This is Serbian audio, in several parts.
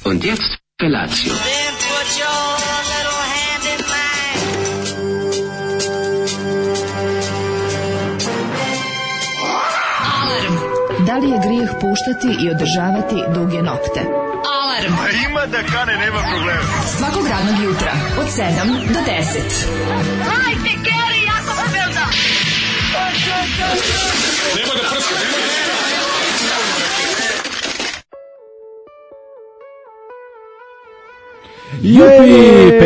Und jetzt Felatio. Then put your little hand in mine. Alarm. Da li je grijeh puštati i održavati duge nokte? Alarm. A ima da kane, nema problema. Svakog radnog jutra od 7 do 10. Hajde, Geri, jako se velda. Nema da prska, nema da... Jupi,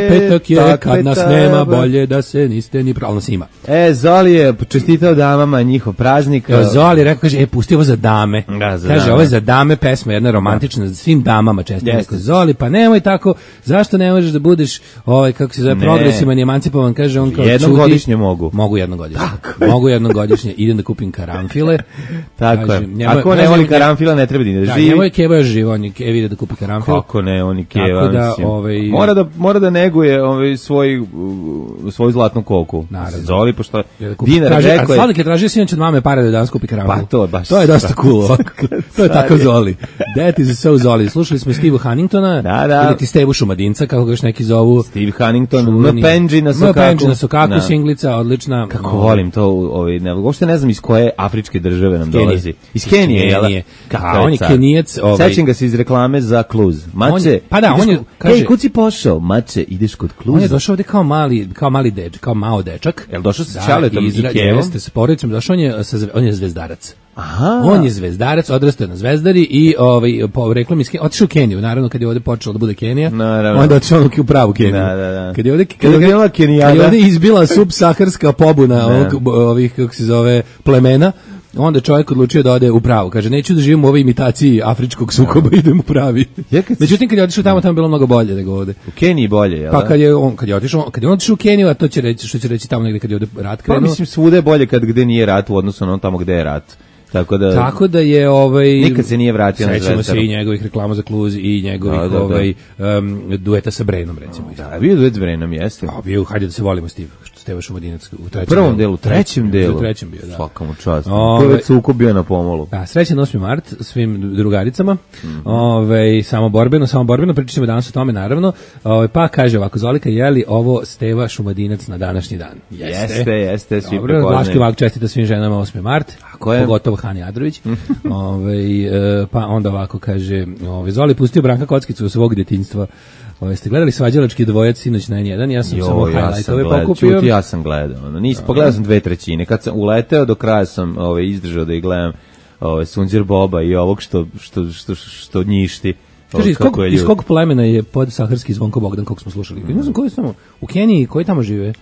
petak je, kad nas nema, bolje da se niste ni pravno ima. Zoli je čestitao damama njihov praznik. Zoli rekao, kaže, pusti ovo za dame. Da, za kaže, dame. ovo je za dame pesma, jedna romantična, za svim damama čestitao. Jeste. Zoli, pa nemoj tako, zašto ne možeš da budeš, kako se zove, progresivan i emancipovan, kaže on kao jednom čudi. godišnje mogu. Mogu jednogodišnje. Mogu jednogodišnje, idem da kupim karanfile. Tako Kaže, je. Ako ne voli karanfila, ne treba da živi. Njemu je Keva još živ, on je Kevi ide da kupi karanfile. Kako ne, on je Keva. Tako da, mislim. Mora da neguje svoju zlatnu koku. Naravno. Zoli, pošto dinar kaže, rekao je... Sladik je tražio sinoć od mame pare da danas kupi karanfil. Pa to, baš. To je dosta cool. To je tako Zoli. That is so Zoli. Slušali smo Steve Hanningtona, ili ti Stevu Šumadinca, kako ga još neki zovu. Steve Hannington, Mpenji na Sokaku. Singlica, odlična. Kako volim to, uopšte ne znam iz koje afričke države nam dolazi. Iz Kenije, jel? On je Kenijac. Sećam ga se iz reklame za Kluz. Mače, pa da, on je, kaže, ej, kud si pošao? Mače, ideš kod Kluza. On je došao ovde kao mali dečak, kao mao dečak. Jel došao sa Čaletom i Kevom? Jeste, sa porodicom, došao on je zvezdarac. Aha. On je zvezdarac, odrastao je na Zvezdari i po reklami otišao u Keniju, naravno kad je ovde počelo da bude Kenija. Onda otišao u pravu Keniju. Da. Kad je ovde izbila subsaharska pobuna ovih, kako se zove, plemena, onda čovjek odlučio da ode u pravu. Kaže, neću da živim u ovoj imitaciji afričkog sukoba, idem u pravi. Međutim, kad je otišao tamo je bilo mnogo bolje nego ovde. U Keniji bolje, jel? Pa kad je on otišao u Keniju, a to će reći, što će reći tamo negde kad je ovde rat krenuo. Pa mislim, svuda je bolje gde nije rat u odnosu na tamo gde je rat. Tako da je nikad se nije vratio na Zvezdaru. Sećamo se i njegovih reklama za Kluz i njegovih dueta sa Brenom, recimo. Da, bio duet s Brenom, jeste. A bio, hajde da se volimo, Steva Šumadinac u prvom delu, trećem delu. U trećem bio, da. Svaka mu čast. To je već sukob bio na pomolu. Da, srećan 8. mart svim drugaricama. Samo borbeno, pričat ćemo danas o tome, naravno. Pa kaže ovako, Zolika, je li ovo Steva Šumadinac na današnji dan? Jeste, svi prepoznaju. Dobro, Vlaški vak čestita svim ženama 8. mart, pogotovo Hani Adrović. Pa onda ovako kaže, Zoli pustio Branka Kockicu u svog djetinjstva. Ste gledali Svađalački dvojac sinoć na N1? Ja sam samo highlightove pokupio. Ja sam gledao. Pogledao sam 2/3. Kad sam uleteo, do kraja sam izdržao da ih gledam Sunđer Boba i ovog što njišti. Kaži, iz kog plemena je podsaharski Zvonko Bogdan, kog smo slušali? Ne znam koji samo, u Keniji, koji tamo žive?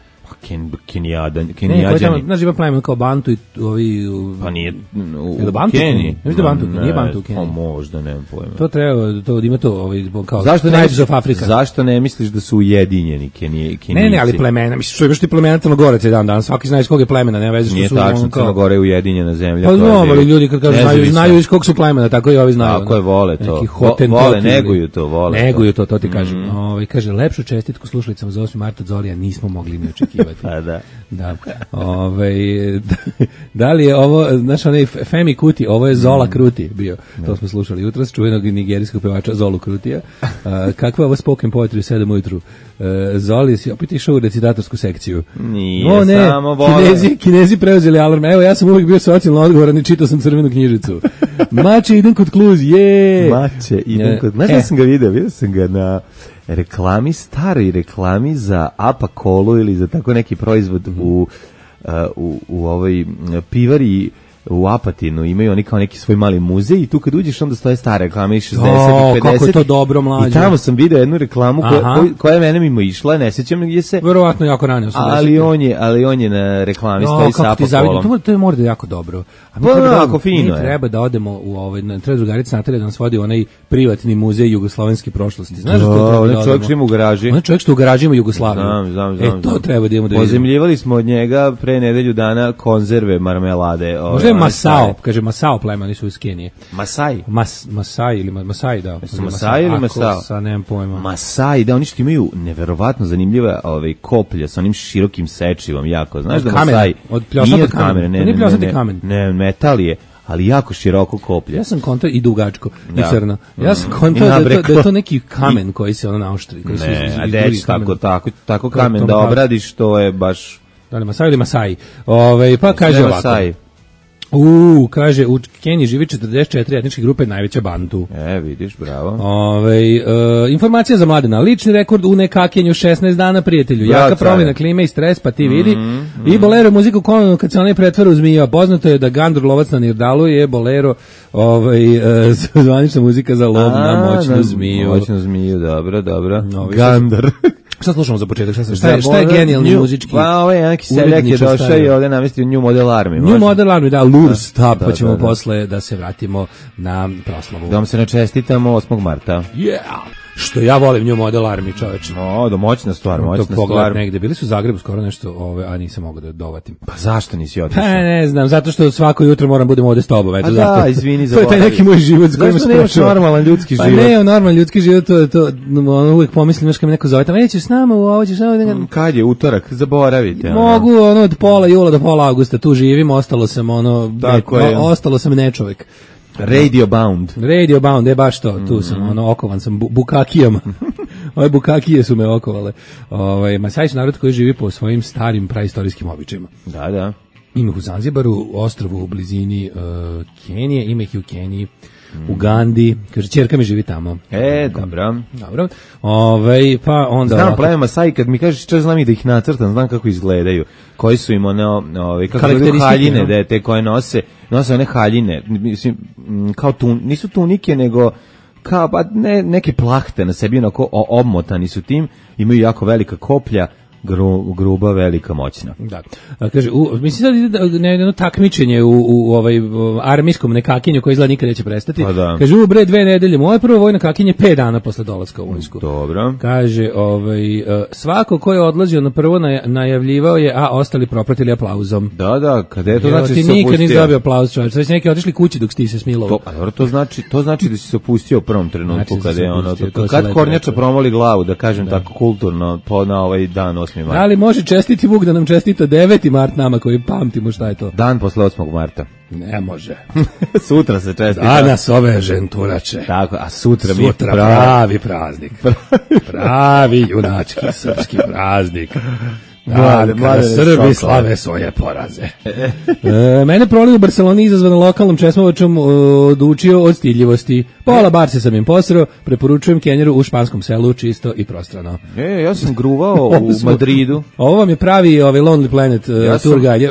Kenijadani. Znaš, ima plemen kao Bantu i ovi... Pa nije u Keniji. Nije Bantu u Keniji. Možda, nemam pojma. To treba, ima to kao Tribes of Africa. Zašto ne misliš da su ujedinjeni Kenijci? Ne, ali plemena, misliš, što imaš ti plemena Crnogoraca i dan, svaki zna iz kog je plemena, nema veze što su... Nije tačno, Crnogora je ujedinjena zemlja. Pa znam, ali ljudi kad kažu znaju iz kog su plemena, tako i ovi znaju. Tako je, vole to. Vole, neguju to, Neguju to ti kažem. Kaže, lepšu čestitku slušalicama za 8. marta Zolija nismo mogli ni očekivati. Da. Da li je ovo, znaš, onaj Femi Kuti, ovo je Zola Kruti bio. To smo slušali jutros, čuvenog nigerijskog pevača Zolu Krutija. Kakva je ovo spoken poetry u 7 ujutru? Zoli, si opet išao u recitatorsku sekciju. Nije, samo volim. Kinezi preuzeli alarm. Evo, ja sam uvijek bio socijalno odgovoran i čitao sam crvenu knjižicu. Mače, idem kod Kluz, Mače, idem kod... Znaš da sam ga vidio sam ga na staroj reklami za Apa Kolu ili za tako neki proizvod u ovoj pivari u Apatinu, imaju oni kao neki svoj mali muzej i tu kad uđeš onda stoje stare reklame iz 60 i 50. Kako je to dobro, mlađe. I tamo sam vidio jednu reklamu koja je mene mimo išla, ne sećam gdje se... Verovatno jako rano. Ali on je na reklami stoji sa Apa Kolom. To je možda jako dobro. Ako fino je. Treba da odemo u treba drugarica Natalija da nas vodi u onaj privatni muzej jugoslovenske prošlosti. Znaš da to treba da odemo? Čovjek što ima u garaži. On je čovjek što u garaži ima Jugoslaviju. Znam. To treba da idemo da vidimo. Pozemljivali smo od njega pre nedelju dana konzerve marmelade. Možda je Masao, kaže Masao plema, nisu iz Kenije. Masai? Masai ili Masai, da. Su Masai ili Masao? Sa nemam pojma. Masai, da, oni što imaju neverovatno zanimljive koplje sa onim širokim sečivom, jako. Znaš da Masai nije od kamene. Ne, metal je. ali jako široko koplje. Ja sam kontao i dugačko, i crno. Ja sam kontao da je to neki kamen koji se naoštri. Ne, a deć tako kamen da obradiš, to je baš... Da li Masai ili Masai? Pa kaže ovako. Kaže, u Keniji živi 44 etničke grupe, najveća Bantu. Vidiš, bravo. Informacija za mladena. Lični rekord u nekakenju 16 dana, prijatelju. Jaka promjena klime i stres, pa ti vidi. I bolero muziku konovno kad se onaj pretvara u zmija. Poznato je da Gandur lovac na Nirdalu je bolero zvanična muzika za lov na moćnu zmiju. Moćnu zmiju, dobro. Gandur. Šta slušamo za početak? Šta je genijalni muzički? Pa ovaj neki seljak je došao i ovdje namestio New Model Army. New Model Army, da, Lure Stop, pa ćemo posle da se vratimo na proslavu. Da vam se načestitamo 8. marta. Yeah! Što ja volim New Model Army, čoveče. Moćna stvar, moćna stvar. Negde. Bili su u Zagrebu skoro nešto, a nisam mogao da dovatim. Pa zašto nisi otišao? Ne znam, zato što svako jutro moram budem ovde s tobom. Eto, da, izvini za to je taj neki moj život s kojim se nemaš normalan ljudski život? Pa ne, normalan ljudski život, to uvijek pomislim, znaš kad me neko zove, tamo nećeš s nama, ovo ćeš s nama. Kad je utorak, zaboravite. Mogu, od pola jula do pola avgusta, tu živim, ostalo sam nečovek. Radio Bound, baš to, tu sam, okovan sam bukakijama. Ove bukakije su me okovale. Masai su narod koji živi po svojim starim praistorijskim običajima. Da. Ima ih u Zanzibaru, ostrvu u blizini Kenije, ima ih i u Keniji, u Gandhi, kaže, ćerka mi živi tamo. Dobro. Pa onda... Znam pleme Masai, kad mi kažeš što znam i da ih nacrtam, znam kako izgledaju. Koji su im kako izgledaju haljine, te koje nose one haljine, mislim, kao nisu tunike, nego kao, neke plahte na sebi, onako obmotani su tim, imaju jako velika koplja, gruba, velika, moćna. Da. Kaže, mislim da je jedno takmičenje u armijskom nekakinju koje izgleda nikad neće prestati. Pa da. Kaže, bre 2 nedelje, moje prvo vojno kakinje 5 dana posle dolaska u vojsku. Dobro. Kaže, svako ko je odlazio na prvo najavljivao je, a ostali propratili aplauzom. Da, kada je to znači ti nikad nisi dobio aplauz, čovječ. Sve si neki otišli kući dok si ti se smilovao. To znači da si se opustio u prvom trenutku, kada je kad kornjača promoli glavu, da kažem tako kulturno, na ovaj dan 8. marta. Ali može čestiti Vuk da nam čestita 9. mart nama koji pamtimo šta je to. Dan posle 8. marta. Ne može. Sutra se čestita. Danas ove ženturače. Tako, a sutra pravi praznik. Pravi junački srpski praznik. Kada Srbi slave svoje poraze. Mene proliv u Barceloni izazvana lokalnom česmovačom odučio od stidljivosti. Pola barse sam im posreo, preporučujem Kenjeru u španskom selu, čisto i prostrano. Ja sam gruvao u Madridu. Ovo vam je pravi Lonely Planet tour guide.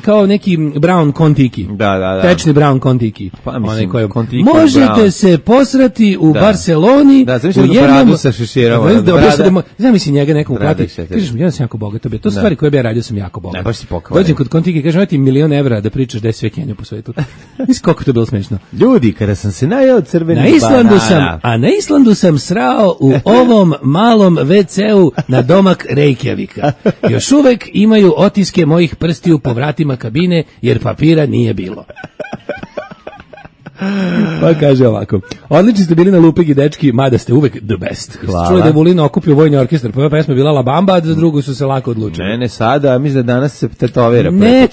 Kao neki brown kontiki. Da. Tečni brown kontiki. Pa mislim, kontiki možete se posrati u Barceloni. Da, zamišljam jednom bradu sa šeširama. Zamisli njega nekom uplati. Kažeš mi, ja sam jako bogat. To su stvari koje bi ja radio, sam jako bogat. Ne, baš si pokvaren. Dođem kod kontiki, kažem, ti €1.000.000 da pričaš da je sve Kenija po svetu. Mislim koliko to bilo smešno. Ljudi, kada sam se najao crvenih banana. Na Islandu sam srao u ovom malom WC-u na domak Reykjavika. Još uvek imaju otiske mojih prstiju po vratima kabine, jer papira nije bilo. Pa kaže ovako, odlični ste bili na Lupigi dečki, mada ste uvek the best. Čuli da je Vulin okupio vojni orkestar, prva pesma je bila La Bamba, a za drugu su se lako odlučili. Ne, sada, mislim da danas se tetovira. Ne,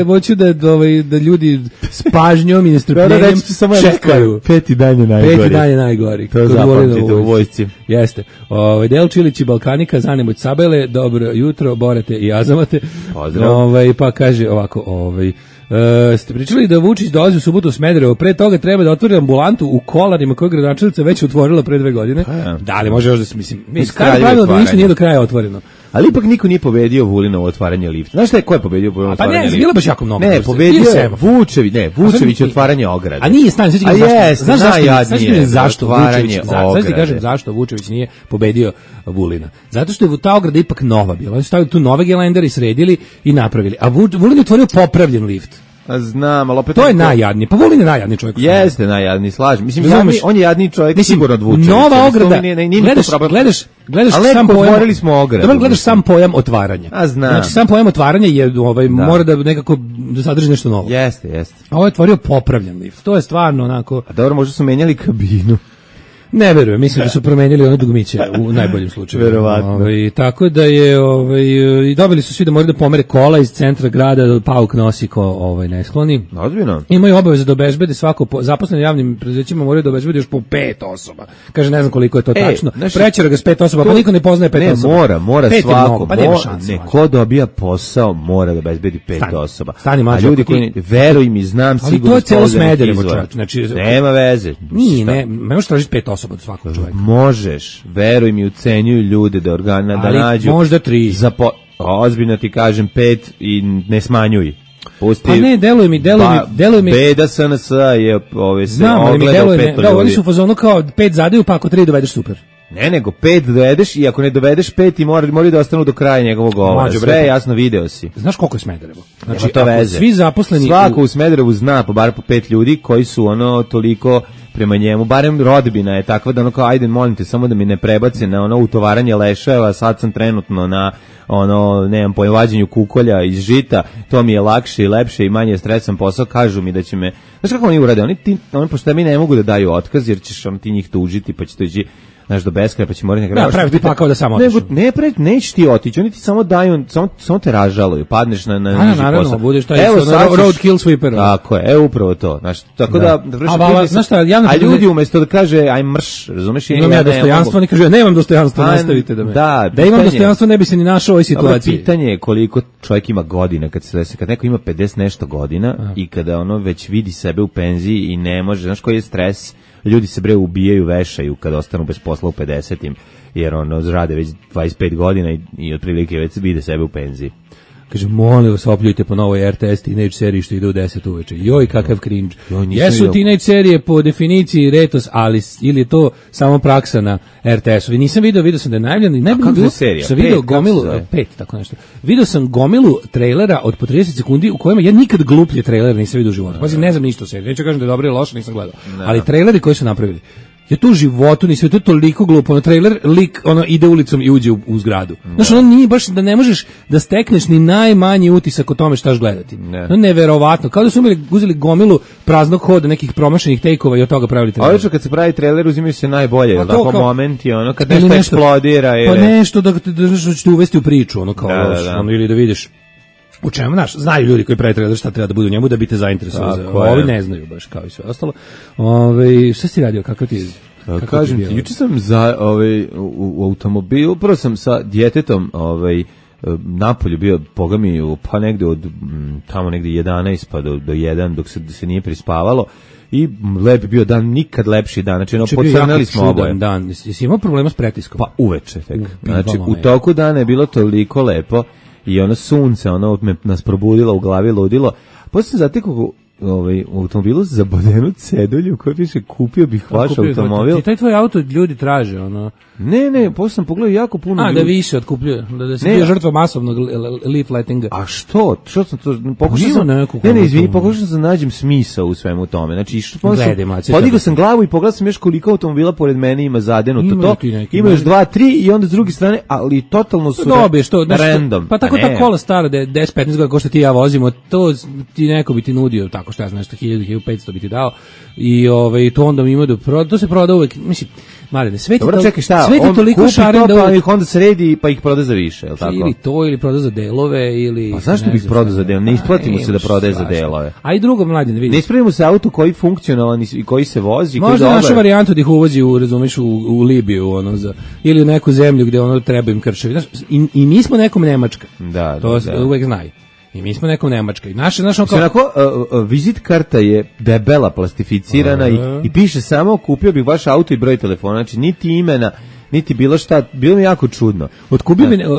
hoću da ljudi s pažnjom i nestrpljenjem čekaju. 5. dan je najgori. 5. dan je najgori. To zapamtite u vojsci. Jeste. Del Čilić i Balkanika, Zanemoć Sabele, dobro jutro, Borate i Azamate. Pozdrav. Pa kaže ovako, ste pričali da Vučić dolazi u subotu u Smederevo, pre toga treba da otvori ambulantu u Kolarima koju gradonačelnica već otvorila pre 2 godine. Da li može još da se, mislim, pravilo da ništa nije do kraja otvoreno. Ali ipak niko nije pobedio Vulinovo otvaranje lifta. Znaš šta je, ko je pobedio Vulinovo otvaranje lifta? Pa ne, bilo baš jako mnogo. Ne, pobedio je Vučević otvaranje ograde. A nije, stani, znaš zašto Vučević, zašto Vučević nije pobedio Vulina? Zato što je ta ograda ipak nova bila. Oni su stavili tu nove gelendere i sredili i napravili. A Vulin je otvorio popravljen lift. Znam, ali opet... To je najjadniji. Pa Vulin je najjadniji čovjek. Jeste najjadniji, slažem. Mislim, on je jadniji čovjek, sigurno od Vučevića. Nova ograda, gledaš sam pojam... otvorili smo ogradu. Dobro, gledaš sam pojam otvaranja. A znam. Znači, sam pojam otvaranja je, mora da nekako sadrži nešto novo. Jeste. A ovo je otvorio popravljen lift. To je stvarno onako... A dobro, možda su menjali kabinu. Ne verujem, mislim da su promenili ono dugmiće u najboljem slučaju. Verovatno. Tako da je i dobili su svi da moraju da pomere kola iz centra grada, pauk nosi ko neskloni. Ozbiljno. Imaju obaveze da obezbede svako zaposleni javnim preduzećima moraju da obezbede još po 5 osoba. Kaže ne znam koliko je to tačno. Prećera ga s 5 osoba, pa niko ne poznaje 5 osoba. Ne, mora svako. Pa nema šanse. Ko dobija posao mora da obezbedi 5 osoba. A ljudi koji veruj mi, znam sigurno. Ali to je celo Smederevo, čovječe. Znači nema veze. Ne možeš tražiti 5 osoba od svakog čovjeka. Možeš, veruj mi, ucenjuju ljude da da nađu. Možda 3. Ozbiljno ti kažem 5 i ne smanjuj. Pusti. Pa ne, deluje mi. Beda SNS je se ogledao 5 ljudi. Da, oni su u fazonu kao 5 zadaju, pa ako 3 dovedeš super. Ne, nego 5 dovedeš i ako ne dovedeš 5 i moraju da ostanu do kraja njegovog govora. Sve jasno, video si. Znaš koliko je Smederevo? Znači, to veze. Svi zaposleni... Svako u Smederevu zna bar po 5 ljudi koji su toliko prema njemu, barem rodbina je takva da kao, ajde, molim te, samo da mi ne prebace na utovaranje leševa, sad sam trenutno na nemam vađenju kukolja iz žita, to mi je lakše i lepše i manje stresan posao, kažu mi da će me... Znaš kako oni urade? Oni pošto mi ne mogu da daju otkaz, jer ćeš ti njih tužiti, pa će to ići do beskraja, pa će morati da praviti pakao da samo otišu. Neće ti otići, oni ti samo daju, samo te ražaluju, padneš na niži posao. Budeš taj roadkill sweeper. Tako je, evo to. Tako da a ljudi umesto da kaže aj mrš, razumeš? Imam ja dostojanstvo, oni kažu nemam dostojanstvo, nastavite da me. Da imam dostojanstvo ne bi se ni našao u ovoj situaciji. Pitanje je koliko čovjek ima godina kad neko ima 50 nešto godina i kada već vidi sebe u penziji i ne može, znaš koji je stres. Ljudi se ubijaju, vešaju kada ostanu bez posla u 50-im, jer rade već 25 godina i otprilike već vide sebe u penziji. Kaže, molim vas, opljujte po novoj RTS teenage seriji što ide u 10 uveče. Joj, kakav cringe. Jesu teenage serije po definiciji retos, ali ili je to samo praksa na RTS-u. Nisam video sam da je najavljeno. A kako je serija? Sam video gomilu, 5, tako nešto. Video sam gomilu trailera od po 30 sekundi u kojima ja nikad gluplje trailer nisam vidio u životu. Pazi, ne znam ništa o seriji. Neću kažem da je dobro ili loše, nisam gledao. Ali traileri koji su napravili, ja tu u životu nisam, to je toliko glupo, trailer, lik, ide ulicom i uđe u zgradu. Znaš, nije baš, da ne možeš da stekneš ni najmanji utisak o tome štaš gledati. Neverovatno, kao da su uzeli gomilu praznog hoda, nekih promašenih tejkova i od toga pravili trailer. Obično kad se pravi trailer uzimaju se najbolje, tako momenti, kad nešto eksplodira. Pa nešto da ćete uvesti u priču, ili da vidiš. U čemu, znaju ljudi koji pravi trailer šta treba da budu u njemu da bi te zainteresovali. Ovi ne znaju baš kao i sve ostalo. Šta si radio, kakav ti je? Kažem ti, juče sam u automobilu, prvo sam sa djetetom napolju bio, Boga mi, pa negde od tamo negde 11 pa do 1 dok se nije prispavalo. I lep bio dan, nikad lepši dan. Znači, pocrnali smo oboje. Dan. Jesi imao problema s pretiskom? Pa uveče tek. Znači, u toku dana je bilo toliko lepo i sunce, nas probudilo u glavi, ludilo. Posle sam zatekao u automobilu za bodenu cedulju u kojoj piše kupio bih vaš automobil. Taj tvoj auto ljudi traže, Ne, posle sam pogledao jako puno ljudi. Da više otkupljuje, da se bio žrtva masovnog leafletinga. A što? Što sam to pokušao sam? Izvini, pokušao sam da nađem smisao u svemu tome. Znači, podigao sam glavu i pogledao sam još koliko automobila pored mene ima zadenuto to. Ima još 2, 3 i onda s druge strane, ali totalno su random. Pa tako ta kola stara da je 10-15 godina ko što ti ja vozimo, to ti neko bi ti nudio tako što ja znam, nešto 1000-1500 bi ti dao i to onda mi ima to se proda uvek, mislim, Marine, sve ti toliko šaren da pa ih onda sredi pa ih proda za više, je li tako? Ili to, ili proda za delove, ili... Pa zašto bih prodao za delove? Ne isplatimo se da prodaje za delove. A i drugo, Mladen, vidi. Ne ispravimo se auto koji funkcionalan i koji se vozi. Možda naša varijanta da ih uvozi u Libiju, ili u neku zemlju gde treba im krševi. I mi smo nekom Nemačka. To uvek znaju. I mi smo nekom Nemačka. Vizit karta je debela, plastificirana i piše samo kupio bih vaš auto i broj telefona. Znači, niti imena, niti bilo šta, bilo mi jako čudno.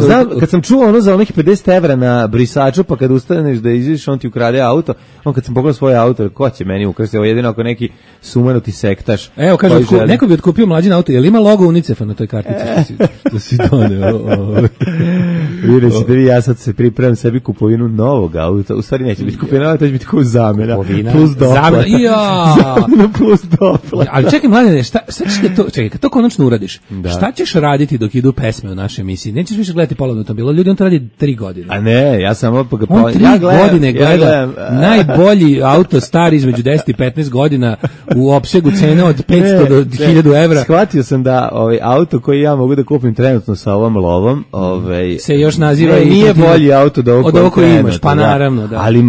Znam, kad sam čuo za onih 50 evra na brisaču, pa kad ustaneš da izviš, on ti ukrade auto, kad sam pogledao svoje auto, ko će meni ukrasti, ovo jedino ako neki sumanuti sektaš. Evo, kaže, neko bi otkupio mlađin auto, je li ima logo UNICEF-a na toj kartici? To si doneo. Vidjet ćete vi, ja sad se pripremam sebi kupovinu novog auta, u stvari neće biti kupovina, to će biti kao zamena, plus doplat. Zamena plus doplat. Ali čekaj, mladine, čekaj, kad to konačno uradiš, šta ćeš raditi dok idu pesme u našoj emisiji? Nećeš više gledati polovno to bilo. Ljudi, on to radi 3 godine. A ne, ja sam opet... On 3 godine gleda najbolji auto stari između 10 i 15 godina u opsegu cene od 500 do 1000 evra. Shvatio sam da auto koji ja mogu da kupim trenutno sa ovom lovom, se još naziva nije bolji auto od ovog koji imaš, pa naravno, da. Ali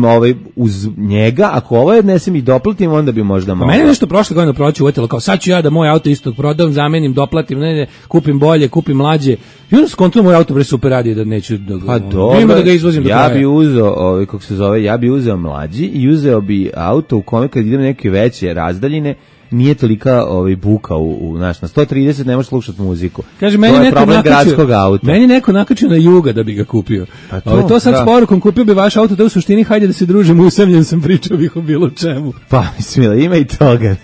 uz njega, ako ovo odnesem i doplatim, onda bi možda mogao. Mene nešto prošle godine proći uvetilo, kao sad ću ja da moj auto isto prodam, zamenim, doplatim, ne, kupim bolje, kupim mlađe. I onda skontuo moj auto super radi da neću da ga izvozim do kraja. Ja bi uzeo, kako se zove, ja bi uzeo mlađi i uzeo bi auto u kome kad idem neke veće razdaljine, nije tolika buka na 130 ne možeš slušati muziku. Kaže, meni neko nakačio na Juga da bi ga kupio. To sad s porukom, kupio bi vaš auto, da u suštini hajde da se družimo, usamljen sam, pričao bih o bilo čemu. Pa mislim, ima i toga.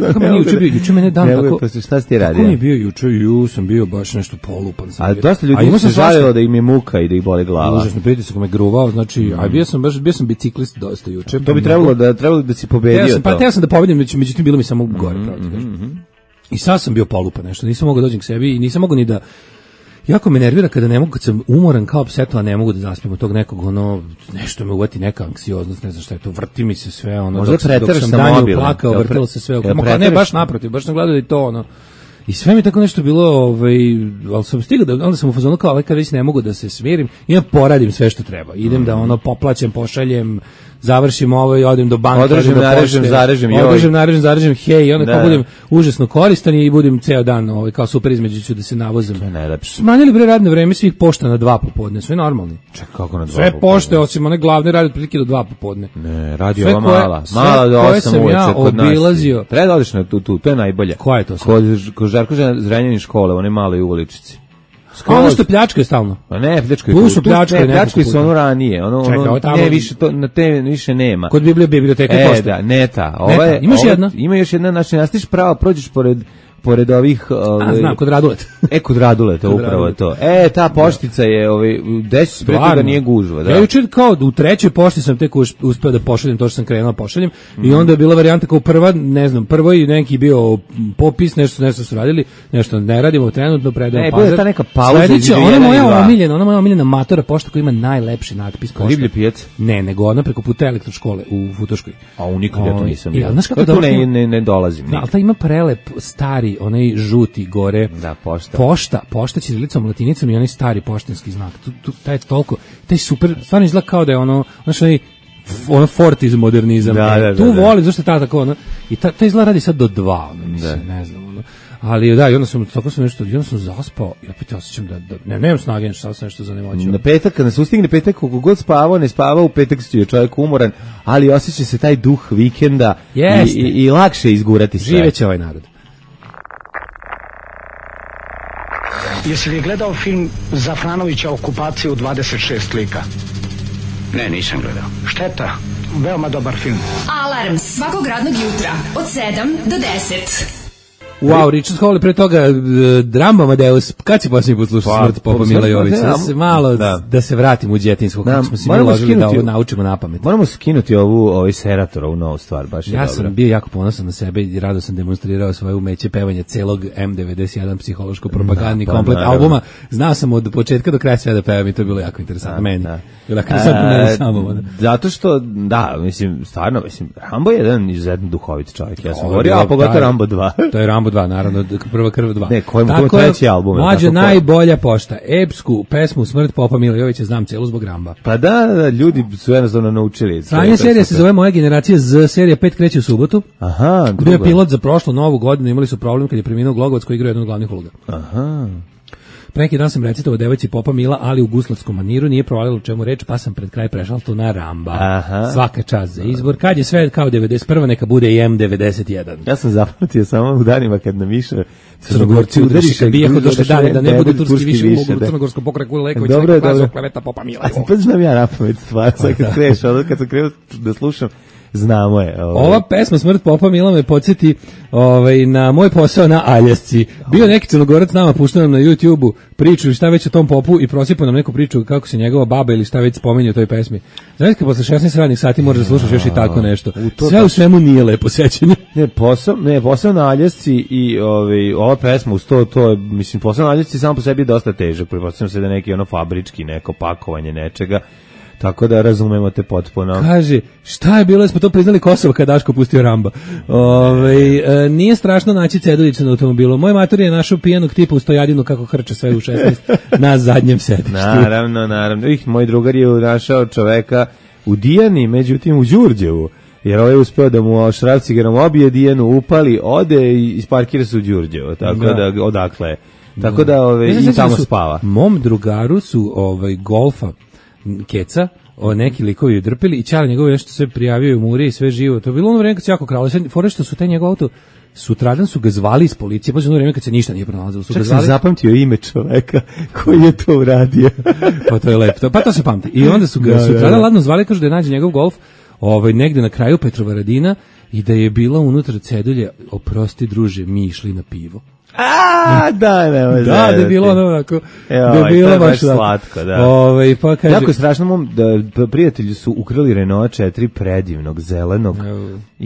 Kako meni juče mene dan tako... Šta si ti radio? Kako mi je bio juče? Sam bio baš nešto polupan. A dosta ljudi se žalilo da im je muka i da ih boli glava. Užasno pritisak me gruvao, znači, bio sam biciklist dosta juče. To bi trebalo da si pobedio. Pa teo sam da pobedim, međutim bilo mi samo gore, I sad sam bio polupan nešto, nisam mogao dođem k sebi i nisam mogao ni da... Jako me nervira kada ne mogu, kad sam umoran kao psetla, ne mogu da zaspijem od tog nekog, nešto me uvati neka anksioznost, ne znam šta je to, vrti mi se sve, dok sam danju plakao, vrtilo se sve, ne, baš naprotiv, baš sam gledao da je to, I sve mi tako nešto bilo, ali sam stigao, onda sam u fazonu kao, kad već ne mogu da se smirim, i poradim sve što treba, idem da poplaćem, pošaljem, završim ovo i odem do banka, održem, zarežem, hej, i onda kao budem užasno koristan i budem ceo dan kao super između ću da se navozam. Smanjili bre radno vreme svih pošta na 2 popodne, sve normalni. Čekaj, kako na 2 popodne? Sve pošte, osim one glavne, rade otprilike do 2 popodne. Ne, radi ova mala do 8 uveče kod nas. Obilazio. Treba da odeš na tu, to je najbolje. Koja je to sad? Kod Žarko Zrenjanin škole, one male u uličici. Ono što pljačka je stalno. Pa ne, pljačka su ono ranije. Na te više nema. Kod biblioteke pošte. Da, neta. Imaš jedna? Ima još jedna, znači nastiš pravo, prođeš pored ovih... znam, kod Raduleta. Kod Raduleta, upravo to. Ta poštica je, desi se preti da nije gužva. Ja jučer kao u trećoj pošti sam tek uspeo da pošaljem to što sam krenuo pošaljem i onda je bila varijanta kao prvo i neki bio popis, nešto su radili, nešto ne radimo trenutno, predajem pazar. Ne, ta neka pauza između ona moja omiljena matora pošta koja ima najlepši natpis pošta. Riblji pijac? Ne, nego ona preko puta elektroškole u Futoškoj. A nikad ja to nisam bio. Znaš kako ne dolazim. Ali ta ima prelep, stari, onaj žuti gore. Da, pošta. Pošta ćirilicom, latinicom i onaj stari poštanski znak. Taj toliko, taj super, stvarno izgleda kao da je ono Fort iz modernizam. Tu volim, zašto je ta tako, i ta izgleda radi sad do 2, mislim, ne znam, ali da, i onda sam zaspao i opet osjećam da nemam snage, šta sam nešto zanemoćio. Na petak, kada se ustigne petak, koliko god spavao, ne spavao, u petak je čovjek umoran, ali osjeća se taj duh vikenda i lakše izgurati sve. Živeće ovaj narod. Jesi li gledao film Zafranovića Okupacija u 26 lika? Ne, nisam gledao. Šteta, veoma dobar film. Alarm svakog radnog jutra od 7 do 10. Wow, Richard Hawley, pre toga Rambo Amadeus, kad si posljednji put slušao Smrt Popa Mila Jovića? Da se vratim u djetinjsko, kako smo si mi uložili da ovo naučimo na pamet. Moramo skinuti ovu Serator, ovu novu stvar, baš je dobro. Ja sam bio jako ponosan na sebe i rado sam demonstrirao svoje umeće pevanja celog M91 psihološko-propagandni komplet albuma. Znao sam od početka do kraja sve da pevam i to je bilo jako interesantno meni. Zato što, stvarno, Rambo je jedan izuzetno duhovit čovjek, ja sam govorio, a pogotovo Rambo 2. To je Rambo 2, naravno, Prva krv 2. Ne, kojim treći album? Mlađe, najbolja pošta. Epsku pesmu Smrt Popa Mila Jovića znam celu zbog Ramba. Pa da, ljudi su jednostavno naučili. Sranje serija se zove Moja generacija Z, serija 5 kreće u subotu. Aha, bio je pilot za prošlu novu godinu, imali su problem kad je preminuo Glogovac koji igra jednu od glavnih uloga. Aha. Pre neki dan sam recitovao devojci Popa Mila, ali u guslavskom maniru, nije provalilo o čemu reč, pa sam pred kraj prešao to na Ramba. Aha. Svaka čast za izbor. Kad je sve kao 91. neka bude i M91. Ja sam zapamtio samo u danima kad nam više Crnogorci udržiš kad bijeh od došle dane, da ne bude turski više, mogu u Crnogorskom pokraju Leković, neko klasu kleveta Popa Mila. Pa znam ja napamet stvar, sad kad sam krenuo da slušam, znamo je. Ova pesma Smrt popa Mila me podsjeti na moj posao na Aljasci. Bio neki Crnogorac nama puštao nam na YouTubeu priču šta već o tom popu i prosipao nam neku priču kako se njegova baba ili šta već spominje u toj pesmi. Znaš kad posle 16 radnih sati možeš da slušaš još i tako nešto. Sve u svemu nije lepo sećanje. Posao na Aljasci i ova pesma uz to je, mislim, posao na Aljasci samo po sebi je dosta težak. Pretpostavljam se da neki fabrički, neko pakovanje nečega. Tako da razumemo te potpuno. Kaže, šta je bilo, da smo to priznali Kosovo kad Daško pustio Ramba. Nije strašno naći Ceduljića na automobilu. Moj mater je našao pijanog tipa u stojadinu kako hrče sve u 16 na zadnjem sedištu. Naravno. Moj drugar je našao čoveka u Dijani, međutim u Đurđevu. Jer ovaj je uspeo da mu šrafcigerom obije Dijanu, upali, ode i isparkira se u Đurđevo. Tako da odakle. Tako da i tamo spava. Mom drugaru su golfa keca, neki likovi drpili i Ćale njegovi nešto sve prijavio u muri i sve živo. To je bilo ono vreme kad se jako kralo. Fore što su taj njegov auto, sutradan su ga zvali iz policije, pa ono vreme kad se ništa nije pronalazilo. Čak sam zapamtio ime čoveka koji je to uradio. Pa to je lepo. Pa to se pamti. I onda su ga sutradan ladno zvali, kažu da je nađe njegov golf negde na kraju Petrovaradina i da je bila unutra cedulja, oprosti druže, mi išli na pivo. Da je bilo ono onako, da je bilo baš slatko, da. Pa kaže, jako je strašno, da prijatelji su ukrali Renault 4 predivnog, zelenog.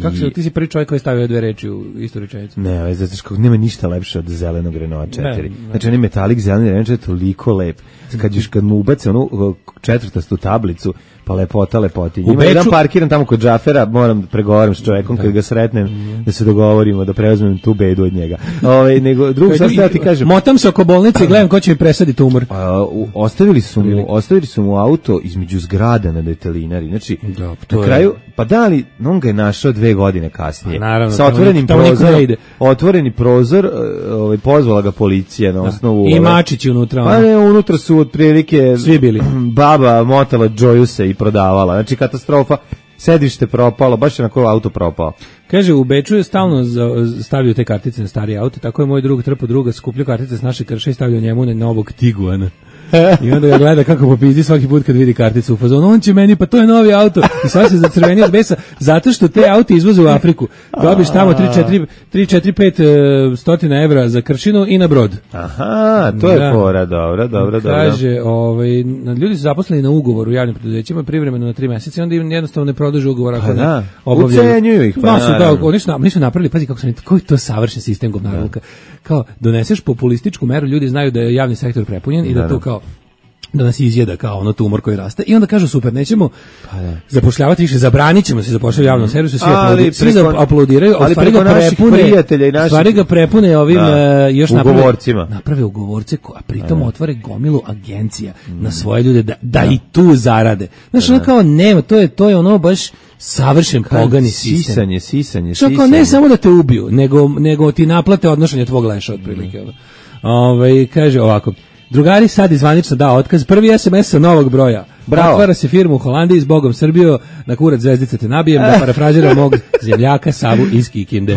Kako se, ti si prvi čovjek koji je stavio dve reči u istu rečenicu? Ne, zato nema ništa lepše od zelenog Renault 4. Znači, on je metalik zeleni Renault 4 toliko lep. Kad mu ubace onu četvrtastu tablicu, pa lepoti. Ima jedan parkiran tamo kod Džafera, moram da pregovaram s čovjekom kad ga sretnem, da se dogovorimo, da preuzmem tu bedu od njega. Nego drugo sad ti kažem. Motam se oko bolnice i gledam ko će mi presaditi tumor. Ostavili su mu auto između zgrada na Detelinari. Znači, na kraju, pa da li, on ga je našao 2 godine kasnije. Sa otvoreni prozor, pozvala ga policija na osnovu. I mačići unutra. Pa ne, unutra su otprilike svi bili. Baba motala Džojuse i prodavala. Znači, katastrofa. Sedište propalo, baš je na koji auto propao. Kaže, u Beču je stalno stavio te kartice na stari auto, tako je moj drug trpao druga, skupljio kartice s naše krše i stavio njemu na novog Tiguana. I onda ga gleda kako popizdi svaki put kad vidi karticu u fazonu, on će meni, pa to je novi auto. I sad se zacrveni od besa, zato što te auto izvoze u Afriku. Dobiš tamo 3-4-5 stotina evra za kršinu i na brod. Aha, to je fora, dobro. Kaže, ljudi su zaposleni na ugovor u javnim preduzećima, privremeno na 3 mjeseca i onda im jednostavno ne produže ugovor ako ne obavljaju. Ucenjuju ih. Oni su napravili, pazi kako sam, koji je to savršen sistem govnaruka. Kao, doneseš populističku meru, ljudi znaju da je javni sektor prepunjen i da to kao da nas izjeda kao ono tumor koji raste i onda kažu super, nećemo zapošljavati više, zabranit ćemo se zapošljavati u javnom servisu, svi aplaudiraju, ali stvari ga prepune ovim još naprave ugovorce, a pritom otvore gomilu agencija na svoje ljude da i tu zarade. Znaš, ono kao nema, to je ono baš savršen pogani sistem. Sisanje. Što kao ne samo da te ubiju, nego ti naplate odnošenje tvog leša otprilike. Kaže ovako, drugari, sad izvanično dao otkaz, prvi SMS sa novog broja. Bravo. Otvara se firmu u Holandiji, s Bogom Srbijo, na kurac zvezdice te nabijem, da parafražiram mog zemljaka Savu iz Kikinde.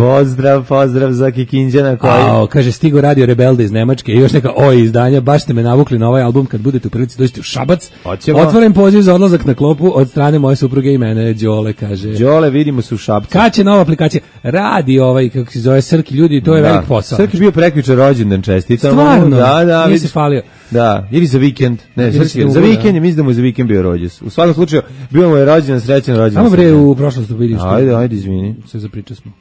Pozdrav za Kikinđana koji... Kaže, stigo radio Rebelde iz Nemačke i još neka izdanja, baš ste me navukli na ovaj album, kad budete u prilici dođete u Šabac. Otvoren poziv za odlazak na klopu od strane moje supruge i mene, Đole, kaže. Đole, vidimo se u Šabcu. Kad će nova aplikacija? Radi kako se zove Srki, ljudi, to je velik posao. Srki bio prekjuče rođendan, čestitam. Stvarno, nije se falio. Da, ili za vikend. Ne, za vikend, mislim da mu je za vikend bio rođes. U svakom slučaju, bio mu je rođendan, srećan rođendan. Samo bre u prošlosti vidiš. Ajde, izvini. Sve zapričali smo.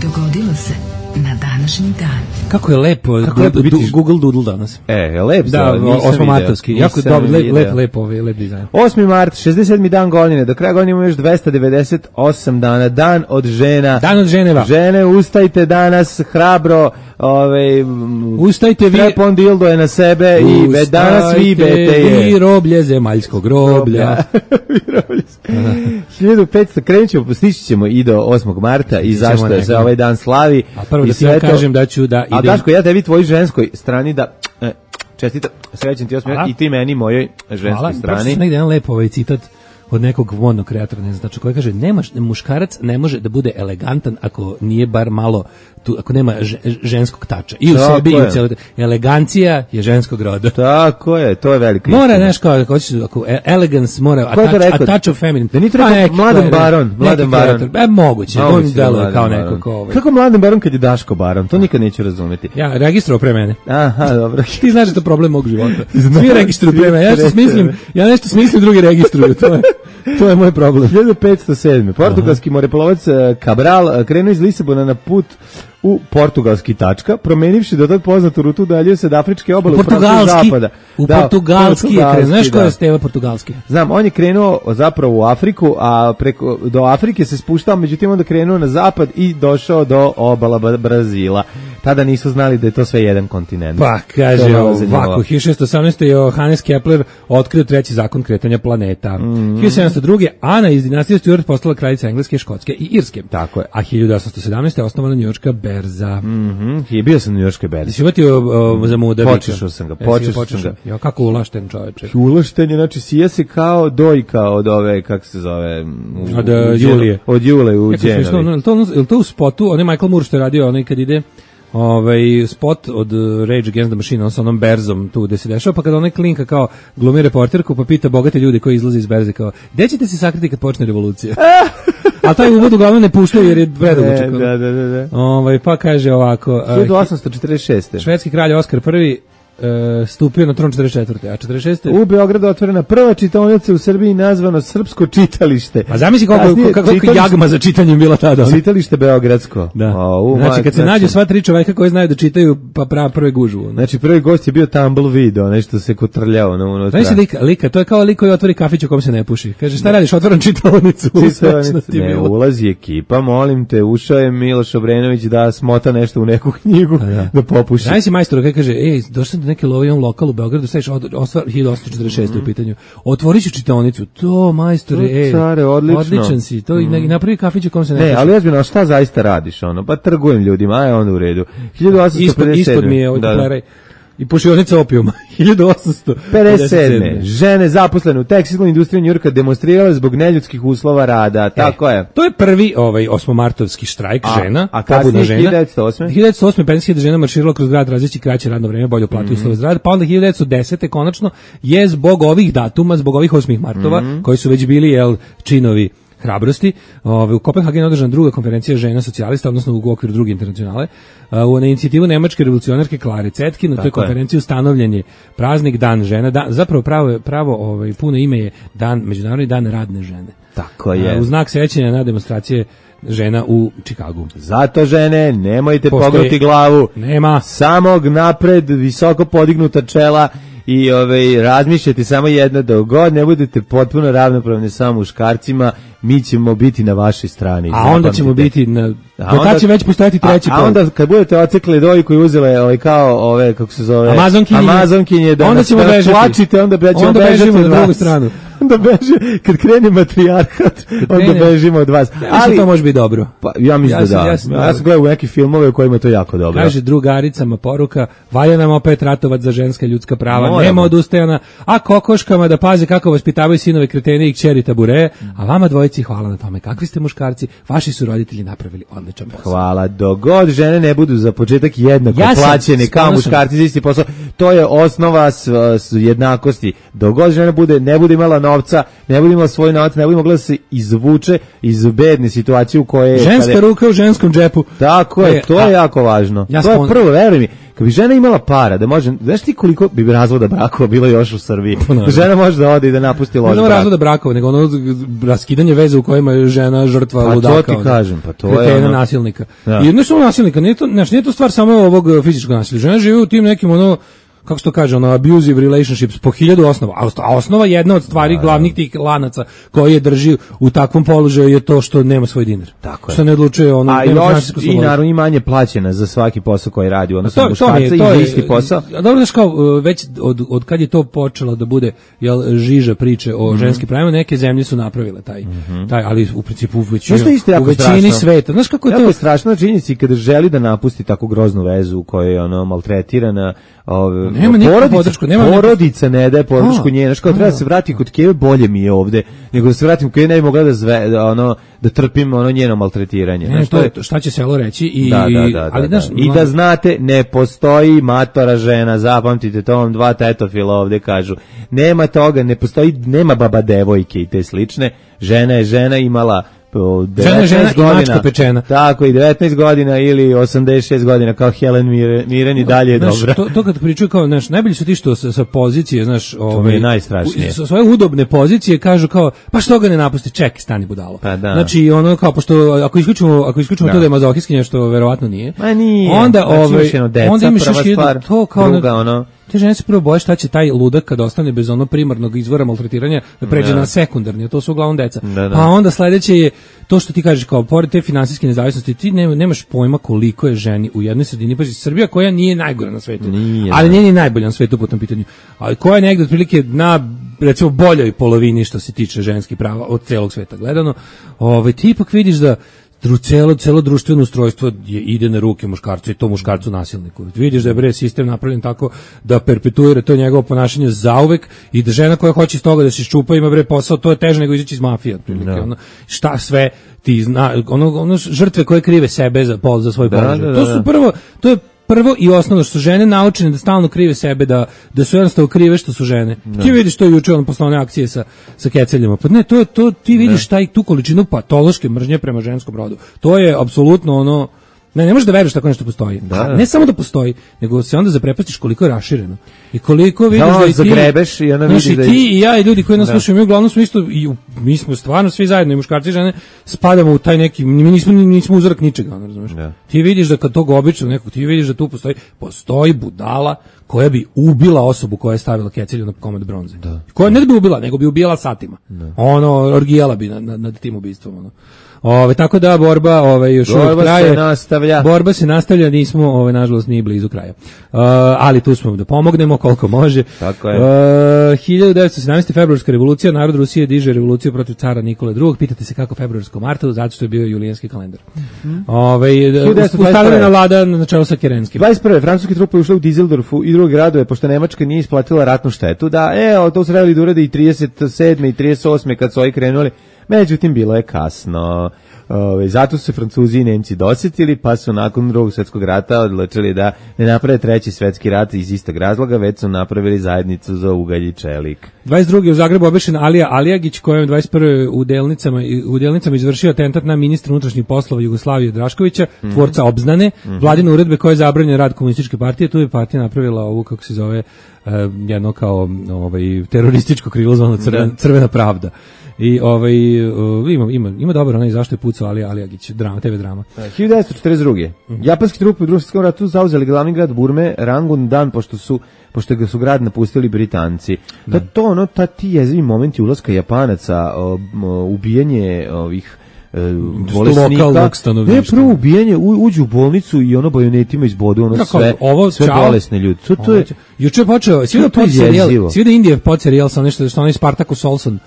Dogodilo se na današnji dan. Kako je lepo Google Doodle danas. Lep. Da, osmomartovski. Jako lep dizajn. 8. mart, 67. dan godine. Do kraja godine imamo još 298 dana. Dan od žena. Dan od ženeva. Žene, ustajte danas hrabro. Ustajte vi. Strepon dildo je na sebe i danas vi bete je. Vi roblje zemaljskog groblja. 1500, krenut ćemo, stići ćemo i do 8. marta i zašto se ovaj dan slavi. A prvo da ti ja kažem da ću da idem. A Daško, ja tebi tvojoj ženskoj strani da čestitam, srećan ti 8. i ti meni mojoj ženskoj strani. Hvala, baš negdje jedan lep citat od nekog modnog kreatora, ne znam, znači koji kaže muškarac ne može da bude elegantan ako nije bar malo ako nema ženskog tača. I u sebi i u celoj. Elegancija je ženskog roda. Tako je, to je velika mora, istina. znaš, ako elegance mora, a touch of feminine. Da nije rekao Mladen Baron. Moguće, on deluje kao neko ko Kako Mladen Baron kad je Daško Baron? To nikad neću razumeti. Ja registrovao pre mene. Aha, dobro. Ti znaš da to problem mog života. Svi registruju pre mene. Ja nešto smislim, drugi registruju. To je moj problem. 1507. Portugalski moreplovac Cabral krenuo iz Lisabona na put u portugalski tačka, promenivši do tad poznatu rutu dalje se od afričke obale u pravcu zapada. Portugalski je krenuo. Znaš ko je Steva portugalski? Znam, on je krenuo zapravo u Afriku, a do Afrike se spuštao, međutim onda krenuo na zapad i došao do obala Brazila. Tada nisu znali da je to sve jedan kontinent. Pa, kaže ovako, 1618. Johannes Kepler otkrio treći zakon kretanja planeta. 1702. Ana iz dinastije Stuart postala kraljica Engleske, Škotske i Irske. Tako je. A 1817. je osnovana njujorška berza. Bio sam na njujorškoj berzi. Jesi uvatio za muda bića? Počešao sam ga. Jo, kako ulašten čoveče. Ulašten je, znači sije se kao dojka od ove, kako se zove? Od Julije. Od Jule u Dženovi. Je to u spotu, onaj Michael Moore što je radio, onaj kad ide spot od Rage Against the Machine, on sa onom berzom tu gde se dešava, pa kada onaj klinka kao glumi reporterku, pa pita bogate ljude koji izlaze iz berze kao, gde ćete se sakriti kad počne revolucija? A taj uvod uglavnom ne puštaju jer je predugačak. Da. Pa kaže ovako. 1846. Švedski kralj Oskar I stupio na tron 44. A 46. U Beogradu otvorena prva čitaonica u Srbiji nazvano Srpsko čitalište. A zamisli kako jagma za čitanjem bila tada. Čitalište beogradsko. Da. Znači kad se nađu sva tri čoveka koji znaju da čitaju, pa prve gužu. Znači prvi gost je bio Tumbleweed, nešto se kotrljao na unutra. Znači lika, to je kao lik koji otvori kafić u kom se ne puši. Kaže šta radiš, otvaram čitaonicu. Ne, ulazi ekipa, molim te, ušao je Miloš Obrenović da smota nešto u neku knjigu, da popuši. Znači majstor koji kaže, došao do neke lovijon lokal u Beogradu, staviš 1846 u pitanju. Otvoriću čitaonicu. To, majstore, care, odličan si. To i napravi kafić u kom se ne puši. Ne, ali ozbiljno, šta zaista radiš ono? Pa trgujem ljudima, a je onda u redu. 1857. Ispod mi je ovaj i pušionica opijuma. 1857. Žene zaposlene u tekstilnoj industriji Njujorka demonstrirale zbog neljudskih uslova rada. Tako je. To je prvi 8-martovski štrajk žena. A kasnije 1908. 1908. 50.000 žena marširalo kroz grad tražeći kraće radno vreme, bolju platu i uslove za rad. Pa onda 1910. konačno je zbog ovih datuma, zbog ovih 8. martova, koji su već bili činovi hrabrosti. U Kopenhagenu održana druga konferencija žena socijalista, odnosno u okviru druge internacionale. Na inicijativu nemačke revolucionarke Klare Cetkin, na toj konferenciji ustanovljen je praznik Dan žena. Zapravo pravo puno ime je Međunarodni dan radne žene. Tako je. U znak sećanja na demonstracije žena u Čikagu. Zato žene, nemojte pognuti glavu. Nema. Samog napred, visoko podignuta čela i razmišljati samo jedno, da god ne budete potpuno ravnopravni sa muškarcima, mi ćemo biti na vašoj strani. A onda ćemo biti do tad će već postojati treći pol. A onda kad budete ocekli dojku i uzele kao kako se zove Amazonkinje, da onda ćemo bežati. Onda bežimo na drugu stranu. Onda beže, kad krene matrijarhat, onda bežimo od vas. Ali to može biti dobro. Pa, ja mislim da. Ja sam gledao u neke filmove u kojima je to jako dobro. Kaže drugaricama poruka, valja nam opet ratovat za ženska ljudska prava, nema odustajana, a kokoškama da paze kako vaspitavaju sinove kretene i kćeri tabure, a vama dvojici hvala na tome. Kakvi ste muškarci, vaši su roditelji napravili odličan posao. Hvala, dogod žene ne budu za početak jednako plaćene kao muškarci za isti posao, to je osnova jednakosti. Dogod žene ne bude imala novca, ne bude imala svoj novac, ne bude mogla da se izvuče iz bedne situacije u kojoj ženska ruka u ženskom džepu. Tako je, to je jako važno. To je prvo, veruj mi, kad bi žena imala para, da može, znaš ti koliko bi razvoda brakova bilo još u Srbiji? Žena može da ode i da napusti loš brak. Ne razvoda brakova, nego ono raskidanje veze u kojima je žena žrtva ludaka. Pa to ti kažem, pa to je ono nasilnika. I ne samo nasilnika, nije to stvar samo ovog fizičkog nasilja. Žena živi u tim nekim kako se to kaže, abusive relationships po 1000 osnova, a osnova jedna od stvari glavnih tih lanaca koji je drži u takvom položaju je to što nema svoj dinar. Tako je. Što ne odlučuje i naravno i manje plaćena za svaki posao koji radi, odnosno muškarca i za isti posao. Dobro, znaš kao, već od kad je to počelo da bude žiža priče o ženskim pravima, neke zemlje su napravile taj, ali u principu u većini sveta. Znaš kako je to? Je strašno činjenica kada želi da napusti tako groznu vezu u kojoj je maltretirana, Nema nikakvu podršku, porodica ne daje podršku njej, znači kao treba se vratiti kod Keve, bolje mi je ovde, nego da se vratim kod Keve, ne bi mogla da trpim ono njeno maltretiranje. Ne, šta će selo reći i da znate, ne postoji matora žena, zapamtite to, vam dva tetofila ovde kažu. Nema toga, ne postoji, nema baba devojke i te slične. Žena je žena, imala 19 godina, pečena. Tako i 19 godina ili 86 godina kao Helen Mirren i dalje je dobra. To kad pričaju kao, znaš, najbolji su ti što sa pozicije, znaš, to mi je najstrašnije. Sa svoje udobne pozicije kažu kao, pa što ga ne napusti, ček, stani budalo. Pa da. Znači, ono kao, pošto ako isključimo to da je mazohijski, što verovatno nije. Ma nije. Onda onda imaš još to kao druga, te žene se prvo boje šta će taj ludak kad ostane bez ono primarnog izvora maltretiranja da pređe na sekundarni, a to su uglavnom deca. Pa onda sledeće je to što ti kažeš, kao pored te finansijske nezavisnosti, ti nemaš pojma koliko je ženi u jednoj sredini, pa Srbija koja nije najgora na svetu, ali nije ni najbolja na svetu po tom pitanju, ali koja je negde otprilike na, recimo, boljoj polovini što se tiče ženskih prava od celog sveta gledano, ti ipak vidiš da celo društveno ustrojstvo ide na ruke muškarcu i to muškarcu nasilniku. Vidiš da je sistem napravljen tako da perpetuira to njegovo ponašanje zauvek i da žena koja hoće iz toga da se iščupa ima posao, to je teže nego izaći iz mafije otprilike. Šta sve ti ono žrtve koje krive sebe za svoj položaj. To je prvo i osnovno što su žene naučene da stalno krive sebe, da su jednostavno krive što su žene. Ti vidiš to juče posle one akcije sa keceljama. Pa ne, to ti vidiš tu količinu patološke mržnje prema ženskom rodu. To je apsolutno ono. Ne možeš da veruješ tako nešto postoji. Ne samo da postoji, nego se onda zaprepastiš koliko je rašireno. I koliko vidiš da i ti zagrebeš i ona vidi da ti i ja i ljudi koji nas slušaju, mi uglavnom smo isto, mi smo stvarno svi zajedno, i muškarci i žene, spadamo u taj neki, mi nismo uzorak ničega, razumeš? Ti vidiš da kad tog obično nekog, ti vidiš da tu postoji budala koja bi ubila osobu koja je stavila kecelju na komad bronze. Koja ne bi ubila, nego bi ubijala satima. Orgijala bi nad tim ubistvom, tako da borba još uvijek traje. Borba se nastavlja, nismo nažalost nije blizu kraja. Ali tu smo da pomognemo koliko može. Tako je. 1917. februarska revolucija, narod Rusije diže revoluciju protiv cara Nikole II. Pitate se kako februarsko marta, zato što je bio julijanski kalendar. Uspostavljena vlada na čelu sa Kerenskim. 21. francuske trupe ušle u Dizeldorfu i druge gradove, pošto Nemačka nije isplatila ratnu štetu. To su trebali da urade i 37. i 38. kad su ovi krenuli. Međutim, bilo je kasno. Zato su se Francuzi i Nemci dosjetili, pa su nakon Drugog svjetskog rata odlučili da ne naprave treći svjetski rat iz istog razloga, već su napravili zajednicu za ugalj i čelik. 22. u Zagrebu obešen Alija Alijagić, kojem 21. u Delnicama izvršio atentat na ministra unutrašnjih poslova Jugoslavije Draškovića, tvorca obznane, vladine uredbe koje je zabranjen rad komunističke partije. Tu je partija napravila ovu, kako se zove, jedno kao terorističko krilo zvano Crvena pravda. I ima dobro onaj zašto je pucao Alijagić, TV drama. 1942. Japanski trupe u Drugom svjetskom ratu zauzeli glavni grad Burme, Rangun Dan, pošto ga su grad napustili Britanci. Ti jezivi momenti ulaska Japanaca, ubijanje ovih bolesnika, prvo ubijanje, uđu u bolnicu i bajonetima izbodu sve bolesne ljudi. Juče je počeo, svi da Indija podserijal sa nešto što onaj Spartacus Olson.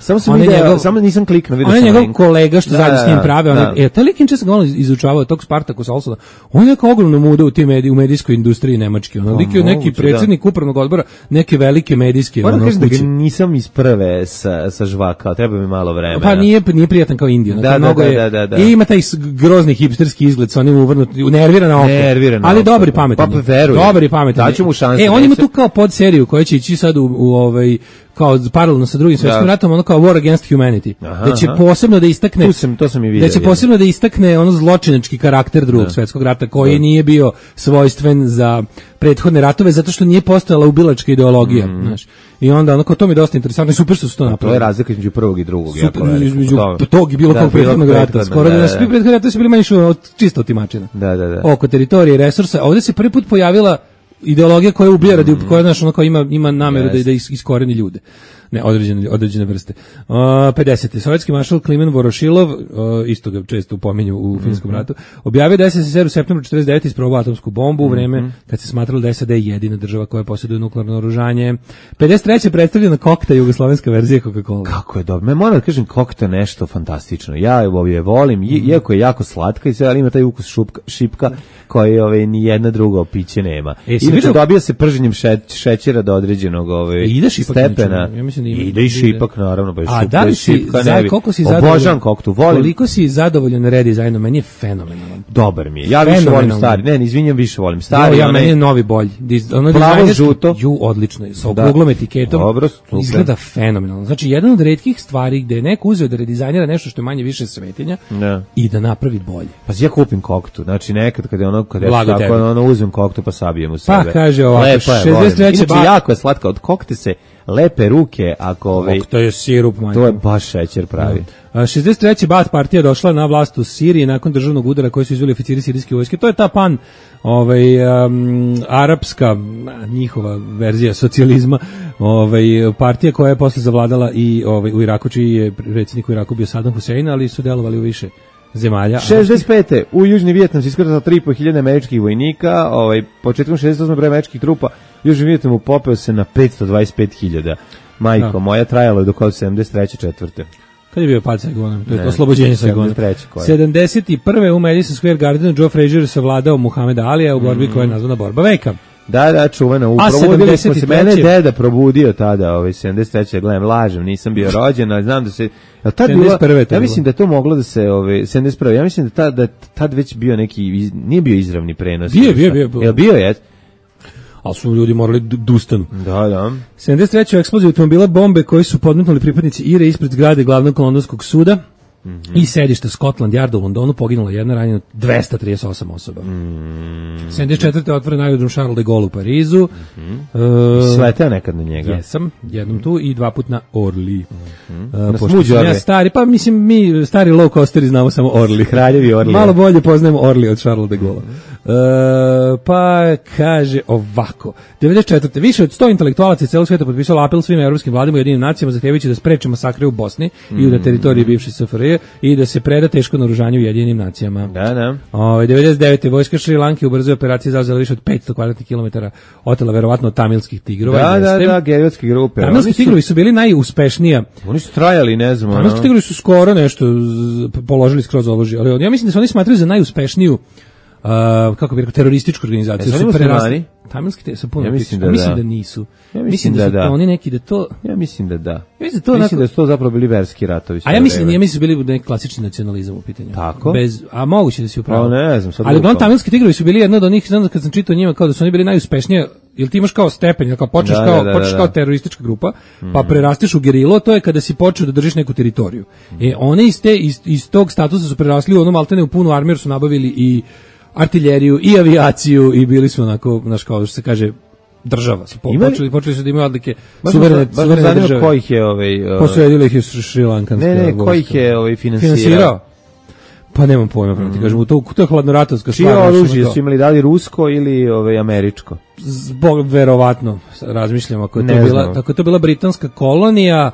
Samo nisam kliknuo, vidio sam. On je njegov kolega što zajedno s njim prave. Taj lik inče sam ga izučavao tog Spartacus Olsona. On je neka ogromna muda u medijskoj industriji Nemačke. Lik je neki predsjednik upravnog odbora neke velike medijske kuće. Moram kažem da ga nisam iz prve sa žvaka, treba mi malo vremena. Pa nije prijatan kao Indija. Da. I ima taj grozni hipsterski izgled sa onim nervirana oko. Ali dobar i pametan. Pa verujem. Dobar i pametan. Daću mu šansu. On ima tu kao podseriju koja će ići sad kao paralelno sa Drugim svjetskim ratom, kao War Against Humanity. Da će posebno da istakne to sam i vidio. Da će posebno da istakne zločinački karakter Drugog svjetskog rata koji nije bio svojstven za prethodne ratove zato što nije postojala ubilačka ideologija, znaš. I onda to mi je dosta interesantno i super što su to napravili. To je razlika između prvog i drugog, jako velika. Između tog i bilo kog prethodnog rata. Skoro da svi prethodni ratovi su bili manje čisto otimačina. Da. Oko teritorije i resursa. Ovdje se prvi put pojavila ideologija koja ubija koja ima nameru da iskoreni ljude. Ne, određene vrste. 50. Sovjetski maršal Klimen Vorošilov, isto ga često pominju u Finskom ratu, objavio da SSSR u septembru 49. isprobao atomsku bombu u vreme kad se smatralo da SAD je jedina država koja posjeduje nuklearno oružanje. 53. predstavljena kokta, jugoslovenska verzija Coca-Cola. Kako je dobro. Moram da kažem, kokta nešto fantastično. Ja je volim, iako je jako slatka i sve, ali ima taj ukus šipka koji ni jedna druga piće nema. I Inače dobija se prženjem šećera do određenog stepena. Ja mislim da ide i šipak, naravno. A da li si, koliko si obožavam koktu, volim. Koliko si zadovoljan redizajnom, meni je fenomenalan. Dobar mi je. Ja više volim stari. Ne, izvinjam, više volim stari. Ja meni je novi bolji. Plavo žuto. Odlično je. Sa okruglom etiketom. Dobro, izgleda fenomenalno. Znači, jedan od retkih stvari gde je neko uzeo da redizajnira nešto što je manje više svetinja i da napravi bolje. Pa ja kupim koktu. Znači, nekad kada uzmem koktu pa sabijem u sebe. Pa kaže ovako, 63. Inače, jako je slatka. Od kokte se lepe ruke, to je sirup, majko. To je baš šećer pravi. 63. Baath partija došla na vlast u Siriji nakon državnog udara koji su izveli oficiri sirijske vojske. To je ta arapska, njihova verzija socijalizma, partija koja je posle zavladala i u Iraku, čiji je predsjednik u Iraku bio Saddam Hussein, ali su delovali u više zemalja. 65. U Južni Vijetnam se iskrcalo 3.500 američkih vojnika, početkom 68. broj američkih trupa u Južni Vijetnamu popeo se na 525.000. Majko, moja trajalo je do 73. 4. Kad je bio pad Saigona? To je oslobođenje Saigona. 71. u Madison Square Gardenu Joe Frazier savladao Muhameda Alija u borbi koja je nazvana borba veka. Da, čuvena. Probudili smo se, mene deda probudio tada, 73. Gledam, lažem, nisam bio rođen, ali znam da se... Ja mislim da to moglo da se... 71. Ja mislim da tad već bio neki... Nije bio izravni prenos. Bio je? Ali su ljudi morali dustanu. Da. 73. eksploziju automobila bombe koji su podmetnuli pripadnici IRA ispred zgrade glavnog londonskog suda i sedišta Scotland Yarda u Londonu, poginula jedna, ranjeno 238 osoba. 74. otvoren aerodrom Charles de Gaulle u Parizu. Sleteo nekad na njega? Jesam, jednom tu i 2 puta na Orly. Na smuđu Orly? Stari, pa mislim mi stari low coasteri znamo samo Orly. Kraljevi Orly. Malo bolje poznajemo Orly od Charles de Gaulle. Pa kaže ovako, 94. više od 100 intelektualaca iz celog sveta potpisalo apel svim evropskim vladama i Ujedinjenim nacijama zahtevajući da spreče masakre u Bosni i na teritoriji bivše SFRJ i da se preda teško naoružanje Ujedinjenim nacijama. Da. 99. vojska Šri Lanke u brzoj operaciji zauzela više od 500 kvadratnih kilometara, otela verovatno od tamilskih tigrova. Da, gerilske grupe. Tamilski tigrovi su bili najuspešnija. Oni su trajali, ne znam. Tamilski tigrovi su skoro nešto položili skroz oružje, ali ja mislim da se oni smatraju za najuspešniju kako bi rekao, terorističku organizaciju. Su muslimani? Tamilski su puno. Ja mislim da nisu. Mislim da su oni neki da to... Ja mislim da da. Mislim da su to zapravo bili verski ratovi. A ja mislim da su bili neki klasični nacionalizam u pitanju. Tako? A moguće da si upravo. Ne znam. Ali tamilski tigrovi su bili jedno od onih, znam kad sam čitao njima, kao da su oni bili najuspešnije, ili ti imaš kao stepen, kao počneš kao teroristička grupa, pa prerasteš u gerilo, to je kada si počeo da držiš neku teritoriju. One iz tog statusa su prerasli u ono maltene u punu armiju, su nabavili i artiljeriju i avijaciju i bili smo onako, znaš, kao što se kaže, država. Počeli su da imaju odlike suverene države. Ko ih je posredili ih je šrilankanska vojska. Ne, ko ih je finansirao? Pa nemam pojma, ti kažem, to je hladnoratovska stvar. Čije oružje su imali, da li rusko ili američko? Verovatno, razmišljam, ako je to bila britanska kolonija,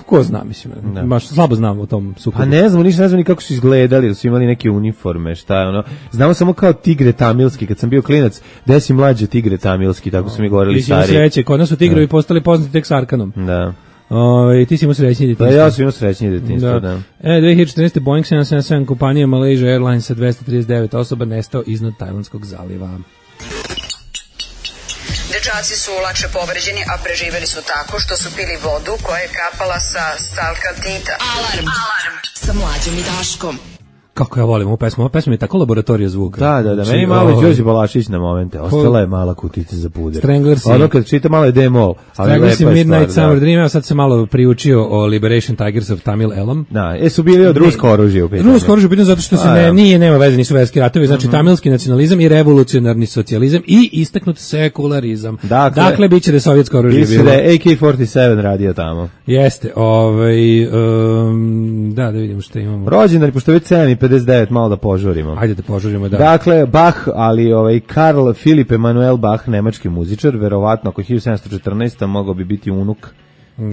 ko zna, mislim, baš slabo znam o tom sukobu. Pa ne znam ni kako su izgledali, da su imali neke uniforme, šta je ono. Znamo samo kao tigre tamilski, kad sam bio klinac, gde si mlađe tigre tamilski, tako su mi govorili stari. Ti si imao sreće, kod nas su tigrovi postali poznati tek s Arkanom. Da. Ti si imao srećnije detinjstvo. Da, ja sam imao srećnije detinjstvo, da. 2014. Boeing 777 kompanija Malaysia Airlines sa 239 osoba nestao iznad Tajlandskog zaliva. Dečaci su lakše povređeni, a preživeli su tako što su pili vodu koja je kapala sa stalkaltita. Alarm sa Mlađom i Daškom. Kako ja volim ovu pesmu. Ova pesma je tako laboratorija zvuka. Da. Meni malo Đorđe Balašić na momente. Ostala je mala kutica za puder. Stranglersi. Ono kad čita malo je D-Moll. Stranglersi Midnight Summer Dream. Ja sad se malo priučio o Liberation Tigers of Tamil Elam. Da, su bili od rusko oružje u pitanju. Rusko oružje u pitanju zato što se nema veze, nisu verski ratovi. Znači tamilski nacionalizam i revolucionarni socijalizam i istaknut sekularizam. Dakle, bit će da je sovjetsko oružje bilo. Da je AK-47 radio tamo. Jeste. Da vidimo što imamo. Rođendan, pošto već 7:59, malo da požurimo. Ajde da požurimo, da. Dakle, Bach, ali Karl Philipp Emanuel Bach, nemački muzičar, verovatno ako 1714. mogao bi biti unuk.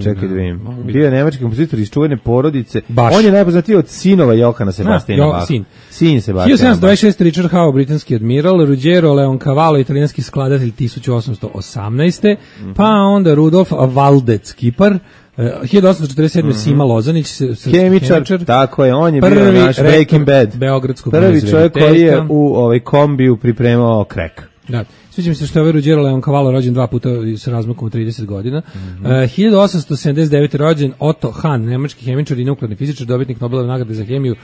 Čekaj da vidim. Bio je nemački kompozitor iz čuvene porodice. Baš. On je najpoznatiji od sinova Johana Sebastiana Bacha. Sin Sebastiana Bacha. 1726. Richard Howe, britanski admiral, Ruggiero Leoncavallo, italijanski skladatelj 1818. Pa onda Rudolf Valdec, Kipar. 1847. Sima Lozanić, hemičar, tako je, on je bio naš Breaking Bad. Beogradskog prvi čovjek koji je u kombiju pripremao krek. Da. Sviđa mi se što je ovaj Ruggero Leoncavallo rođen 2 puta sa razmakom od 30 godina. 1879. rođen Otto Hahn, nemački hemičar i nuklearni fizičar, dobitnik Nobelove nagrade za hemiju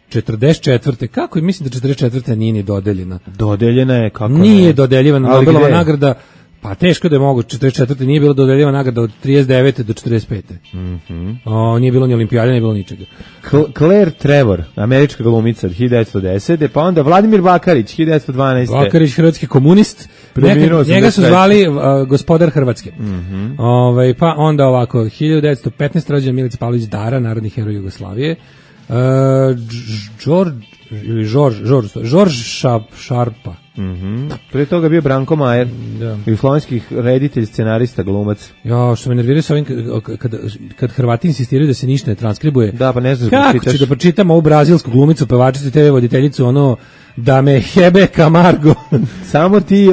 44. Kako je, mislim da 44. nije ni dodeljena. Dodeljena je, kako nije dodeljivana Nobelova nagrada. Pa teško da je mogu, 44. nije bilo dodeljivana nagrada od 39. do 45. Nije bilo ni olimpijade, nije bilo ničega. Claire Trevor, američka glumica od 1910. Pa onda Vladimir Bakarić, 1912. Bakarić, hrvatski komunist. Njega su zvali gospodar Hrvatske. Pa onda ovako, 1915. rođen Milica Pavlović Dara, narodni heroj Jugoslavije. George Sharpa. Prije toga bio Branko Majer, jugoslovenski reditelj, scenarista, glumac. Ja, što me nerviraju sa ovim, kad Hrvati insistiraju da se ništa ne transkribuje. Da, pa ne znam kako ću da pročitam ovu brazilsku glumicu, pevačicu i TV voditeljicu, ono, da me hebe Camargo. Samo ti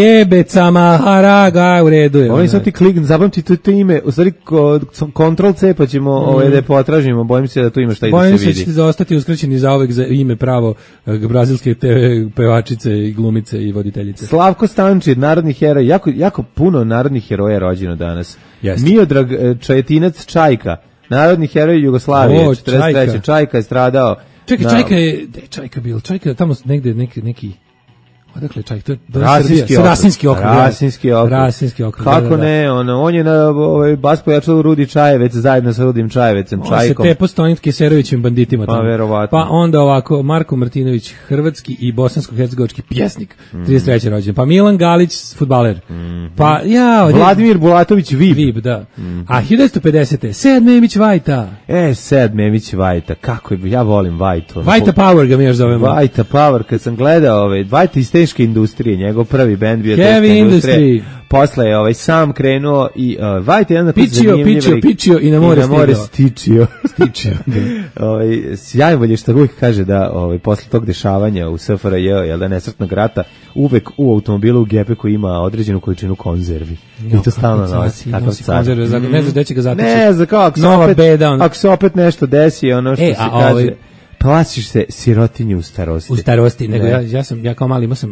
jebe Camaharaga, u redu je. Oni sad ti klikn, zapamti to ime, u stvari Ctrl C pa ćemo da je potražimo, bojim se da tu ima šta i da se vidi. Bojim se da ćete ostati uskraćeni zauvek za ime pravo brazilske TV pevačice i glumice i voditeljice. Slavko Stančir, narodni heroj, jako puno narodnih heroja rođeno danas. Jeste. Miodrag Čajetinac Čajka, narodni heroj Jugoslavije, 43. Čajka je stradao. Čekaj, Čajka bil, Čajka tamo negde neki odakle Čajka, to je Rasinski okrug. Kako ne, on je na bas pojačalo Rudi Čajevec zajedno sa Rudim Čajevecem, Čajkom. On se tepo Stonit Keserovićim banditima tamo. Pa verovatno. Pa onda ovako, Marko Martinović, hrvatski i bosansko-hercegovački pjesnik, 33. rođen. Pa Milan Galić, fudbaler. Pa Vladimir Bulatović, Vib, da. A 1950. Sead Memić Vajta. Sead Memić Vajta, kako je, ja volim Vajtu. Vajta Power ga mi još zovemo. Vajta Power, kad sam gledao Vajta iz teške industrije, njegov prvi bend bio Heavy teška industrija. Industry. Posle je sam krenuo i Vajta je jedan pičio i na more stičio. Sjajbolje što uvijek kaže da posle tog dešavanja u SFRJ, jel da, nesretnog rata, uvek u automobilu u gepeku ima određenu količinu konzervi. I to stalno nosi. Kakav car. Ne znaš gde će ga zateći. Ne znam kako, ako se opet nešto desi, ono što se kaže... Plašiš se sirotinje u starosti. U starosti, nego ja kao mali imao sam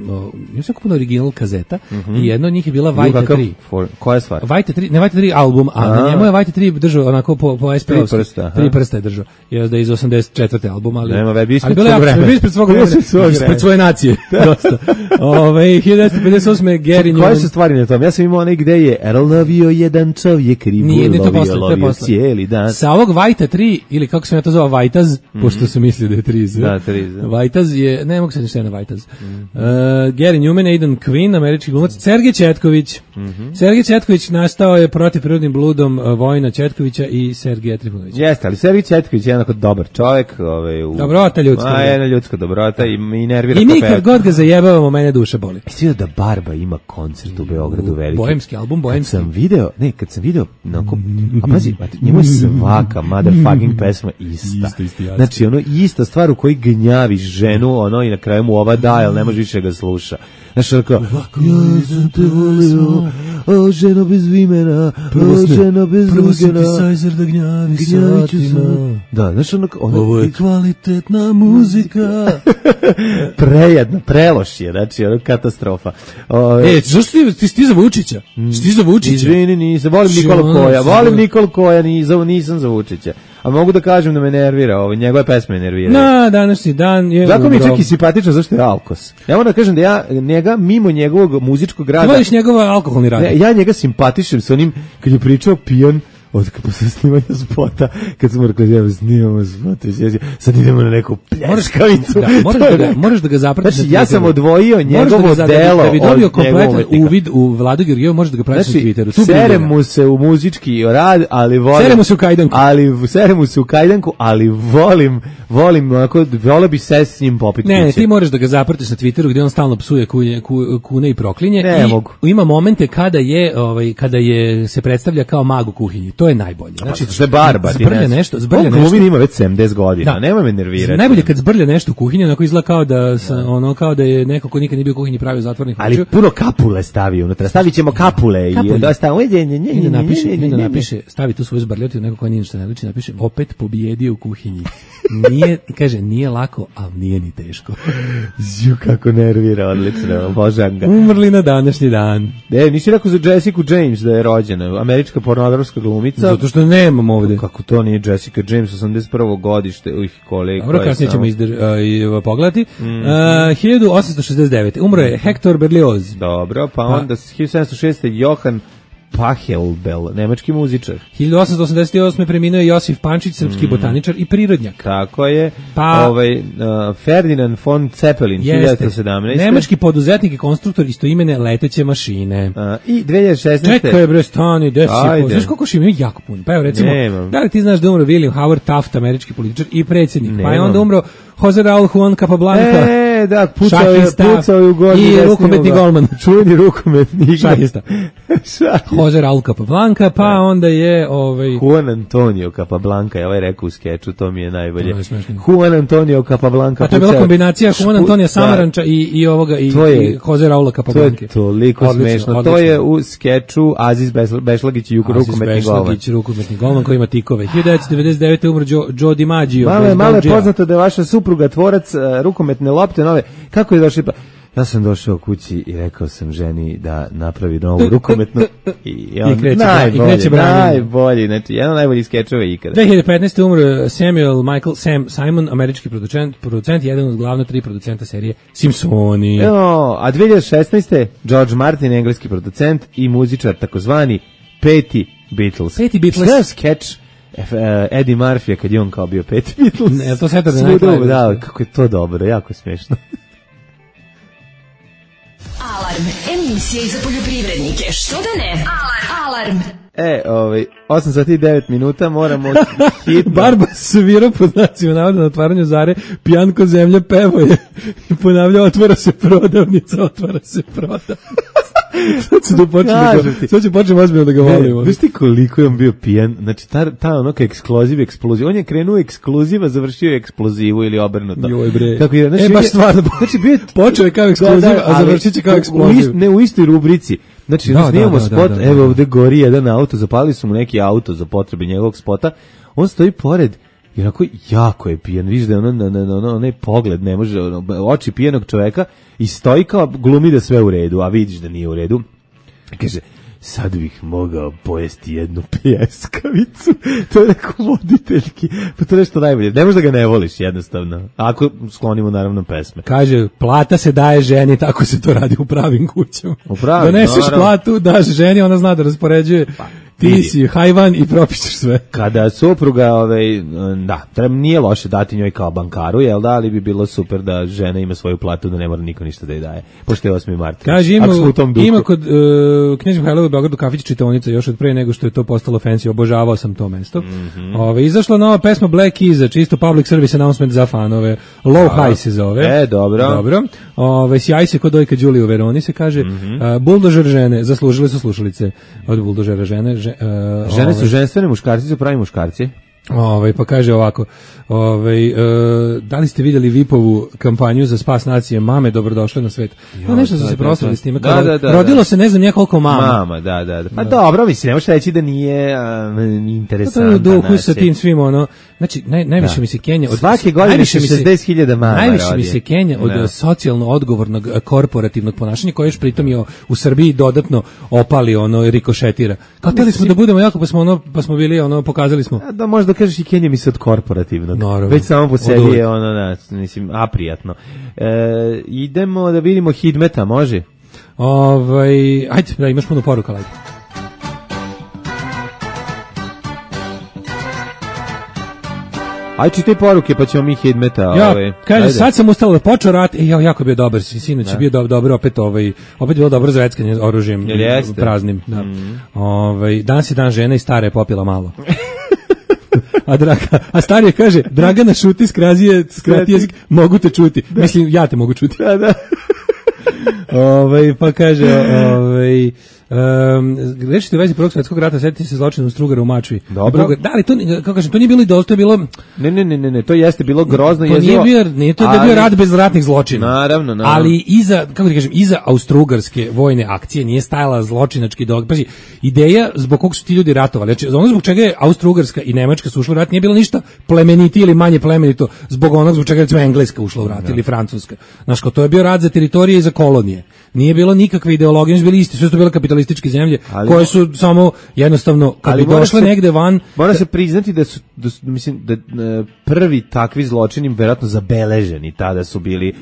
kupio original kazeta i jedna od njih je bila Vajta 3. Koja stvar? Vajta 3, ne Vajta 3 album, a na njemu je Vajta 3 držao onako po SP-ovski. 3 prsta je držao. Da je iz 84. album, ali... Nema već ispred svog vremena. Ispred svoje nacije. Dosta. 1958. Gary Newman. Koje su stvari na tom? Ja sam imao onaj gde je lovio jedan čovjek ribu, lovio cijeli dan. Sa ovog Vajta 3, ili kako sam ja to zvao, Vajtaz, pošto sam mislio da je Triz. Da, Triz. Vajtaz je, ne mogu se ništa na Vajtaz. Gary Newman, Aidan Quinn, američki glumac, Sergej Četković. Sergej Četković nastao je protiv prirodnim bludom Vojina Četkovića i Sergeja Trifunovića. Jeste, ali Sergej Četković je jednako dobar čovjek. Dobrota ljudska. Jedna ljudska dobrota i nervira. I mi kad god ga zajebavamo, mene duša boli. Jesi da Barba ima koncert u Beogradu veliki? Bohemski album, bohemski. Kad sam video, a pazi, njemu je svaka motherfucking pesma ista. Znači, ista stvar u kojoj gnjaviš ženu, i na kraju mu ova da, ali ne može više ga sluša. Znaš, ja sam te volio, ženo bez vimena, ženo bez ugena. Prvo synthesizer da gnjavi satima. Da, znaš, ovo je kvalitetna muzika. Prejedno, preloš je, znači, katastrofa. Zašto ti za Vučića? Ti za Vučića? Izvini, nisam, volim Nikol Koja, nisam za Vučića. A mogu da kažem da me nervira, njegove pesme nerviraju. Na današnji dan je... Zato mi je čak i simpatično zašto je Alkos. Ja moram da kažem da ja njega, mimo njegovog muzičkog rada... Ti voliš njegova alkoholni rad? Ja njega simpatišem s onim, kad je pričao pijan, posle snimanja spota, kad smo rekli, evo snimamo spota, sad idemo na neku pljeskavicu. Moraš da ga zapratiš. Znači, ja sam odvojio njegovo delo. Da bi dobio kompletan uvid u Vladu Georgijevu, možeš da ga pratiš na Twitteru. Serem mu se u muzički rad, ali volim... Serem mu se u kajdanku. Serem mu se u kajdanku, ali volim, volio bi se s njim popiti. Ne, ti moraš da ga zapratiš na Twitteru, gdje on stalno psuje kune i proklinje. Ne mogu. Ima momente kada je se predstavlja kao mag u kuhinji. to je najbolje. Znači, što je barba. Zbrlja nešto. On glumi ima već 70 godina, nemoj me nervirati. Najbolje kad zbrlja nešto u kuhinji, onako izgleda kao da je neko ko nikad nije bio u kuhinji pravio zatvornih očiju. Ali puno kapule stavi unutra. Stavit ćemo kapule. I dosta napiše, stavi tu svoju zbrljotinu, neko ko nije ništa ne liči, napiše, opet pobjedio u kuhinji. Nije lako, ali nije ni teško. Kako nervira, odlično, obožavam ga. Umrli na današnji dan. Nisi rekao za Jessica James da je rođena, američka pornografska glumica. Zato što nemam ovde. Kako to nije Jessica James, 81. godište, kolega. Dobro, kasnije ćemo pogledati. 1869. Umro je Hector Berlioz. Dobro, pa onda 1706. Johann Pachelbel, nemački muzičar. 1888. preminuo je Josif Pančić, srpski botaničar i prirodnjak. Tako je. Ferdinand von Zeppelin, 1917. Nemački poduzetnik i konstruktor istoimene leteće mašine. I 2016. Čekaj bre, stani, znaš koliko še imaju jako puno? Pa evo recimo, da li ti znaš da umro William Howard Taft, američki političar i predsjednik? Pa je onda umro Jose Raul Juan Capablanca. Da, pucao je u godinu. I rukometni golman. Čuveni rukometni. Šahista. Jose Raul Capablanca, pa onda je... Juan Antonio Capablanca, je ovaj rekao u skeču, to mi je najbolje. Juan Antonio Capablanca. A to je bila kombinacija Juan Antonija Samaranča i ovoga, i Jose Raula Capablanca. To je toliko smešno. To je u skeču Aziz Bešlagić i rukometni golman. Aziz Bešlagić, rukometni golman koji ima tikove. 1999. umro Joe DiMaggio. Malo je poznato da je vaša supruga tvorac rukometne lopte nove. Kako je došli? Ja sam došao kući i rekao sam ženi da napravi novu rukometnu i on najbolji, znači jedan najbolji skečeva ikada. 2015. umro Samuel Michael Simon, američki producent, jedan od glavna 3 producenta serije Simpsoni. A 2016. George Martin, engleski producent i muzičar, takozvani Peti Beatles. Šta je skeč Eddie Murphy kad je on kao bio Peti Beatles? Ne, to Saturday Night Live. Da, kako je to dobro, jako smešno. Alarm, emisija za poljoprivrednike. Što da ne? Alarm. 8 sati i 9 minuta, moramo hitno. Barba svira pod znacima navoda na otvaranju Zare, pijanko zemlja pevo je i ponavlja, otvara se prodavnica. Sad ću počnem ozbiljno da ga volim. Znaš ti koliko je on bio pijan? Znači, ta onoka eksploziv. On je krenuo ekskluziva, završio eksplozivu ili obrnuto. Joj bre. Baš stvarno. Znači, počeo je kao ekskluziv, a završit će kao eksploziv. Ne u istoj rubrici. Znači, snimamo spot, evo ovde gori jedan auto, zapalili su mu neki auto za potrebe njegovog spota, on stoji pored i onako jako je pijan, vidiš da je onaj pogled, ne može, oči pijanog čoveka i stoji kao glumi da sve u redu, a vidiš da nije u redu. Kaže, sad bih mogao pojesti jednu pljeskavicu. To je neko voditeljki. Pa to je nešto najbolje. Ne možda ga ne voliš jednostavno. Ako sklonimo naravno pesme. Kaže, plata se daje ženi, tako se to radi u pravim kućama. Doneseš platu, daš ženi, ona zna da raspoređuje. Ti si hajvan i propišeš sve. Kada supruga, nije loše dati njoj kao bankaru, jel da, ali bi bilo super da žena ima svoju platu, da ne mora niko ništa da je daje. Pošto je 8. mart. Kaže, ima kod Knjež Mihajlova u Beogradu kafić čitaonica još od pre nego što je to postalo fancy, obožavao sam to mesto. Izašla nova pesma Black Keys, čisto public service announcement za fanove. Low High se zove. Dobro. Sjaj se kod Dojka Đulije u Veroni se kaže. Buldožer žene, zaslužile su slušalice od buldožera žene. Žene su ženstvene, muškarci su pravi muškarci. Pa kaže ovako, da li ste vidjeli Vipovu kampanju za spas nacije Mame dobrodošle na svet? Nešto su se proslavili s time. Rodilo se ne znam nekoliko mama. Da. Pa dobro, mislim, ne možeš reći da nije interesantna. To je u duhu sa tim svim, znači, najviše mi se Kenja... Svake godine se 60.000 mama rodi. Najviše mi se Kenja od socijalno odgovornog korporativnog ponašanja, koje još pritom je u Srbiji dodatno opali, rikošetira. Kao teli smo da budemo jako, pa smo bili, pokazali smo. Da, možda kažeš i Kenja mi se od korporativnog. Već samo po sebi je mislim, aprijatno. Idemo da vidimo Hidmeta, može? Ajde, da imaš puno poruka, ajde. Aj čitaj poruke, pa ćemo mi Hidmeta. Kaže, sad sam ustala da počeo rat, jako je bio dobar, sinoć je bio dobro, opet bilo dobro zveckanje oružjem praznim. Danas je dan žena i stara je popila malo. A starije kaže, Dragana šuti, skrati jezik, mogu te čuti. Mislim, ja te mogu čuti. Da. Pa kaže, Rečite u vezi Prvog svjetskog rata, setite se zločina u Strugaru u Mačvi. Dobro. Da, ali to, kako kažem, to nije bilo idol, to je bilo... Ne, to jeste bilo grozno. To nije bio rat bez ratnih zločina. Naravno. Ali iza, kako da kažem, iza austrougarske vojne akcije nije stajala zločinački dog. Pazi, ideja zbog kog su ti ljudi ratovali, znači ono zbog čega je Austrougarska i Nemačka su ušle u rat nije bilo ništa plemeniti ili manje plemenito zbog onog zbog čega recimo Engleska ušla u rat ili Francuska. Znaš, to je bio rat za teritorije i za kolonije. Nije bilo nikakve ideologije, nisu bili isti, sve su to bile kapitalističke zemlje koje su samo jednostavno kad bi došle negde van. Mora se priznati da su mislim da prvi takvi zločini verovatno zabeleženi tada su bili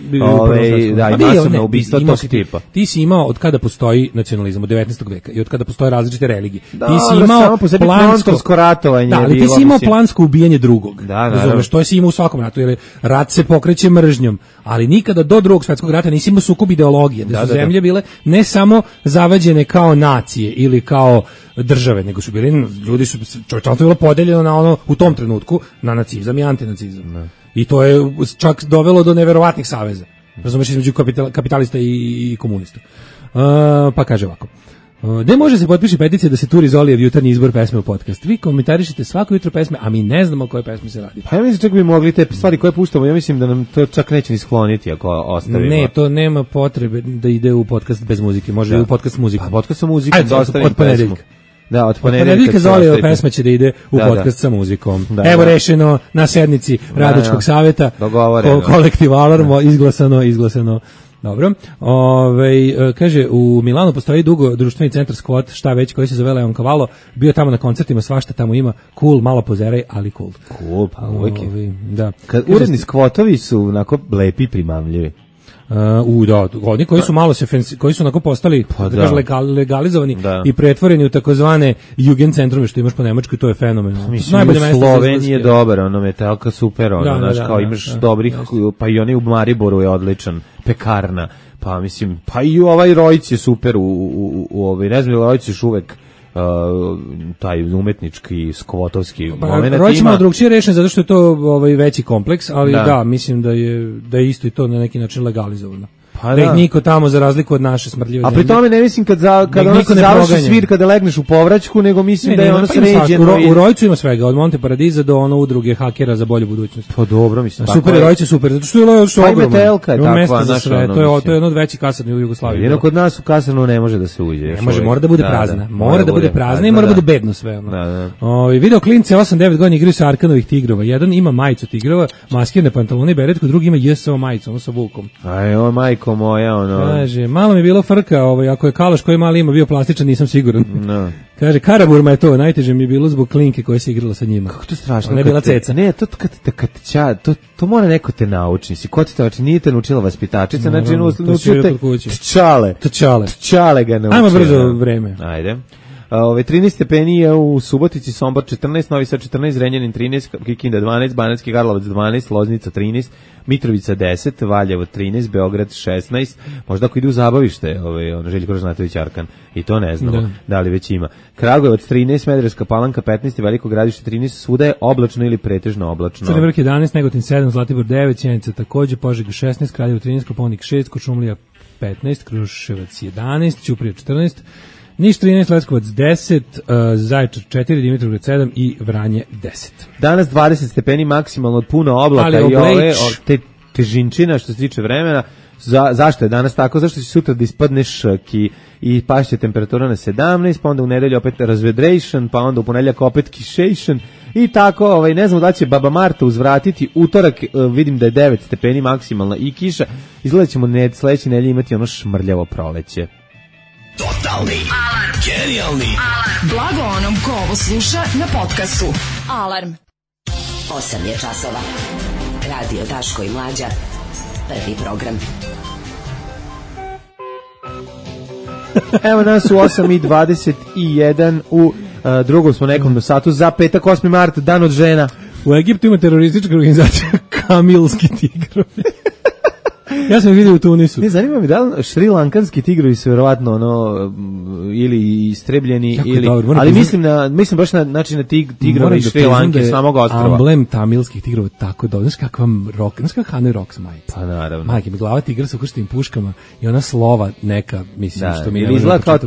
masovna ubistva tog tipa. Ti si imao od kada postoji nacionalizam od 19. veka i od kada postoje različite religije. Da, ti si imao plansko ratovanje. Da, ali ti si imao plansko ubijanje drugog. Razumeš, to si imao u svakom ratu, jer rat se pokreće mržnjom, ali nikada do Drugog svjetskog rata nisi imao sukob ideologije, da su zemlje bile ne samo zavađene kao nacije ili kao države, nego su bili, ljudi su, čovječanstvo bilo podeljeno na ono, u tom trenutku, na nacizam i antinacizam. I to je čak dovelo do neverovatnih saveza. Razumeš, između kapitalista i komunista. Pa kaže ovako. Gde može se potpiši peticija da se turi Zolijev jutarnji izbor pesme u podcast? Vi komentarišete svako jutro pesme, a mi ne znamo o koje pesme se radi. Pa ja mislim čak bi mogli te stvari koje puštamo, ja mislim da nam to čak neće ni skloniti ako ostavimo. Ne, to nema potrebe da ide u podcast bez muzike, može u podcast s muzikom. Pa podcast sa muzikom da ostavim pesmu. Da, od ponedeljka Zolijeva pesma će da ide u podcast sa muzikom. Evo rešeno na sednici Radničkog saveta. Kolektiv Alarm, izglasano. Dobro. Kaže, u Milanu postoji dugo društveni centar Squat, šta već, koji se zove Leon Cavallo. Bio tamo na koncertima, svašta tamo ima. Cool, malo pozeraj, ali cool. Cool, pa uvijek. Da. Uredni skvotovi su onako lepi i primamljivi. Da, oni koji su malo koji su onako postali legalizovani i pretvoreni u takozvane Jugendcentrume što imaš po Nemačkoj, to je fenomenalno. Najbolje mesto Slovenije je dobar, ono metalka super, ono, znaš, kao imaš dobrih, pa i onaj u Mariboru je odličan, pekarna, pa mislim, pa i ovaj Rojc je super ne znam, Rojc još uvek taj umetnički skvotovski moment ima. Rojc malo drugčije rešen zato što je to veći kompleks, ali da, mislim da je isto i to na neki način legalizovano. Pa da ih niko tamo za razliku od naše smrdljive zemlje. A pri tome ne mislim kad ono se završi svir kada legneš u povraćku, nego mislim da je ono sređeno. U Rojcu ima svega, od Monte Paradiza do ono udruge hakera za bolju budućnost. Pa dobro, mislim. Super je Rojce, super, zato što je ogromno. Pa i Metelka je takva, to je jedno od većih kasarni u Jugoslaviji. Jedino kod nas u kasarnu ne može da se uđe. Ne može, mora da bude prazna. Mora da bude prazna i mora da bude bedno sve. Video klince 8-9 godina igraju sa Arkanovih tigrova. Jedan ima majicu tigrova, maskirne pantalone i beretku, drugi ima JSO majicu, ono sa vukom. Aj, o majko moja, ono. Kaže, malo mi je bilo frka, ako je kalaš koji mali ima bio plastičan, nisam siguran. No. Kaže, Karaburma je to, najteže mi je bilo zbog klinke koje se igrala sa njima. Kako to strašno? Ona je bila ceca. Ne, to mora neko te nauči. Ko ti to nauči? Nije te naučila vaspitačica, znači naučio te tčale ga naučio. Ajmo brzo vreme. Ajde. 13 stepeni je u Subotici, Sombor 14, Novi Sad 14, Zrenjanin 13, Kikinda 12, Banatski Karlovac 12, Loznica 13, Mitrovica 10, Valjevo 13, Beograd 16, možda ako ide u zabavište, Željko Ražnatović Arkan, i to ne znamo, da li već ima. Kragujevac 13, Smederevska Palanka 15, Veliko Gradište 13, svuda je oblačno ili pretežno oblačno. Crni Vrh 11, Negotin 7, Zlatibor 9, Sjenica takođe, Požega 16, Kraljevo 13, Koponik 6, Kočumlija 15, Kruševac 11, Ćuprija 14, Niš 13, Leskovac 10, Zaječar 4, Dimitrovgrad 7 i Vranje 10. Danas 20 stepeni maksimalno od puno oblaka i te težinčina što se tiče vremena. Zašto je danas tako? Zašto će sutra da ispadne šaki i pašće temperatura na 17, pa onda u nedelju opet razvedration, pa onda u ponedjeljak opet kišation i tako, ne znam da će Baba Marta uzvratiti. Utorak vidim da je 9 stepeni maksimalna i kiša. Izgleda ćemo sledeće nedelje imati ono šmrljavo proleće. Totalni alarm. Genijalni alarm. Blago onom ko ovo sluša na podcastu. Alarm. 8 je časova. Radio Daško i Mlađa. Prvi program. Evo nas u 8:21 u drugom smo nekom satu za petak 8. mart, dan od žena. U Egiptu ima teroristička organizacija Kamilski tigrovi. Ja sam vidio u Tunisu. Ne, zanima me da li šrilankanski tigrovi su verovatno ono ili istrebljeni jako ili dobro, ali mislim baš na način na tigrove iz Šrilanke samog ostrva. Amblem tamilskih tigrova tako dobro. Znaš kakvam rock, znaš kakav Hanoi Rocks majica. Pa naravno. Majke mi glava tigra sa ukrštenim puškama i ona slova neka, mislim, što mi ili izgleda kao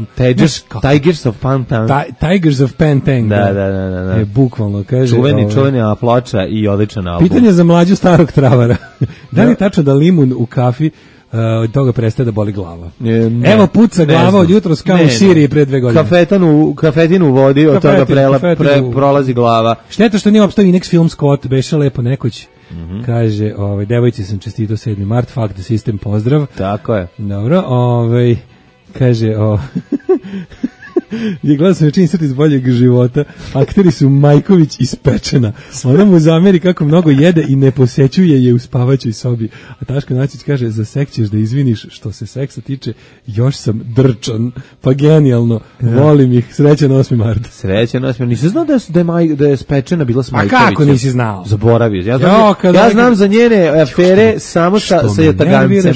Tigers of Pantang. Tigers of Pantang. Da. Je bukvalno, kaže. Čuvena ploča i odličan album. Pitanje za mlađu starog travara. Da li je tačno da limun u kafi od toga prestaje da boli glava? Evo puca glava od jutros kao u Siriji pre 2 godine. Kafetinu u vodi, od toga prolazi glava. Šteta što nije opstao Inex Film Scott, beše lepo nekoć. Kaže, devojci sam čestito 7. mart, fuck the system, pozdrav. Tako je. Dobro, kaže, je gledao sam večin srti iz boljeg života, akteri su Majković i Spečena. Ona mu zameri kako mnogo jede i ne posećuje je u spavaćoj sobi. A Taško Nacić kaže, za seks ćeš da izviniš, što se seksa tiče, još sam drčan, pa genijalno, volim ih, srećan 8. mart. Srećan 8. Nisi znao da je Spečena bila s Majkovićem? A kako nisi znao? Zaboravio. Ja znam za njene afere samo sa Jatagancem.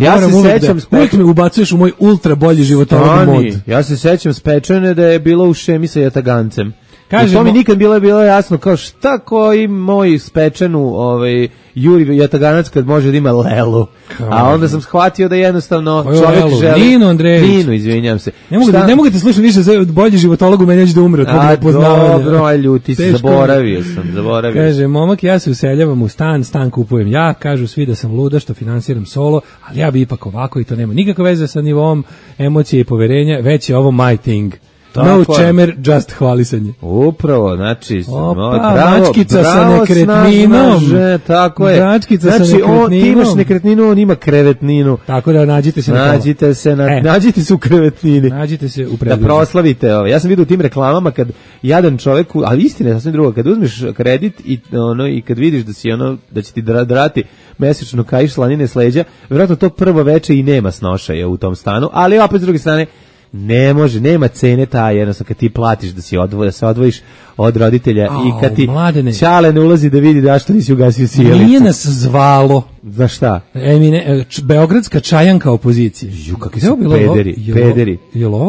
Ja se sećam, uvijek me ubacuješ u moj ultra bolji životolog mod. Ja se sećam Spečene da je bilo u šemi sa Jatagancem. Kažemo, to mi nikad bilo jasno, kao šta koji moj Spečenu Juri Jataganac kad može da ima lelu. A onda sam shvatio da jednostavno čovjek želi... Nino Andrejević. Nino, izvinjam se. Ne mogu te slušati više, bolji životolog u meni neće da umre od tvojeg nepoznavanja. Dobro, aj ljuti se, zaboravio sam. Kaže, momak, ja se useljavam u stan kupujem ja, kažu svi da sam luda što finansiram solo, ali ja bi ipak ovako i to nema nikakve veze sa nivom emocije i poverenja, već je ovo my thing. No čemer, just hvalisanje. Upravo, znači, mačkica sa nekretninom. Tako je. Mačkica sa nekretninom. Ti imaš nekretninu, on ima krevetninu. Tako da nađite se nađite se u krevetnini. Nađite se u predlogu. Da proslavite. Ja sam vidio u tim reklamama kad jadan čovjek, ali istina je sasvim drugo, kad uzmeš kredit i kad vidiš da će ti drati mesečno kaiš slanine s leđa, vjerojatno to prvo veče i nema snošaja u tom stanu, ali opet s druge strane ne može, nema cene ta, jednostavno kad ti platiš da se odvojiš od roditelja i kad ti Ćale ne ulazi da vidi da što nisi ugasio sjelicu. Nije nas zvalo. Za šta? Beogradska čajanka opozicije. Kakvi su pederi.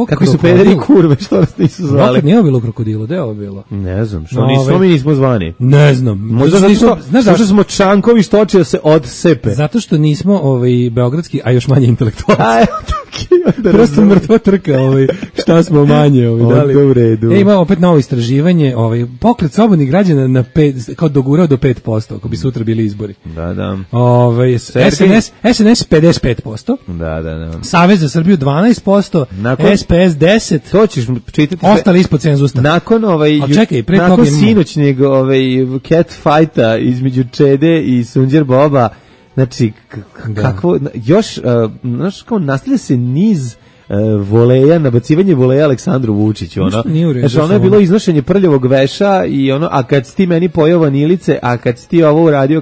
Kakvi su pederi i kurve, što nas nisu zvali? Nije bilo krokodilo, gde je ovo bilo? Ne znam, što mi nismo zvani? Ne znam. Možda smo Čankovi što oči da se odsepe. Zato što nismo beogradski, a još manje intelektualci. Prosto mrtva trka, šta smo manje. U redu. Ima opet novo istraživanje, pokret slobodnih građana kao dogurao do 5%, ako bi sutra bili izbori. Da. SNS 55%. Da. Savez za Srbiju 12%, SPS 10%. To ćeš čitati. Ostali ispod cenzusa. Nakon sinoćnjeg cat fighta između Čede i Sunđer Boba, znači kakvo još znaš kao nastavlja se niz voleja, nabacivanje voleja Aleksandru Vučiću, znači ono je bilo iznošenje prljavog veša i a kad si ti meni pojeo vanilice, a kad si ti ovo uradio,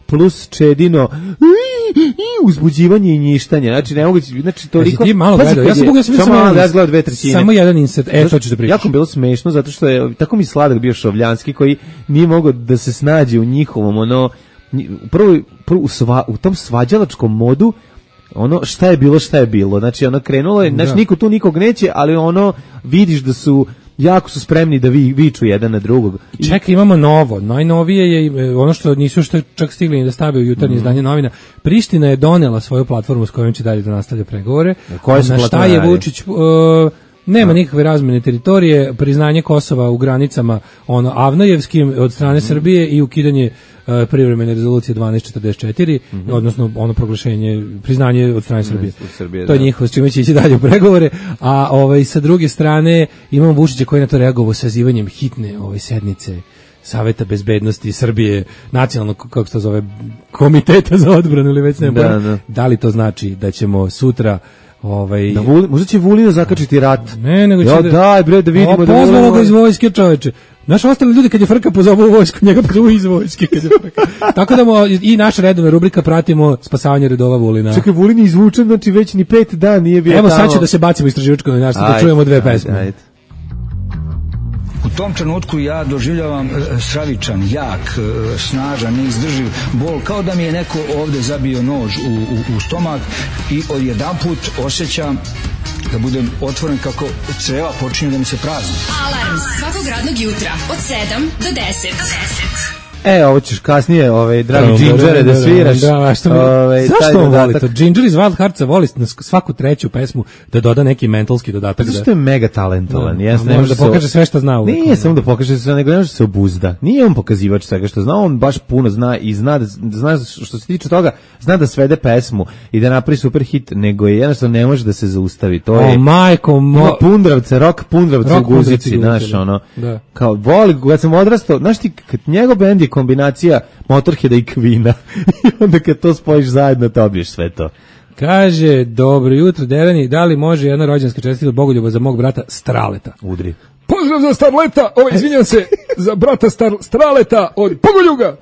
plus Čedino uzbuđivanje i njištanje, znači toliko. Ti malo gledao, ja sam gledao 2/3. Samo jedan insert, to ću da pričam. Jako bilo smešno, zato što je tako mi sladak bio Šovljanski koji nije mogao da se snađe u njihovom, prvo u tom svađalačkom modu, šta je bilo, znači krenulo je, znači niko tu nikog neće, ali vidiš da su jako su spremni da viču jedan na drugog. Čekaj, imamo novo. Najnovije je ono što nisu čak stigli da stave u jutarnje izdanje novina. Priština je donela svoju platformu s kojom će dalje da nastavlja pregovore. Na šta je Vučić... Nema nikakve razmene teritorije, priznanje Kosova u granicama Avnojevskim od strane Srbije i ukidanje privremene rezolucije 1244, odnosno proglašenje, priznanje od strane Srbije. To je njihovo, s čime će ići dalje u pregovore, a sa druge strane imamo Vučića koji je na to reagovao sazivanjem hitne sednice Saveta bezbednosti Srbije, nacionalnog, kako se to zove, komiteta za odbranu ili već ne znam. Da li to znači da ćemo sutra možda će Vulina zakačiti rat. Ne, nego će daj bre da vidimo da pozvalo ga iz vojske, čoveče. Naši ostali ljudi kad je frka pozovu u vojsku, njega pozovu iz vojske kad je frka. Tako da i naša redovna rubrika pratimo spasavanje redova Vulina. Čekaj, Vulin je izvučen, znači već ni 5 dana nije bio tamo. Evo sad će da se bacimo istraživačko novinarstvo, da čujemo 2 pesme. tom trenutku ja doživljavam stravičan, jak, snažan, neizdrživ bol, kao da mi je neko ovde zabio nož u stomak i odjedanput osjećam da budem otvoren kako creva počinju da mi se prazni. Alarm svakog radnog jutra od 7 do 10. Ovo ćeš kasnije, dragi Džinđere, da sviraš. Zašto on voli to? Džinđer iz Wild Heartsa voli na svaku treću pesmu da doda neki mentalski dodatak. Zašto je mega talentovan? Može da pokaže sve što zna. Nije samo da pokaže sve, nego ne može se obuzda. Nije on pokazivač svega što zna, on baš puno zna i zna što se tiče toga, zna da svede pesmu i da napravi super hit, nego je jednostavno ne može da se zaustavi. To je Pundravce, rock Pundravce u guzici, znaš, ono. Kao, voli, kad sam odrastao, znaš ti, kad njegov bend je kombinacija Motorheada i Queena i onda kad to spojiš zajedno dobiješ sve to. Kaže, dobro jutro Deveni, da li može jedna rođendanska čestitka od Bogoljuba za mog brata Straleta? Udri. Pozdrav za Starleta, izvinjam se, za brata Straleta od Bogoljuga.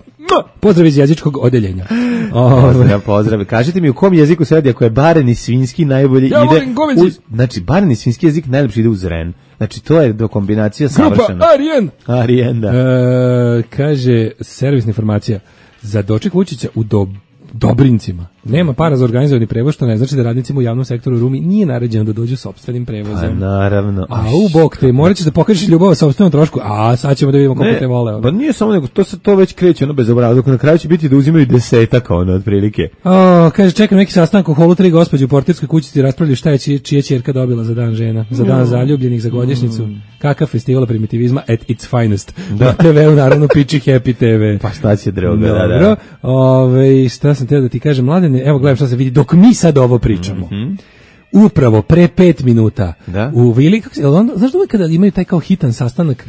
Pozdrav iz jezičkog odeljenja. Pozdrav. Kažite mi u kom jeziku se radi ako je bareni svinjski najbolje ide znači bareni svinjski jezik najlepše ide uz ren. Znači to je do kombinacija savršena. Grupa Arjen, da. Kaže servisna informacija za doček Vučića u Dobrincima. Nema para za organizovani prevoz, što ne znači da radnicima u javnom sektoru u Rumi nije naređeno da dođu sopstvenim prevozom. Naravno. A u bok te, morat ćeš da pokažeš ljubav sopstvenom trošku, a sad ćemo da vidimo koliko te vole. Pa nije samo nego, to već kreće bez obrazog, na kraju će biti da uzimaju 10 otprilike. Kaže, čekam neki sastanak u holu 3 gospođe u portirskoj kućici, raspravljaju šta je čija ćerka dobila za dan žena, za dan zaljubljenih, za godišnjicu. Kakav festival primitivizma at its finest. Na TV-u naravno piči Happy TV. Pa šta će drugo, da. Šta sam teo da ti kažem, Mladene, evo gledaj šta se vidi, dok mi sad ovo pričamo. Upravo pre 5 minuta u Vili, znaš da uvijek kada imaju taj kao hitan sastanak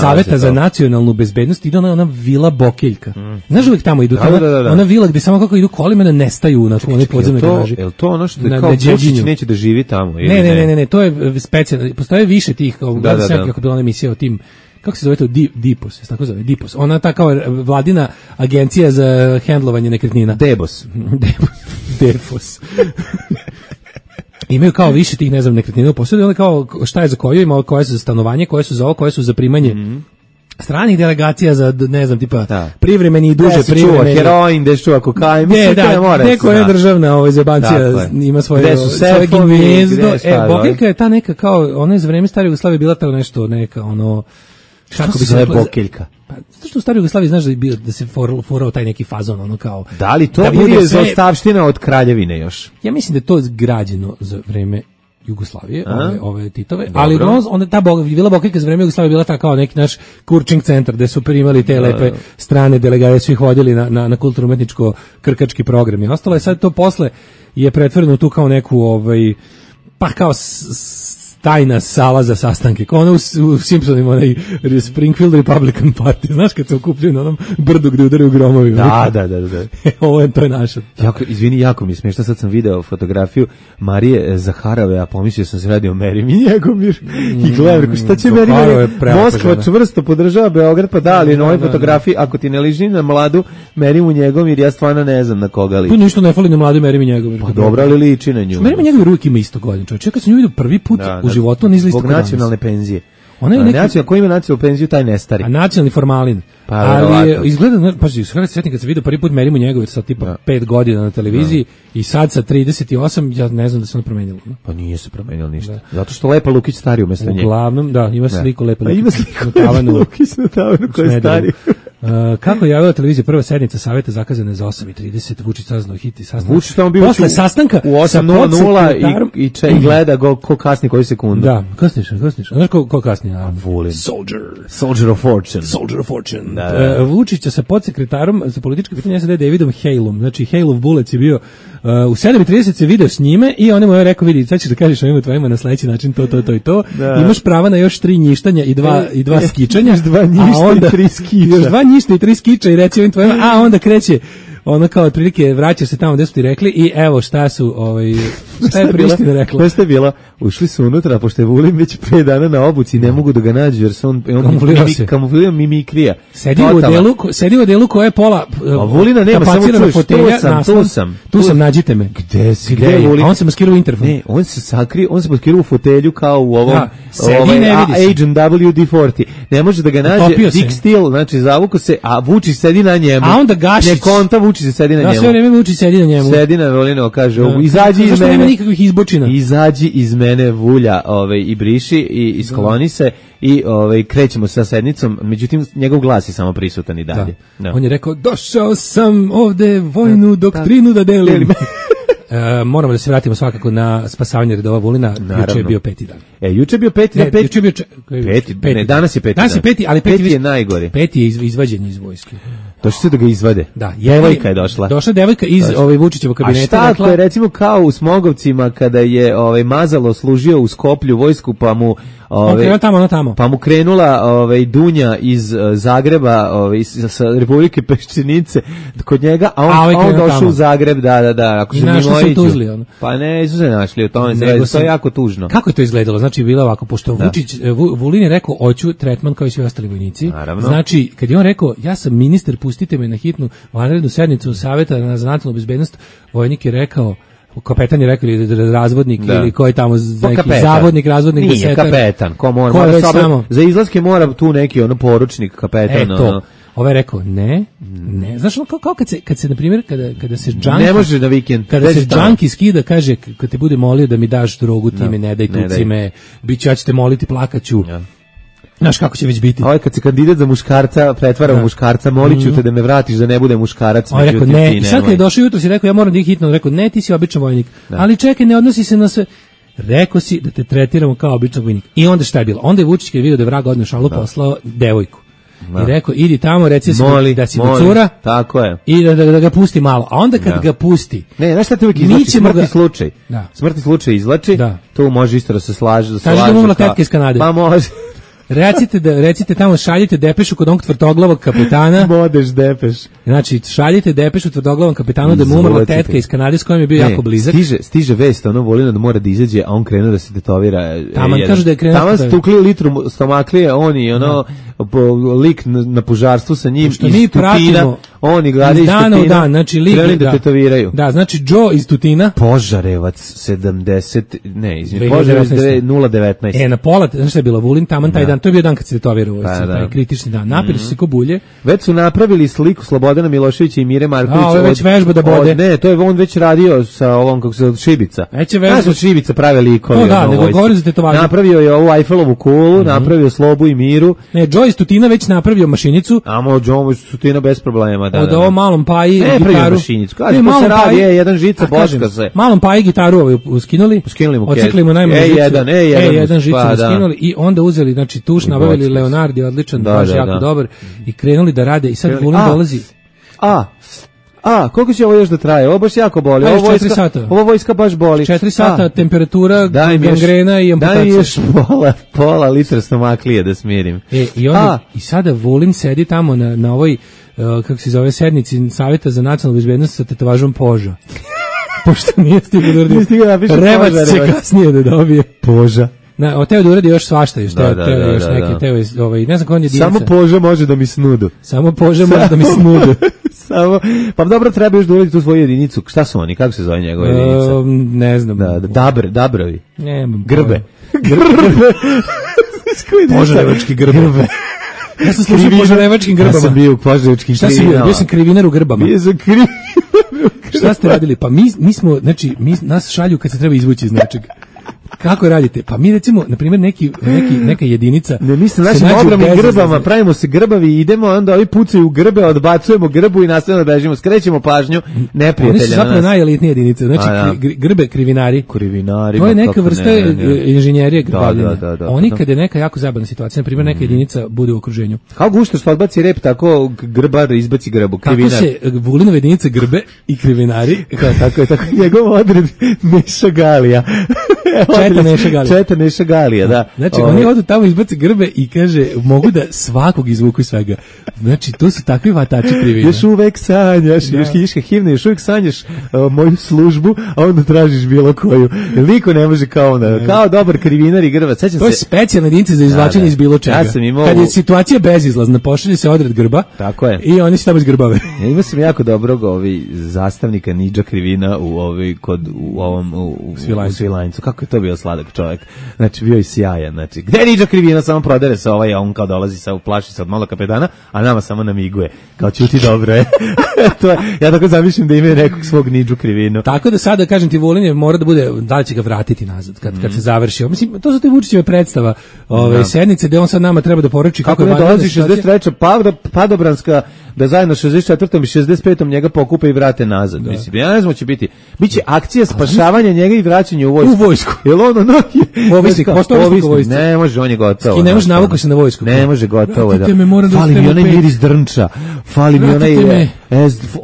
Saveta za nacionalnu bezbednost, ide ona Vila Bokeljka. Znaš uvijek tamo idu, ona vila gdje samo kako idu kolima da nestaju na onoj podzemnoj garaži. Je li to ono što je kao Vučić neće da živi tamo? Ne, to je specijalno, postoje više tih, kako je bila ona emisija o tim, kako se zove to, Dipos, tako zove, Dipos. Ona ta kao vladina agencija za hendlovanje nekretnina. Debos. Imaju kao više tih, ne znam, nekretnina u posjedu, onda kao šta je za koju, ima koje su za stanovanje, koje su za ovo, koje su za primanje stranih delegacija za, ne znam, tipa privremeni i duže privremeni. Heroin, gde se čuva kokain, mislim da mora. Neko je državna zebancija, ima svoje gnjezdo. Bokeljka je ta neka kao, ona je za vreme Stare Jugoslavije bila ta nešto, neka ono, kako bi se zove Bokeljka? Pa, što u Staroj Jugoslaviji znaš da se forao taj neki fazon, ono kao... Da li to bude zaostavština od kraljevine još? Ja mislim da je to građeno za vreme Jugoslavije, ove Titove, ali onda ta Vila Bokeljka za vreme Jugoslavije bila ta kao neki naš kurčing centar gde su primali te lepe strane delegacije, su ih vodili na kulturno-umetničko krkački program i ostalo je. Sad to posle je pretvoreno tu kao neku pa kao tajna sala za sastanke, kao ono u Simpsonima, onaj Springfield Republican Party, znaš kad se okupljaju na onom brdu gde udaraju gromovi. Da. To je naša. Izvini, jako mi je smiješno, sad sam video fotografiju Marije Zaharove, a pomislio sam se radi o Merim i Njegomir i gledam, šta će Merim? Moskva čvrsto podržava Beograd, pa da, ali na ovoj fotografiji, ako ti ne liži na mladu Merim u Njegomir, ja stvarno ne znam na koga liči. Pa ništa ne fali na mladu Merim i Njegomir. Pa dobro, ali liči na nju. Merim i Njegomir uvijek ima isto godin, čovječ. Kad sam nju vidio prvi put u životu, on izlisto zbog nacionalne penzije. Ko ima nacionalnu penziju, taj ne stari. A nacionalni formalin. Ali je, izgleda, paži, sretni kad se vidio prvi put Merimu Njegović sa tipa 5 godina na televiziji i sad sa 38, ja ne znam da se ono promenilo. Pa nije se promenilo ništa. Zato što Lepa Lukić stari umjesto nje. Uglavnom, da, ima sliku Lepa Lukić. Ima sliku Lepa Lukić na tavanu koja je stari. Kako je javila televizija, prva sednica saveta zakazana za 8:30, Vučić saznao hit i sastanak. Vučić tamo bio posle sastanka u 8:00 i gleda ko kasni koju sekundu. Da, kasniš. Znaš ko kasni? Vulin. Soldier of Fortune. Vučića sa podsekretarom za političke pitanja SAD Davidom Halom, znači Halov Bullets je bio u 7:30 se video s njime i on mu je rekao, vidi, sad ćeš da kažeš ovima tvojima na sledeći način to i to. Imaš prava na još 3 njištanja i dva skičanja. Još 2 njišta i 3 skiča. Još 2 njišta i 3 skiča i reci ovim tvojima, a onda kreće ono kao otprilike vraćaš se tamo gde su ti rekli i evo šta su šta je Priština rekla. Šta je bilo? Ušli su unutra, pošto je Vulin već 5 dana na obuci, ne mogu da ga nađu jer se on kamuflirao mimikrija. Sedi u odelu koje je pola Vulina nema, samo čuješ, tu sam, nađite me. Gde si? Gde je? A on se maskirao u interfon. Ne, on se maskirao u fotelju kao u ovom Agent WD-40. Ne može da ga nađe, Dick Steele, znači zavuko se, a Vučić sedi na njemu. A onda Gašić. Ne konta, Vučić se sedi na njemu. Da, sve vreme Vučić sedi na njemu. Sedi na Vulinu, kaže, izađi iz mene. Nema nikakvih izbočina. Izađi iz mene, Vulja, i briši i iskloni se i krećemo sa sednicom, međutim njegov glas je samo prisutan i dalje. Da. On je rekao, došao sam ovde vojnu doktrinu da delim. Moramo da se vratimo svakako na spasavanje redova Vulina. Juče je bio 5. dan. Juče je bio 5. dan. Juče je bio ne, danas je 5. Danas je 5. ali 5 je najgori. 5 je izvađen iz vojske. Došli su da ga izvade. Da, devojka je došla. Došla devojka iz Vučićevog kabineta. A šta ako je recimo kao u Smogovcima kada je Mazalo služio u Skoplju vojsku pa mu tamo. Pa mu krenula Dunja iz Zagreba, sa Republike Peščenice kod njega, a on došao u Zagreb, da, ako se mimo iđu. Pa ne, su se našli o tome, to je jako tužno. Kako je to izgledalo? Znači, bilo ovako, pošto Vulin je rekao, hoću tretman kao i svi ostali vojnici. Znači, kad je on rekao, ja sam ministar, pustite me na hitnu vanrednu sednicu Saveta za nacionalnu bezbednost, vojnik je rekao, kapetan je rekao ili razvodnik ili koji tamo neki zavodnik, razvodnik, nije desetar. Kapetan, ko mora za izlaske mora tu neki poručnik, kapetan. Ovaj je rekao, ne. Znaš, kao kad se na primjer, kada se džanki... Ne može na vikend. Kada se džanki skida, kaže, kad te bude molio da mi daš drogu, ti me ne daj, tuci me, ja ću te moliti, plakaću. Znaš kako će već biti. Ovaj kad se kandidat za muškarca pretvara u muškarca, molit ću te da me vratiš da ne bude muškarac. On rekao, ne, i sad kad je došao jutro si rekao, ja moram da ih hitno, rekao, ne, ti si običan vojnik, ali čekaj, ne odnosi se na sve. Rekao si da te tretiramo kao običan vojnik. I onda šta je bilo? Onda je Vučić kad je vidio da je vrag odneo šalu, poslao devojku. I rekao, idi tamo, reci da si mu cura, tako je. I da ga pusti malo. A onda kad ga pusti... Ne, znaš šta te uvijek izlači? Smrtni slučaj. Smrtni slučaj izlači, tu može isto da se slaže. Kaži da mu umrla tetka iz Kanade. Pa može. Recite tamo, šaljite depešu kod onog tvrdoglavog kapetana. Modeš depeš. Znači, šaljite depešu tvrdoglavom kapetanu da mu umrla tetka iz Kanade s kojom je bio jako blizak. Stiže vest, Vulina da mora da izađe, a on krenuo da se tetovira. Taman kaže da je krenuo. Taman stukli litru stomaklije, on i lik na požarstvu sa njim iz Tutina. Oni gledaju iz dana u dan, znači lik da tetoviraju. Da, znači Joe iz Tutina. Požarevac 70, ne, Požarevac 019. Na pola, znaš šta je bilo, Vulin taman taj dan, to je bio dan kad se tetovirao, taj kritični dan. Napili su se ko bulje. Već su napravili sliku Slobodana Miloševića i Mire Markovića. Ovo je već vežba da bode. Ne, to je on već radio sa ovom, kako se Šibica. Znaš od Šibica prave likove. Da, nego govori za tetovanje. Napravio je ovu Eiffelovu kulu, napravio Slobu i Miru. Ne, Joe iz Tutina već napravio mašinicu. Joe iz Tutina bez problema, da. Od ovo malom Paji gitaru. Kaže, to se radi, jedan žica, boška se. Malom Paji gitaru skinuli mu ocikli mu najmanju žicu. E1 žicu skinuli i onda uzeli, znači tuš, nabavili Leonardi, odličan, baš jako dobar, i krenuli da rade i sad Vulin dolazi. Koliko će ovo još da traje? Ovo baš jako boli. Ovo vojska baš boli. 4 sata, temperatura, gangrena i amputacija. Daj mi još pola litra stomaklije da smirim. I sada Vulin sedi tamo na ovoj, kako se zove, sednici Saveta za nacionalnu bezbednost sa tetovažom Poža. Pošto nije stigao da uradi. Revac će kasnije da dobije. Poža. Teo da uradi još svašta, ne znam ko on je jedinica. Samo Poža može da mi snudu. Samo Poža može da mi snudu. Pa dobro, treba još da uradi tu svoju jedinicu. Šta su oni, kako se zove njegova jedinica? Ne znam. Dabrovi. Grbe. Požarevački grbe. Ja sam slušao požarevačkim grbama. Ja sam bio u požarevačkim krivinama. Bio sam krivinar u grbama. Šta ste radili? Pa mi smo, znači, nas šalju kad se treba izvući iz nečega. Kako radite? Pa mi recimo, na primjer, neka jedinica... Ne, mi se našim ogromnim grbama, pravimo se grbavi i idemo, onda ovi pucaju u grbe, odbacujemo grbu i nastavljamo da bežimo. Skrećemo pažnju neprijatelja. Oni su zapravo najelitnije jedinice. Znači, grbe, krivinari. To je neka vrsta inženjerije grbavljenja. Oni kad je neka jako zabavna situacija, na primjer, neka jedinica bude u okruženju. Kao gušto što odbaci rep, tako grbar izbaci grbu, krivinar. Tako se Vulinove jedinice grbe i krivinari. Tako je, njegov odred Meša Galija. Četa Neša Galija, da. Znači, oni odu tamo, izbace grbe i kaže, mogu da svakog izvuku svega. Znači, to su takvi vatači krivine. Još uvek sanjaš, još hiška himna, još uvek sanjaš moju službu, a onda tražiš bilo koju. Niko ne može kao onda, kao dobar krivinar i grbac. To je specijalna jedinica za izvlačenje iz bilo čega. Ja sam imao... Kad je situacija bezizlazna, pošalje se odred grba. Tako je. I oni se tamo izgrbave. Ja imao sam jako dobrog zastavnika Nidža Krivina u Svilajncu. Kako je to bio sladak čovjek. Znači, bio je sjajan. Znači, gde je Nidža Krivina? Samo prodere se a on kao dolazi sa plaši se od malo kapetana, a nama samo namiguje. Kao ćuti dobro je. Ja tako zamišljam da ima nekog svog Nidžu Krivinu. Tako da sada, kažem ti, Vulin je mora da bude, da li će ga vratiti nazad kad se završi. Mislim, to su te Vučićeve predstava sednice gde on sad nama treba da poruči kako je dolazi 63. Padobranska, da zajedno 64. i 65. njega pokupe i vrate nazad. Da. Mislim, ja ne znam, će biti. Biće akcija spašavanja njega i vraćanja u vojsku. U vojsku. Jel ono ovisnik, ovisnik. Ne može, on je gotovo. Ne može navuka se na vojsku. Ne može, gotovo je. Fali mi onaj miris drnča. Fali mi onaj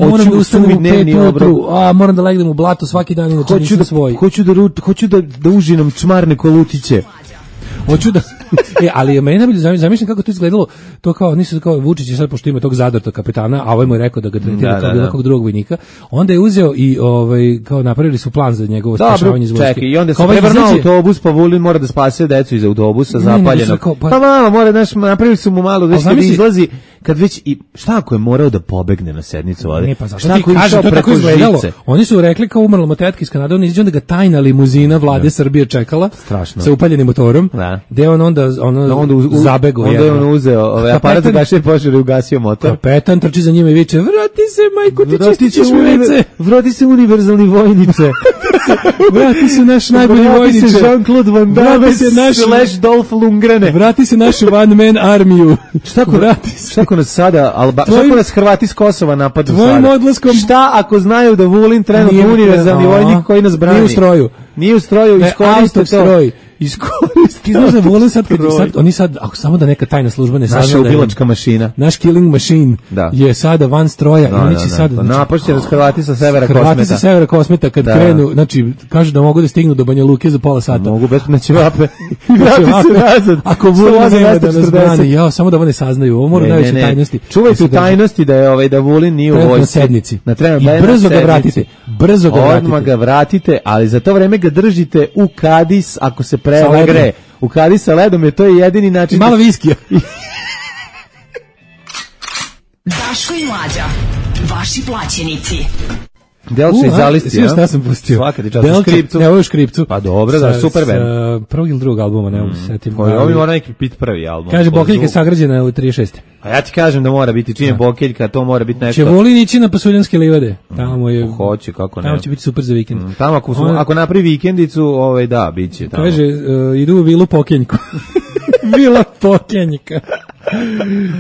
moram da ustanem u 5 ujutru, moram da legnem u blato svaki dan, inače nisam svoj. Hoću da užinom čmarne kolutiće. Hoću da ali meni najbolje zamišljam kako to izgledalo, to kao nisu kao Vučić je sad pošto ima tog Zadartog kapetana, a ovaj mu je rekao da ga tretira kao bilo kog drugog vojnika. Onda je uzeo i kao napravili su plan za njegovo spašavanje iz vojske. Čekaj, i onda se prevrnuo autobus, pa Vulin mora da spase decu iz autobusa zapaljenog. Pa mama mora napravili su mu malo da izlazi kad već i šta ako je morao da pobegne na sednicu ovde? Ne, pa zašto ti kaže, to tako izgledalo. Oni su rekli kao umrla mu tetka iz Kanade, on izađe onda ga tajna limuzina vlade Srbije čekala sa upaljenim motorom, gde on onda zabego. Onda je on uzeo aparat za gašenje požara i ugasio motor. Kapetan trči za njima i viče, vrati se majko, ti čistićeš ulice. Vrati se univerzalni vojniče. Vrati se naš najbolji vojniče. Vrati se Jean-Claude Van Damme / Dolph Lundgrene. Vrati se našu one man armiju. Šta ako nas sada, šta ako nas Hrvati s Kosova napadu sada? Šta ako znaju da Vulin trenutno univerzalni vojnik koji nas brani? Nije u stroju, iskoriste to. Ti znaš da Vulin sad, oni sad, ako samo da neka tajna služba ne sazna, naša ubilačka mašina, naš killing machine je sada van stroja i oni će sada napašće Hrvati sa severa Kosmeta. Hrvati sa severa Kosmeta kad krenu, znači kažu da mogu da stignu do Banja Luke za pola sata. Mogu bez ćevape. Vrati se nazad. Ako Vulin nema da nas brani, samo da oni saznaju, ovo mora najveće tajnosti. Čuvajte tajnosti da Vulin nije u vojsci. Na sednici. I brzo ga vratite. Odmah ga vratite, ali za to vreme ga držite u Kadis ako se gre. U Kadi sa ledom je to jedini način. Malo viskija. Daško i Mlađa, vaši plaćenici. Delče iz Alisti, ja? Šta sam pustio? Svaka ti čast u Škripcu. Ne, ovo je u Škripcu. Pa dobro, da, super band. Prvog ili drugog albuma, ne mogu se setim. Ovi mora neki biti prvi album. Kaže, Bokeljka je sagrađena u 36. A ja ti kažem da mora biti, čim je Bokeljka, to mora biti nešto. Će Vulin ići na Pasuljanske livade. Tamo je... Hoće, kako ne. Tamo će biti super za vikend. Tamo ako napravi vikendicu, da, bit će tamo. Kaže, idu u vilu Pokenjku. Vila Pokenjka.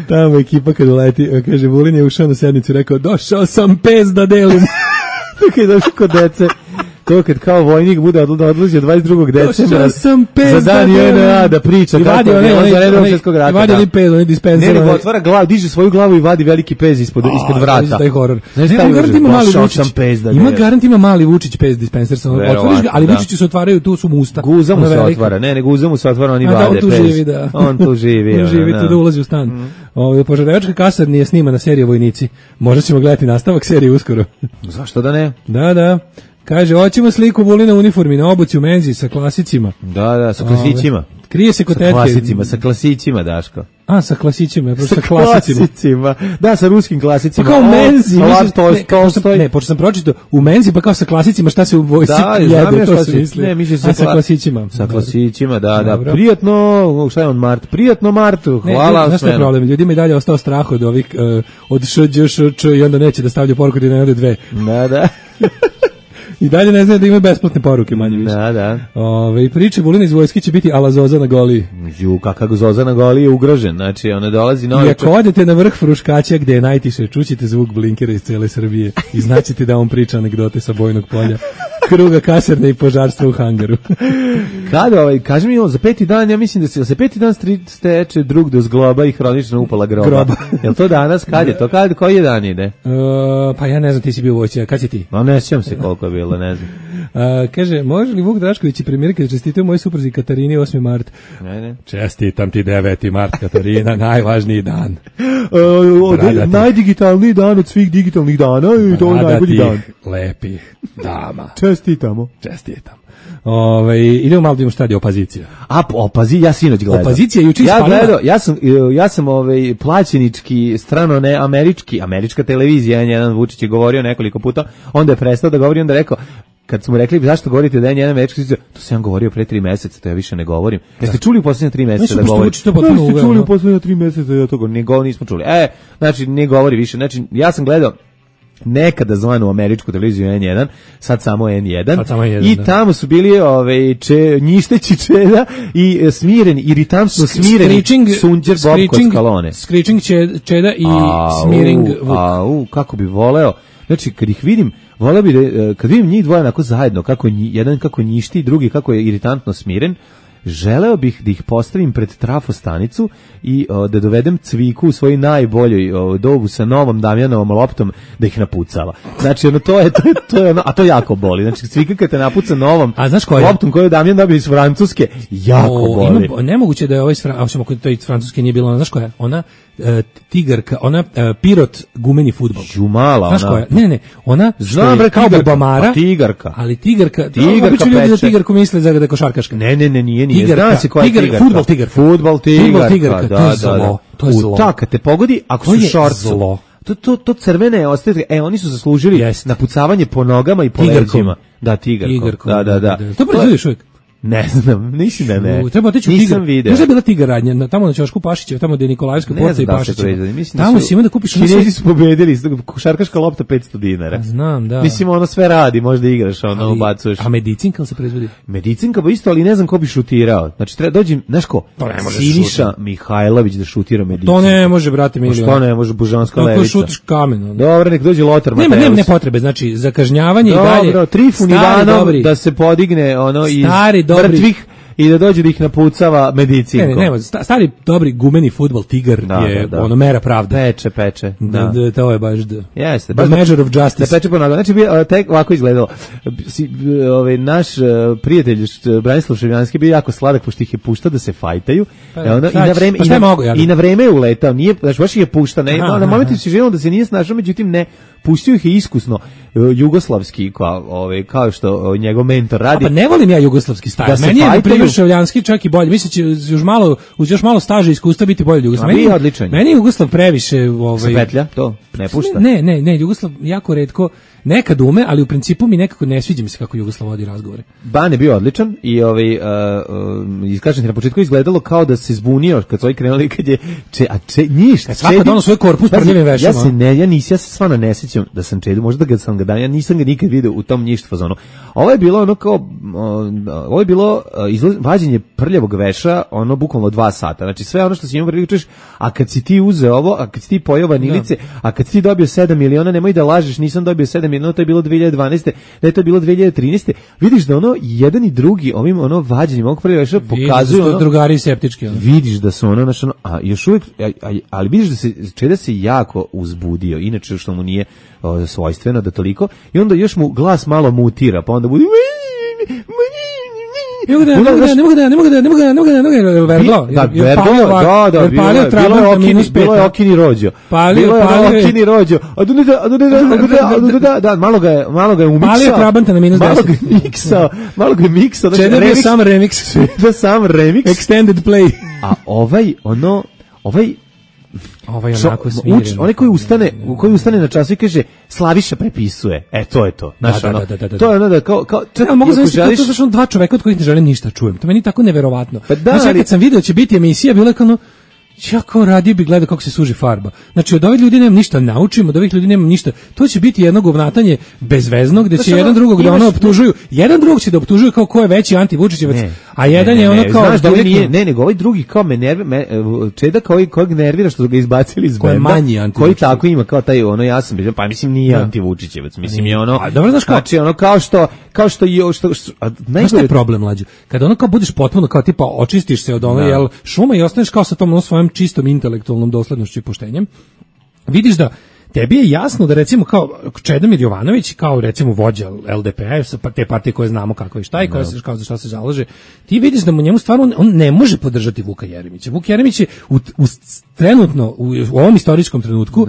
Tamo ekipa kad uleti, kaže, Vulin je ušao na sednicu i rekao, došao sam pes da delim. Tako je došao kod dece. To kad kao vojnik bude odlazio 22. decembra za dan JNA da priča kako je bilo za redom svjetskog rata. I vadi li pez, on je dispenser. Ne, otvara glavu, diže svoju glavu i vadi veliki pez ispod vrata. Taj horor. Ima garant ima mali Vučić pez dispenser, otvoriš ga, ali Vučići se otvaraju, tu su mu usta. Guza mu se otvara, ne, guza mu se otvara, oni vade pez. On tu živi. On živi, tu da ulazi u stan. Požarevačka kasar nije snimana serija Vojnici. Možda ćemo gledati nastavak serije uskoro. Zašto da ne? Da. Kaže, hoćemo sliku Vulina u uniformi na obuci u menzi sa klasicima. Da, sa klasićima. Krije se kod tetke. Sa klasićima, Daško. Sa klasićima, sa klasicima. Da, sa ruskim klasicima. Pa kao u menzi. Ne, pošto sam pročitao u menzi, pa kao sa klasicima, šta se u vojsci jede, to se misli. Ne, misli sa klasićima. Sa klasićima, da. Prijatno, šta je on Mart? Prijatno Martu, hvala. Znaš šta je problem? Ljudima i dalje ostao strah od ovih, od Šđ i onda neće da stavlja poruku da ne ode dve. Da. I dalje ne znaju da imaju besplatne poruke, manje više. Da. I priče Vulina iz vojske će biti ala Zoza na Goliji. Kakav Zoza na Goliji je ugrožen. Znači, ona dolazi novi... I ako odete na vrh Fruškaća gde je najtiše, čućete zvuk blinkera iz cele Srbije i znaćete da on priča anegdote sa bojnog polja. kruga kasarne i požarstva u hangaru. Kada, kaži mi, za 5. dan, ja mislim da se 5. dan steče drug do zgloba i hronična upala groba. Jel to danas? Kad je to? Koji je dan ide? Pa ja ne znam, ti si bio u vojci, kad si ti? No, ne sjećam se koliko je bilo, ne znam. Kaže, može li Vuk Drašković i premijerka da čestitaju mojoj supruzi Katarini 8. mart? Ne. Čestitam ti 9. mart, Katarina, najvažniji dan. Najdigitalniji dan od svih digitalnih dana i to je najbolji dan. Lepih dama. Čestitam. Idemo malo da imamo šta je opozicija. Ja sinoć gledao. Opozicija juče ispalila. Ja sam plaćenički, strano ne američka televizija, jedan Vučić je govorio nekoliko puta, onda je prestao da govori, onda je rekao, kad smo rekli zašto govorite da je jedan američki, to sam ja govorio pre 3 meseca, to ja više ne govorim. Jeste čuli u poslednje 3 meseca da govorim? Jeste čuli u poslednje 3 meseca da to nismo čuli. Znači, ne govori više. Znači, ja sam gledao nekada zvanu američku televiziju N1, sad samo N1, i tamo su bili njišteći Čeda i smireni, iritantno smireni Sunđer Bob Koskalone. Screeching Čeda i smiring Vuk. Kako bi voleo, znači kad ih vidim, voleo bi kad vidim njih dvoje onako zajedno, jedan kako njišti, drugi kako je iritantno smiren, želeo bih da ih postavim pred trafostanicu i da dovedem Cviku u svojoj najboljoj dobu sa novom Damjanovom loptom da ih napucava. Znači, to je a to jako boli. Znači, Cvika kad te napuca novom loptom koju Damjan dobio iz Francuske, jako boli. Nemoguće da je ovaj to iz Francuske nije bilo, ona, znaš koja je? Ona tigarka, ona pirot gumeni fudbal. Žumala, znaš koja je? Ne, ona znam bre, kao Bobamara, tigarka. ali tigarka peče. Da tigarku misle da je košarkaška. Ne, nije. Zna se koja je tigarka. Fudbal tigarka. To je zlo. Kad te pogodi, ako su šorcu. To crvene ostaje, oni su zaslužili napucavanje po nogama i po leđima. Da, tigarkom. Da. To proizvodiš uvijek? Ne znam, mislim da ne. Treba otići u Tigar. Možda je bila Tigar radnja, tamo na Ćošku Pašićev, tamo gde je Nikolajevska porta i Pašićeva. Tamo si ima da kupiš... Kinezi su pobedili, košarkaška lopta $500. Znam, da. Mislim, ono sve radi, možda igraš, ubacuješ. A medicinka li se proizvodi? Medicinka, isto, ali ne znam ko bi šutirao. Znači, treba dođem, znaš ko? Siniša Mihajlović da šutira medicinku. To ne može, brate, milion. Što ne može, Božanska levica. Kako šutiš kamen? Dobro, nek dođe Lothar Mateus. Ne potrebe, znači, za kažnjavanje i dalje. Dobro, Trifun Ivanov da se podigne iz mrtvih i da dođe da ih napucava medicinkom. Ne, stari dobri gumeni fudbal Tigar je ono mera pravde. Peče. To je baš jeste. The measure of justice. Da peče po nogama. Znači, tek ovako izgledalo. Naš prijatelj Branislav Ševljanski bio jako sladak, pošto ih je puštao da se fajtaju. I na vreme je uletao. Znači, baš ih je puštao. Na momentu si želeo da se nije snašao, međutim ne. Pustio ih je iskusno jugoslavski, kao što njegov mentor radi. Pa ne volim ja jugoslavski stajl. Meni je primjer Ševljanski čak i bolje. Mislim će uz još malo staža i iskustva biti bolje Jugoslav. Meni je Jugoslav previše... Se petlja, to ne pušta? Ne, Jugoslav jako retko, nekad ume, ali u principu mi nekako ne sviđa mi se kako Jugoslav vodi razgovore. Ban je bio odličan i kažem ti na početku izgledalo kao da se zbunio kad su ovi krenuli, kad je svaka dono svoj korpus prljivim vešama. Ja se stvarno ne sjećam da sam Čedu, možda ga sam ga dan, ja nisam ga nikad video u tom njišt fazonu. Ovo je bilo ono kao, ovo je bilo vađenje prljavog veša, ono bukvalno 2 sata. Znači sve ono što si imao pričaš, a kad si ti uzeo ovo, a kad si ti pojeo vanilice, a kad si ti dobio 7 miliona, nemoj da lažeš, nisam dobio 7 miliona, to je bilo 2012. Da je to bilo 2013. Vidiš da ono jedan i drugi ovim ono vađenjem ovog prljavog veša pokazuju ono, drugari septički. Vidiš da su ono naš ono, a još uvijek, ali vidiš da se Čeda se jako uzbudio, inače što mu nije svojstveno da toliko, i onda još mu glas malo mutira, pa onda bude Ne mogu da, bilo je Okini Rođo. Bilo je Okini Rođo. Da, malo ga je umiksao. Palio Trabanta na -10. Malo ga je miksao. Čeda je sam remix. Extended play. A ovaj onako smiren. Onaj koji ustane na času i kaže Slaviša prepisuje. To je to. To je ono da kao mogu zamisliti to zašto 2 čoveka od kojih ne želim ništa čujem. To meni je tako neverovatno. Znači kad sam video će biti emisija, bilo je kao ja kao radio bi gledao kako se suži farba. Znači od ovih ljudi nemam ništa naučim, od ovih ljudi nemam ništa. To će biti jedno govnatanje bezvezno gde će jedan drugog da ono optužuju. Jedan drugog će da optužuju kao ko je veći anti-Vučićevac, a jedan je ono kao da nije, nego ovaj drugi kao Čeda kojeg nervira što su ga izbacili iz benda. Koji tako ima kao taj ono ja sam pa mislim nije anti-Vučićevac, mislim je ono. Dobro znaš znači ono kao što kao što Znaš je problem, mlađe? Kada ono kao budeš potpuno, kao tipa očistiš se od ono, jel, šuma i ostaneš kao sa tom svojom čistom intelektualnom doslednošću i poštenjem, vidiš da tebi je jasno da recimo kao Čedomir Jovanović, kao recimo vođa LDP-a, te partije koje znamo kako i šta i koje se, kao za šta se zalaže, ti vidiš da mu njemu stvarno on ne može podržati Vuka Jeremića. Vuk Jeremić je trenutno u ovom istorijskom trenutku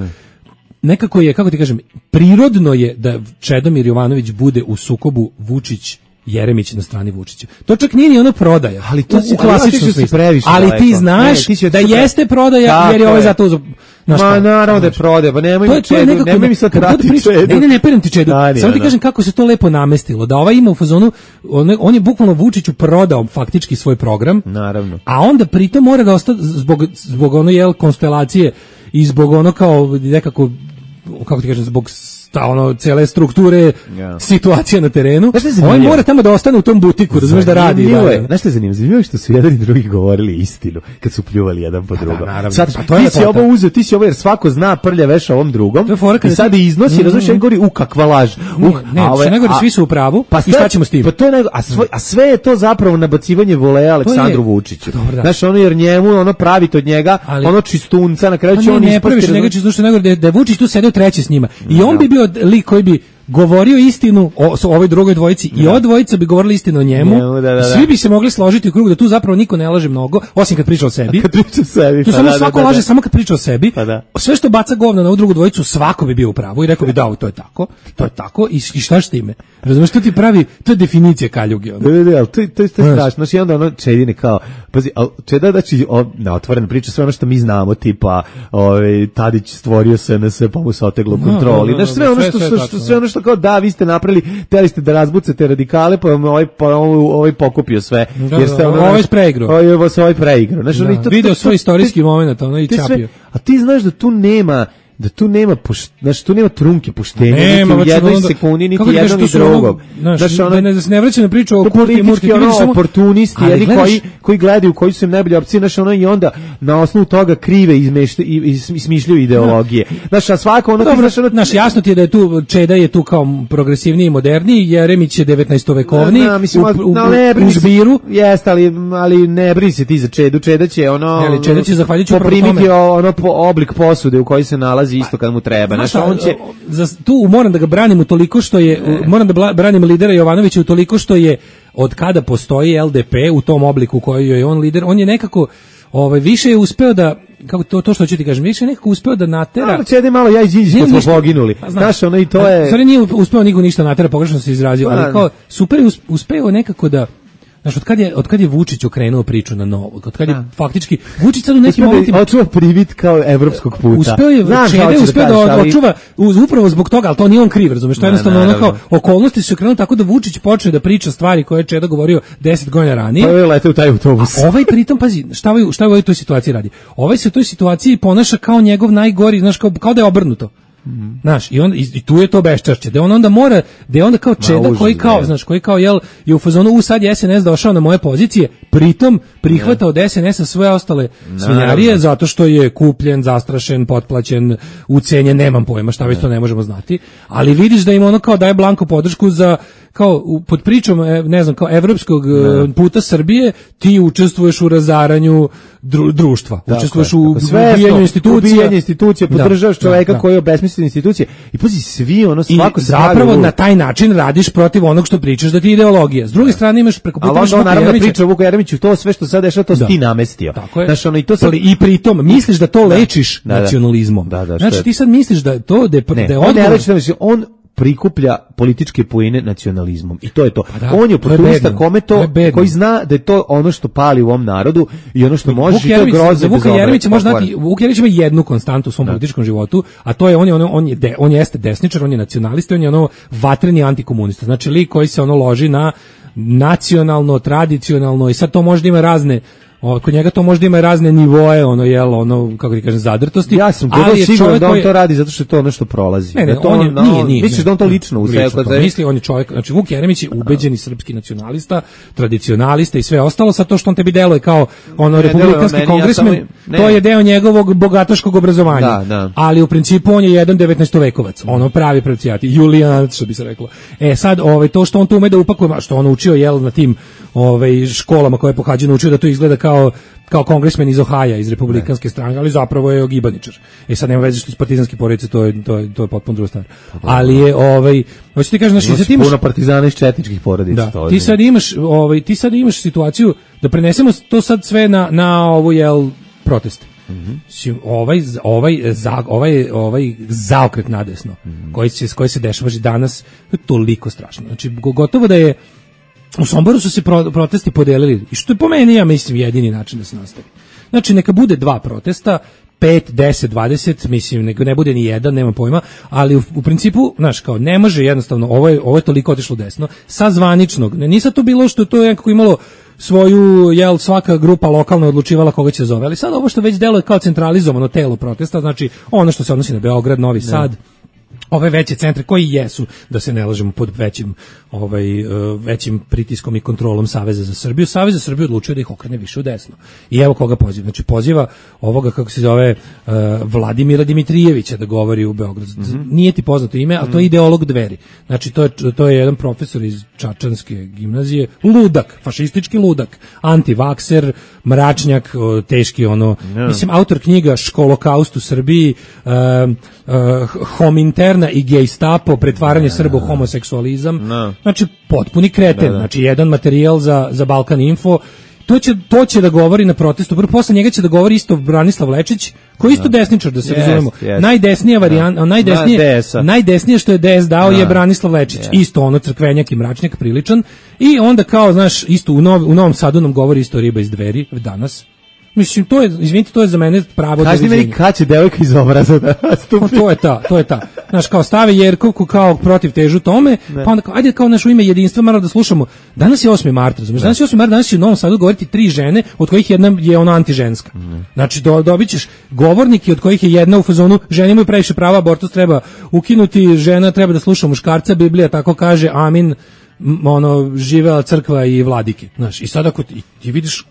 nekako je, kako ti kažem, prirodno je da Čedomir Jovanović bude u sukobu Vučić Jeremić na strani Vučića. To čak nije ni ono prodaja. Ali to u klasičnom smislu. Ali ti znaš da jeste prodaja jer je ovaj zato uzeo. Ma naravno da je prodaja, pa nemoj Čedu, nemoj mi sad trati Čedu. Ne perem ti Čedu. Samo ti kažem kako se to lepo namestilo, da ovaj ima u fazonu, on je bukvalno Vučiću prodao faktički svoj program. Naravno. A onda pritom mora da ostane zbog ono jel konstelacije i zbog ono kao nekako, kako ti kažem, zbog cele strukture situacije na terenu. On mora tamo da ostane u tom butiku, razumeš, da radi. Znaš što je zanimljivo? Zanimljivo je što su jedan i drugi govorili istinu kad su pljuvali jedan po drugom. Sad, ti si ovo uzeo, ti si ovo, jer svako zna prlja veša ovom drugom i sad iznosi, razumeš, jedan govori, kakva laž. Ne govori, svi su u pravu i šta ćemo s tim? A sve je to zapravo nabacivanje voleja Aleksandru Vučiću. Znaš, ono jer njemu, ono pravite od njega, ono čistunca, na kraju će on ispasti. Da je Vučić tu sedeo treći s njima i on bi bio lik koji bi govorio istinu o ovoj drugoj dvojici i ova dvojica bi govorili istinu o njemu. Svi bi se mogli složiti u krug da tu zapravo niko ne laže mnogo, osim kad priča o sebi. Tu samo svako laže samo kad priča o sebi. Sve što baca govna na ovu drugu dvojicu, svako bi bio u pravu i rekao bi da, to je tako i šta s time? Razumeš, to ti pravi, to je definicija kaljuge. Ali to je strašno. Znači onda ono Čedine kao, pazi, Čeda znači na otvorena priča sve ono što mi znamo, tipa Tadić stvorio SNS pa mu se oteglo kontroli. Znači sve ono što kao da, vi ste napravili, hteli ste da razbucate radikale, pa ovaj pokupio sve. Jer ste ovaj preigrao. Ovaj preigrao. Video svoj istorijski moment, ono i čapio. A ti znaš da tu nema znači tu nema trunke poštenja, niti u jednoj sekundi, niti jednom i drugom. Da se ne vraća na priču o kurti murti, oportunisti, jedni koji gledaju koji su im najbolje opcije, znači ono i onda na osnovu toga krive i smišljaju ideologije. Znači, a svako ono... Znaš, jasno ti je da je tu, Čeda je tu kao progresivniji i moderniji, Jeremić je 19-vekovni u žbiru. Jeste, ali ne brini se ti za Čedu, Čeda će ono... Čeda će zahvaljujući poprimiti oblik posude u kojoj se nalazi isto kad mu treba. Znači on će tu moram da ga branim utoliko što je moram da branim lidera Jovanovića utoliko što je od kada postoji LDP u tom obliku koji je on lider, on je nekako više je uspeo da, kako to što ću ti kažem, više je nekako uspeo da natera. Ali Čede malo ja i Đinđić kad smo poginuli. Znaš, ono i to je... Stvari nije uspeo niko ništa natera, pogrešno se izrazio, ali kao super je uspeo nekako da... Znaš, od kad je Vučić okrenuo priču na novo, od kad je faktički Vučić sad u nekim momentima očuva privid kao evropskog puta. Uspeo da očuva upravo zbog toga, ali to nije on kriv, razumeš, to je jednostavno ono kao okolnosti su okrenule tako da Vučić počne da priča stvari koje je Čeda govorio 10 godina ranije. Pa je leteo u taj autobus. Ovaj pritom, pazi, šta u ovoj toj situaciji radi? Ovaj se u toj situaciji ponaša kao njegov najgori, znaš, kao da je obrnuto. Znaš, i tu je to beščašće, da on onda mora, da je onda kao Čeda koji kao, znaš, koji kao je u fazonu, sad je SNS došao na moje pozicije, pritom prihvatao od SNS-a sve ostale svinjarije, zato što je kupljen, zastrašen, potplaćen, ucenjen, nemam pojma, šta već to ne možemo znati, ali vidiš da im ono kao daje blanko podršku za, kao pod pričom, ne znam, kao evropskog puta Srbije, ti učestvuješ u razaranju društva, učestvuješ u ubijanju institucija, podržavaš čoveka koji obesmisli institucije i pazi svi ono svako se zapravo na taj način radiš protiv onog što pričaš da ti je ideologija. S druge strane imaš preko puta Vuka Jeremića, priča Vuka Jeremiću, to sve što sad dešava, to si ti namestio. Znaš, ono i to sad i pritom misliš da to lečiš nacionalizmom. Znači ti sad misliš da to da je on prikuplja političke poene nacionalizmom i to je to. On je oportunista kome to, koji zna da je to ono što pali u ovom narodu i ono što može i to groze. Vuka Jeremić može znati, Vuk Jeremić ima jednu konstantu u svom političkom životu, a to je on jeste desničar, on je nacionalista, on je ono vatreni antikomunista. Znači lik koji se ono loži na nacionalno, tradicionalno i sad to možda ima razne Kod njega to možda ima razne nivoe, kako ti kažem, zadrtosti. Ja sam siguran da on to radi zato što je to ono što prolazi. Ne, nije. Misliš da on to lično u sebi? Misli, on je čovjek, znači Vuk Jeremić je ubeđeni srpski nacionalista, tradicionalista i sve ostalo, sa to što on tebi deluje kao republikanski kongresmen, to je deo njegovog bogataškog obrazovanja. Ali u principu on je jedan 19-vekovac, pravi pravcijati, Julijanac, što bi se reklo. Sad, to što on tu ume da upakuje, što on učio, na tim školama koje je pohađao, naučio da to izgleda kao kongresmen iz Ohaja, iz republikanske stranke, ali zapravo je ogibaničar. Sad nema veze što iz partizanske porodice, to je potpuno druga stvar. Ali je, hoću ti kažem, znači, ti imaš puno partizana iz četničkih porodica. Da, ti sad imaš situaciju da prenesemo to sad sve na ovu, proteste. Ovaj zaokret nadesno, koji se dešava danas, je toliko strašno. Znači, gotovo da je u Somboru su se protesti podelili, i što je po meni, ja mislim, jedini način da se nastavi. Znači, neka bude 2 protesta, 5, 10, 20, mislim, neka ne bude ni jedan, nema pojma, ali u principu, znaš, kao, ne može jednostavno, ovo je toliko otišlo desno, sa zvaničnog, nije to bilo što je to nekako imalo svoju, svaka grupa lokalna odlučivala koga će zove, ali sad ovo što već deluje kao centralizovano telo protesta, znači ono što se odnosi na Beograd, Novi Sad, ove veće centre koji jesu, da se ne lažemo, pod većim pritiskom i kontrolom Saveza za Srbiju. Savez za Srbiju odlučio da ih okrene više u desno. I evo koga poziva. Znači poziva ovoga, kako se zove, Vladimira Dimitrijevića da govori u Beogradu. Nije ti poznato ime, ali to je ideolog Dveri. Znači to je jedan profesor iz Čačanske gimnazije, ludak, fašistički ludak, antivakser, mračnjak, teški mislim, autor knjiga Školokaust u Srbiji, Hominterna i Gestapo, pretvaranje Srba u homoseksualizam. Znači, potpuni kreten. Znači, jedan materijal za Balkan Info. To će da govori na protestu. Prvo, posle njega će da govori isto Branislav Lečić, koji je isto desničar, da se razumemo. Najdesnija varijanta, najdesnije što je DS dao je Branislav Lečić. Isto crkvenjak i mračnjak, priličan. I onda kao, znaš, isto u Novom Sadu nam govori isto riba iz Dveri danas. Mislim, to je za mene pravo doviđenja. Kaži meni kad će devojka iz obraza da stupi. To je ta. Znaš, kao stave Jerkovku kao protiv težu tome, pa onda kao, ajde kao naš u ime jedinstva, malo da slušamo. Danas je 8. mart, razumiješ? Danas je 8. mart, danas će u Novom Sadu govoriti 3 žene, od kojih jedna je antiženska. Znači, dobit ćeš govornike od kojih je jedna u fazonu, žene imaju previše prava, abortus treba ukinuti, žena treba da sluša muškarca, Biblija tako kaže, amin, živela crkva i vladike, znaš, i sad ako ti vidiš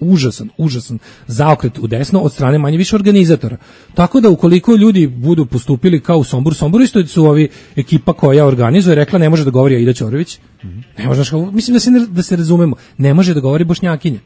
užasan zaokret u desno od strane manje više organizatora, tako da ukoliko ljudi budu postupili kao u Somboru isto su ovi ekipa koja organizuje rekla ne može da govori Aida Ćorović, ne može, mislim da se razumemo, ne može da govori Bošnjakinja.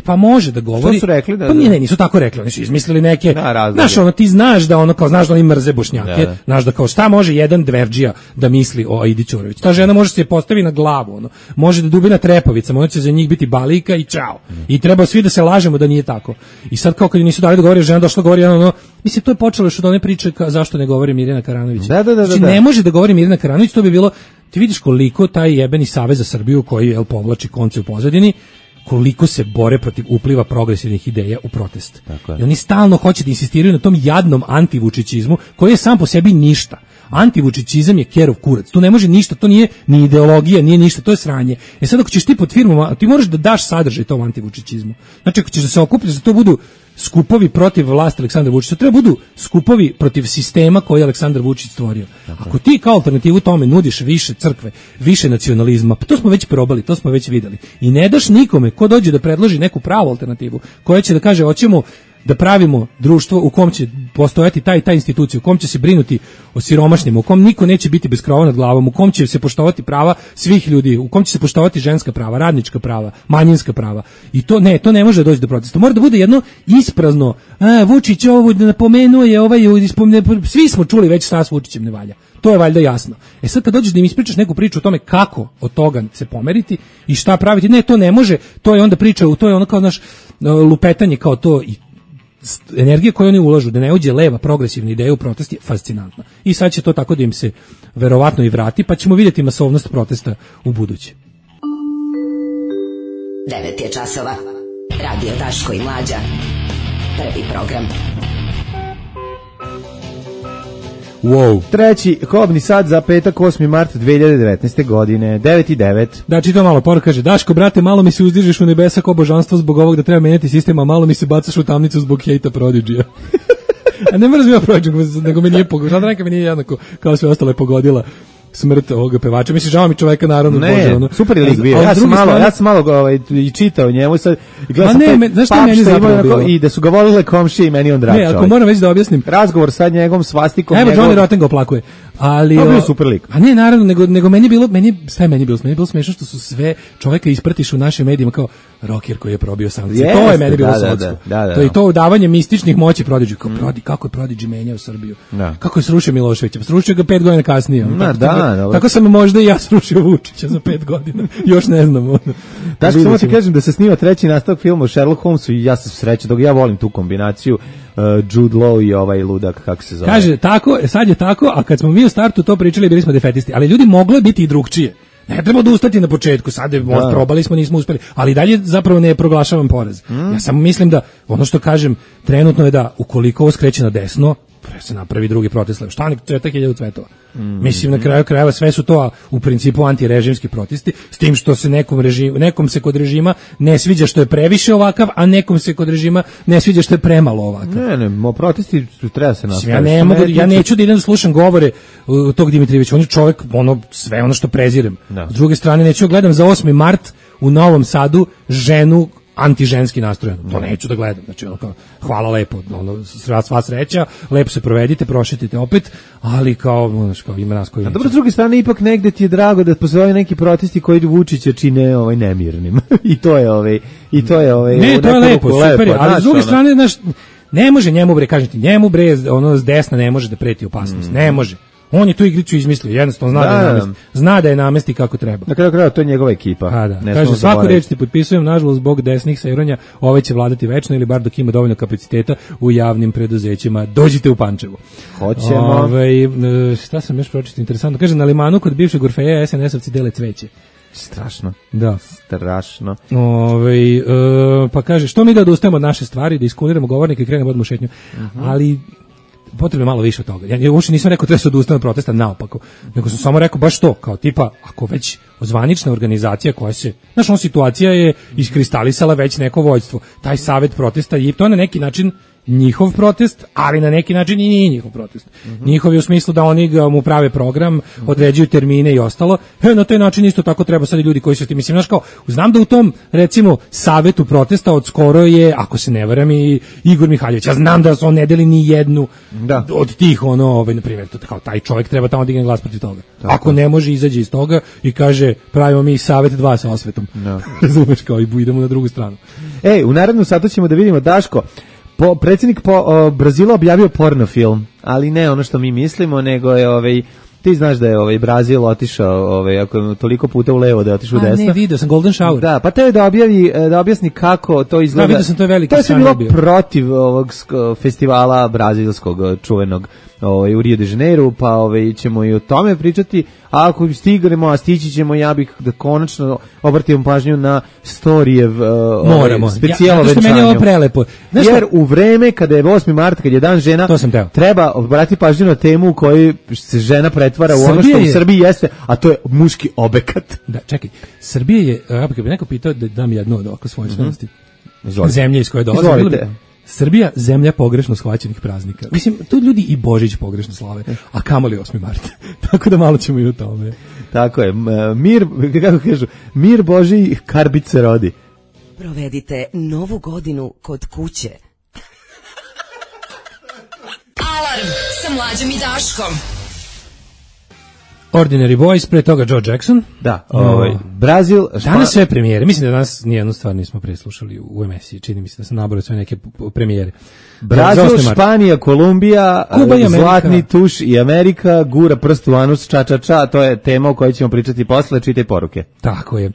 Pa može da govori. Što su rekli? Pa nisu tako rekli, oni su izmislili neke. Znaš, ti znaš da znaš da oni mrze Bošnjake, znaš da kao šta može jedan dverdžija da misli o Aidi Ćorović. Ta žena može se postavi na glavu, može da dubi na trepavicama, ona će za njih biti balika i čao. I treba svi da se lažemo da nije tako. I sad kao kad nisu dali da govori, žena došla govori mislim to je počelo još od one priče zašto ne govori Mirjana Karanović. Znači ne može da govori Mirjana Karanović, to bi bilo, ti vidiš koliko taj jebeni Savez za Srbiju koji povlači konce u pozadini, koliko se bore protiv upliva progresivnih ideja u protest. I oni stalno hoće da insistiraju na tom jadnom antivučićizmu koji je sam po sebi ništa. Antivučićizam je kerov kurac. Tu ne može ništa, to nije ni ideologija, nije ništa, to je sranje. Sad ako ćeš ti pod firmama, ti moraš da daš sadržaj tom antivučićizmu. Znači ako ćeš da se okupljaš da to budu skupovi protiv vlasti Aleksandra Vučića, to treba budu skupovi protiv sistema koji je Aleksandar Vučić stvorio. Ako ti kao alternativu tome nudiš više crkve, više nacionalizma, pa to smo već probali, to smo već videli. I ne daš nikome ko dođe da predloži neku pravu alternativu, koja će da kaže hoćemo da pravimo društvo u kom će postojati ta institucija, u kom će se brinuti o siromašnima, u kom niko neće biti bez krova nad glavom, u kom će se poštovati prava svih ljudi, u kom će se poštovati ženska prava, radnička prava, manjinska prava. I to ne može doći do protesta. Mora da bude jedno isprazno. Vučić ovo napomenuo je svi smo čuli već šta s Vučićem ne valja. To je valjda jasno. Sad kad dođeš da im ispričaš neku priču o tome kako od toga se pomeriti i šta praviti, ne, to ne može. To je onda priča, to je ono kao naš lupetanje kao to i energija koju oni ulažu da ne uđe leva progresivna ideja u protest je fascinantna. I sad će to tako da im se verovatno i vrati, pa ćemo vidjeti masovnost protesta u buduće. 9 je časova. Radio Daško i Mlađa. Prvi program. Wow. Treći kobni sat za petak 8. mart 2019. godine, 9:09. Da, čitam malo, poruka kaže, Daško, brate, malo mi se uzdižeš u nebesa ko božanstvo zbog ovog da treba menjati sistem, a malo mi se bacaš u tamnicu zbog hejta Prodigy-a. A ne mrzim ja Prodigy, nego me nije pogodila. Žanranka mi nije jednako kao sve ostale pogodila smrt ovoga pevača. Mislim, žao mi čoveka, naravno. Ne, Bože, ono. super je lik bio. Ja sam malo i čitao njemu sad. Ma ne, znaš šta meni zapravo bilo? I da su ga volile komšije i meni on drag čovjek. Ne, ako moram već da objasnim. Razgovor sa njegovom svastikom. Evo, Johnny Rotten ga oplakuje. Ali to bio super lik. A ne, naravno, nego meni je bilo smešno što su sve čoveka ispratiš u našim medijima kao rocker koji je probio sankcije. To je meni bilo sodsko. To je to udavanje mističnih moći Prodigy. Kao kako je Prodigy menjao Srbiju. Kako je srušio Miloševića. Srušio ga 5 godina kasnije. Tako sam možda i ja srušio Vučića za 5 godina. Još ne znam. Daško, samo ti kažem da se snima treći nastavak filma o Sherlock Holmesu i ja sam srećan, dok ja volim tu kombinaciju Jude Law i ovaj ludak, kako se zove. Kaže, tako, sad je tako, a kad smo mi u startu to pričali, bili smo defetisti, ali ljudi, moglo je biti i drugčije. Ne treba odustati na početku, sad probali smo, nismo uspeli, ali dalje zapravo ne proglašavam poraz. Ja samo mislim da, ono što kažem, trenutno je da ukoliko ovo skreće na desno, se napravi drugi protest. Šta oni cveta 1000 cvetova? Mislim, na kraju krajeva sve su to u principu antirežimski protesti, s tim što se nekom se kod režima ne sviđa što je previše ovakav, a nekom se kod režima ne sviđa što je premalo ovakav. Ne, protesti treba se nastaviti. Ja neću da idem da slušam govore tog Dimitrijevića, on je čovjek, sve ono što prezirem. S druge strane, neću gledam za 8. mart u Novom Sadu ženu antiženski nastrojen. To neću da gledam. Znači, hvala lepo, sva sreća, lepo se provedite, prošetite opet, ali kao ima nas koji... A dobro, s druge strane, ipak negde ti je drago da postoje neki protesti koji Vučića čine nemirnim. I to je Ne, to je lepo, super je, ali s druge strane, ne može njemu s desna ne može da preti opasnost. Ne može. On je tu igricu izmislio, jednostavno zna da je namesti kako treba. Na kraju krajeva to je njegova ekipa. Kaže, svaku reč ti potpisujem, nažalost, zbog desnih seiranja, ovaj će vladati večno ili bar dok ima dovoljno kapaciteta u javnim preduzećima. Dođite u Pančevo. Hoćemo. Šta sam još pročitao interesantno? Kaže, na Limanu kod bivšeg Orfeja SNS-ovci dele cveće. Strašno. Da. Strašno. Pa kaže, što mi da odustajemo od naše stvari, da iskuniramo govornike i krenemo odmah u šetnju. Ali potrebno malo više od toga. Ja uopšte nisam rekao treba se odustati od protesta, naopako. Nego sam samo rekao baš to, kao tipa, ako već zvanična organizacija koja se, ona situacija je iskristalisala već neko vođstvo. Taj savet protesta i to je na neki način njihov protest, ali na neki način i nije njihov protest. Njihov je u smislu da oni mu prave program, određuju termine i ostalo. Na taj način isto tako treba sad i ljudi koji su s tim. Mislim, znam da u tom, recimo, savetu protesta od skoro je, ako se ne varam, i Igor Mihaljević. Ja znam da on ne deli ni jednu od tih, na primjer, kao taj čovjek treba tamo digne glas protiv toga. Ako ne može, izađe iz toga i kaže, pravimo mi savet 2 sa osvetom. Razumeš, kao i idemo na drugu stranu. U narednom satu ćemo da vidimo, Daško, predsjednik Brazila objavio porno film, ali ne ono što mi mislimo, nego je ti znaš da je Brazil otišao ako je toliko puta u levo da je otišao u desno. Ne, vidio sam Golden Shower. Da, pa te da objasni kako to izgleda. Da, vidio sam, to je veliki. To je sve bilo protiv ovog festivala brazilskog čuvenog u Rio de Janeiro, pa ćemo i o tome pričati, a ako stignemo, a stići ćemo, ja bih da konačno obratimo pažnju na Storijev specijalo venčanju. Meni je ovo prelepo. Jer u vreme kada je 8. mart, kad je dan žena, treba obratiti pažnju na temu u kojoj se žena pretvara u ono što u Srbiji jeste, a to je muški obekat. Da, čekaj, Srbija je, ako bi neko pitao da dam jednu od ovako svoje svojnosti, zemlje iz koje dolaze, Srbija, zemlja pogrešno shvaćenih praznika. Mislim, tu ljudi i Božić pogrešno slave, a kamoli 8. mart. Tako da malo ćemo i u tome. Tako je, mir, kako kažu, mir Božiji karbice rodi. Provedite Novu godinu kod kuće. Alarm sa Mlađom i Daškom. Ordinary Boys, pre toga Joe Jackson. Da, Brazil. Danas sve premijere. Mislim da danas nijednu stvar nismo preslušali u emisiji. Čini mi se da sam nabrao sve neke premijere. Brazil, Španija, Kolumbija, Kuba i Zlatni tuš i Amerika, gura prst u anus, ča. To je tema o kojoj ćemo pričati posle. Čitaj poruke. Tako je.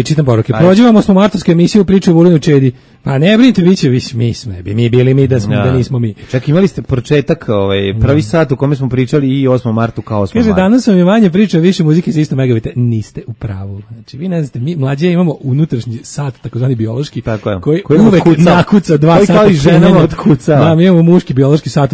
Čitam poruke. Prođevamo smo martovsku emisiju priče o Vulinu Čedi. Pa ne brinite, vi bili mi da nismo mi. Čak imali ste početak, prvi sat u kome smo pričali i 8. martu kao 8. martu. Kaže, sam je manje priča, više muzike za isto megabite. Niste u pravu. Znači, vi ne znate, mi mlađe imamo unutrašnji sat, takozvani biološki, koji uvek nakuca 2 sata. Kao i ženama otkucava. Da, mi imamo muški biološki sat,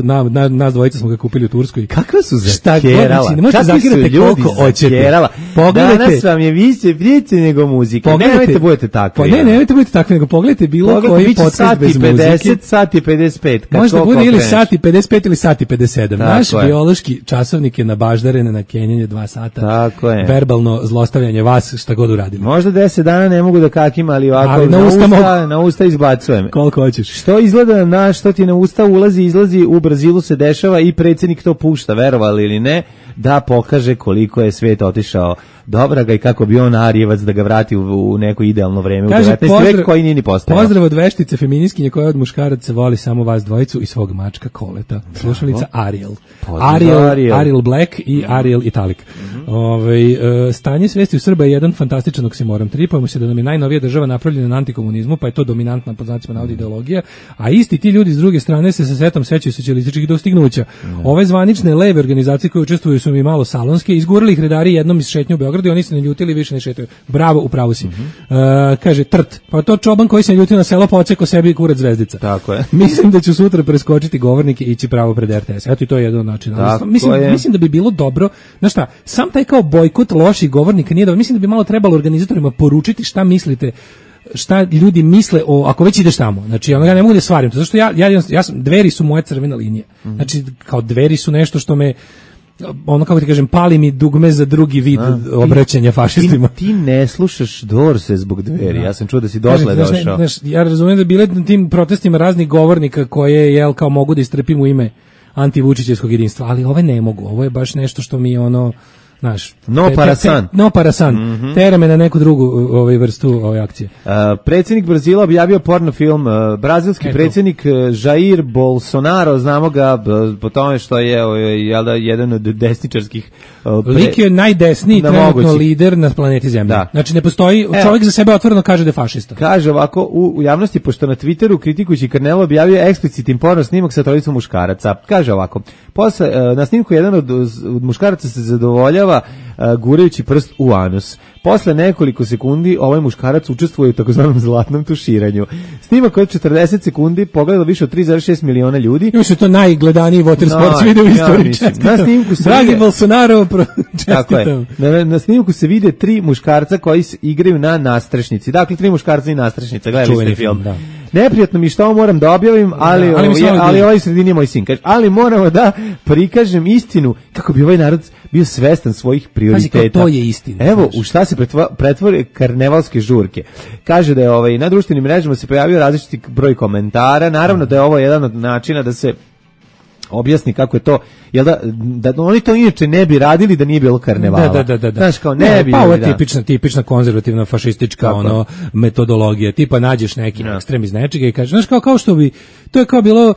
nas dvojica smo ga kupili u Turskoj. Kakve su zakerala? Kakvi su ljudi zakerala? Danas vam je više priče nego muzika. Nemojte budete takvi. Nemojte budete takvi, nego pogledajte bilo koji podcast bez muzike. 50, sati 55. Možda bude ili sati 55 ili sati 57. Naš biološki časovnik je nabaždaren na kenjanje 2 sata. Tako je. Verbalno zlostavljanje vas, šta god uradimo. Možda 10 dana ne mogu da kakim, ali ovako na usta izbacujem. Koliko hoćeš. Što izgleda što ti na usta ulazi, izlazi, u Brazilu se dešava i predsjednik to pušta, verovali ili ne, da pokaže koliko je svet otišao dobraga i kako bi on Arijevac da ga vrati u neko idealno vreme. Kaže, u 19. veku koji nije ni postao. Pozdrav od veštice feministkinje koja od muškaraca voli samo vas dvojicu i svog mačka Koleta. Slušalica Ariel. Ariel Black i Ariel Italic. Stanje svesti u Srba je jedan fantastičan oksimoron. Tripujemo se da nam je najnovija država napravljena na antikomunizmu, pa je to dominantna pod znacima navoda ideologija, a isti ti ljudi s druge strane se sa setom sećaju socijalističkih dostignuća. Ove zvanične leve organizacije koje učestvuju su mi malo salonske, izgurali ih redari jednom iz šetnje u Beogradu i oni se ne ljutili, više ne šetaju. Bravo, upravo si. Kaže Trt, pa to čoban koji se ne ljutio na selo pa oceko sebi kurac zvezdica. Tako je. Mislim da ću sutra preskočiti govornike i ići pravo pred RTS. Eto i to je jedan način. Mislim da bi bilo dobro, znaš šta, sam taj kao bojkot loših govornika nije dobro. Mislim da bi malo trebalo organizatorima poručiti šta mislite, šta ljudi misle ako već ideš tamo. Znači, ja ne mogu da svarim to, zašto ja sam, Dveri su moja crvena linija. Znači, kao Dveri su nešto što me, kako ti kažem, pali mi dugme za drugi vid obraćanja fašistima. Ti ne slušaš Dorse zbog Dveri, ja sam čuo da si došle došao. Ja razumijem da bile na tim protestima raznih govornika koje, kao mogu da istrpim u ime antivučićevskog jedinstva, ali ove ne mogu, ovo je baš nešto što mi je znaš, no parasan. Tera me na neku drugu vrstu ove akcije. Predsjednik Brazila objavio porno film. Brazilski predsjednik Jair Bolsonaro, znamo ga po tome što je jedan od desničarskih lik je najdesniji trenutno lider na planeti Zemlji. Znači ne postoji, čovjek za sebe otvoreno kaže da je fašista. Kaže ovako u javnosti, pošto na Twitteru kritikujući Carnelo objavio eksplicitni porno snimak sa trojicom muškaraca. Kaže ovako, na snimku jedan od muškaraca se zadovoljava gurajući prst u anus. Posle nekoliko sekundi ovaj muškarac učestvuje u takozvanom zlatnom tuširanju. Snimak od 40 sekundi pogledalo više od 3,6 miliona ljudi. Još je to najgledaniji water sports video u istoriji. Na snimku se Dragi Bolsonaro, čestitam. Na snimku se vide 3 muškarca koji igraju na nastrešnici. Dakle, 3 muškarca i nastrešnica. Gledali ste film. Da. Neprijatno mi što moram da objavim, ali ovaj sredini je moj sin. Ali moramo da prikažem istinu kako bi ovaj narod bio svestan svojih prioriteta. Pazi, to je istina. Evo, u šta se pretvore karnevalske žurke. Kaže da je na društvenim mrežama se pojavio različiti broj komentara. Naravno da je ovo jedan od načina da se objasni kako je to, jel da oni to inače ne bi radili da nije bilo karnevala. Da. Znaš, kao ne bi. Pa ovo je tipična konzervativna fašistička metodologija. Tipa nađeš neki ekstrem iz nečega i kažeš, znaš, kao što bi, to je kao bilo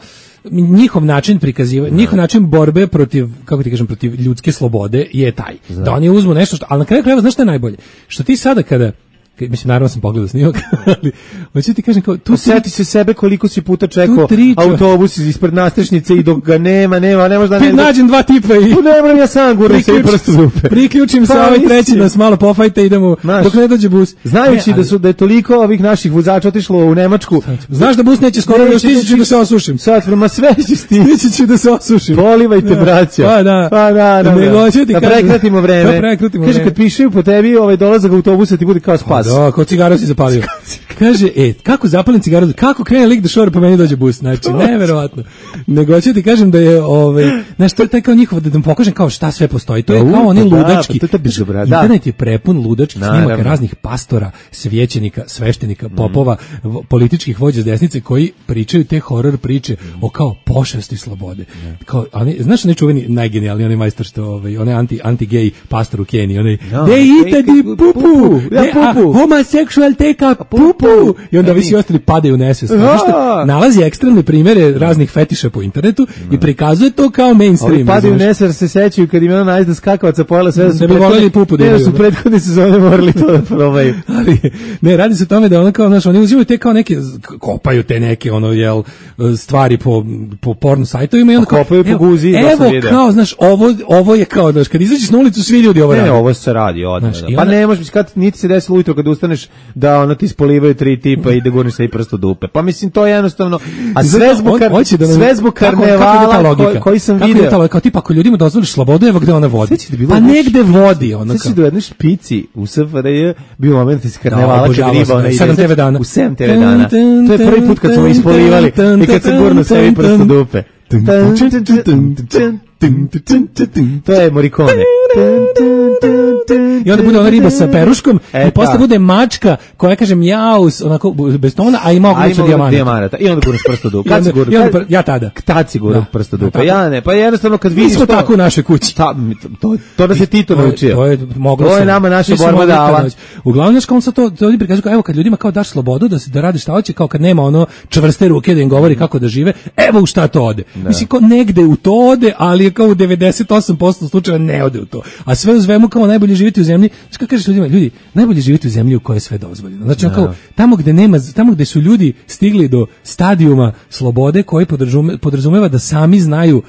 njihov način prikazivanja, njihov način borbe protiv, kako ti kažem, protiv ljudske slobode je taj. Da oni uzmu nešto ali na kraju krajeva, znaš što je najbolje? Što ti sada mislim, naravno sam pogledao snimak, ali hoću ti kažem, osjeti se sebe koliko si puta čekao autobus ispred nastrešnice i dok ga nema, ne možda ne nađem 2 tipa i ne moram ja sam guram se i prosto dupe. Priključim se ovaj treći nas malo pofajte, idemo dok ne dođe bus. Znajući da je toliko ovih naših vozača otišlo u Nemačku. Znaš da bus neće skoro, još stići ću da se osušim. Sad prema sve stići ću da se osušim. Polivajte, braćo. Pa da. Da prekratimo vreme. Kaže, kad pišaju po tebi dolazak autobusa ti bude kao spas. Da, kao cigaru si zapalio. Kaže, kako zapalim cigaru, kako krene lik da šore, po meni dođe bus. Znači, neverovatno. Nego ću ti kažem da je, znaš, to je taj kao njihov, da vam pokažem kao šta sve postoji. To je kao oni ludački. Internet je prepun ludačkih snimaka raznih pastora, svećenika, sveštenika, popova, političkih vođa s desnice koji pričaju te horor priče o kao pošasti slobode. Kao, znaš, onaj čuveni, najgenijalniji, onaj majstor što, onaj anti-gay pastor u Keniji, onaj, they eat the pupu, homosexual take a pupu, I onda ovi svi ostali padaju u nesvest. Nalazi ekstremne primere raznih fetiša po internetu i prikazuje to kao mainstream. Ovi padaju u nesvest se sećaju kad im je ona najzda skakavaca pojela sve da su prethodne sezone morali to da probaju. Ali ne, radi se o tome da ono kao, znaš, oni uzimaju te kao neke, kopaju te neke ono, jel, stvari po porno sajtovima i onda kao, kopaju po guzi. Evo kao, znaš, ovo je kao, znaš, kad izađeš na ulicu svi ljudi ovo radi. Ne, ovo se radi odmah. Pa ne možeš, kad niti se desilo ujutro kad ustaneš da ono ti ispolivaju 3 tipa i da gurniš se i prst u dupe. Pa mislim, to je jednostavno, a sve zbog karnevala koji sam video. Kao tipa, ako ljudima dozvoliš slobodu, evo gde ona vodi. Pa negde vodi ona. Sveći da u jednoj špici u SFRJ bio moment iz karnevala kad riba ona ide. 7 TV dana. U 7 TV dana. To je prvi put kad smo ispolivali i kad sam gurnuo sebi prst u dupe. To je Morricone. I onda bude ona riba sa peruškom i posle bude mačka koja kaže mjaus, onako bez tona, a ima ogrlicu dijamanata. I onda guraš prst u dupe. Ja tada. Tad si gurao prst u dupe. Ja ne, pa jednostavno kad vidiš to. Mi smo tako u našoj kući. To da se Tito naučio. To je nama naša borba dala. Uglavnom, znaš kao to ljudi prikazuju kao, evo kad ljudima kao daš slobodu da rade šta hoće, kao kad nema ono čvrste ruke da im govori kako da žive, evo u šta to ode. Mislim, kao negde u to ode, ali je kao u 98% slučajeva ne ode u to. A sve u svemu kao najbolje živjeti u zemlji. Što kažeš ljudima, ljudi, najbolje živjeti u zemlji u kojoj je sve dozvoljeno. Znači kao tamo gde su ljudi stigli do stadijuma slobode koji podrazumeva da sami znaju,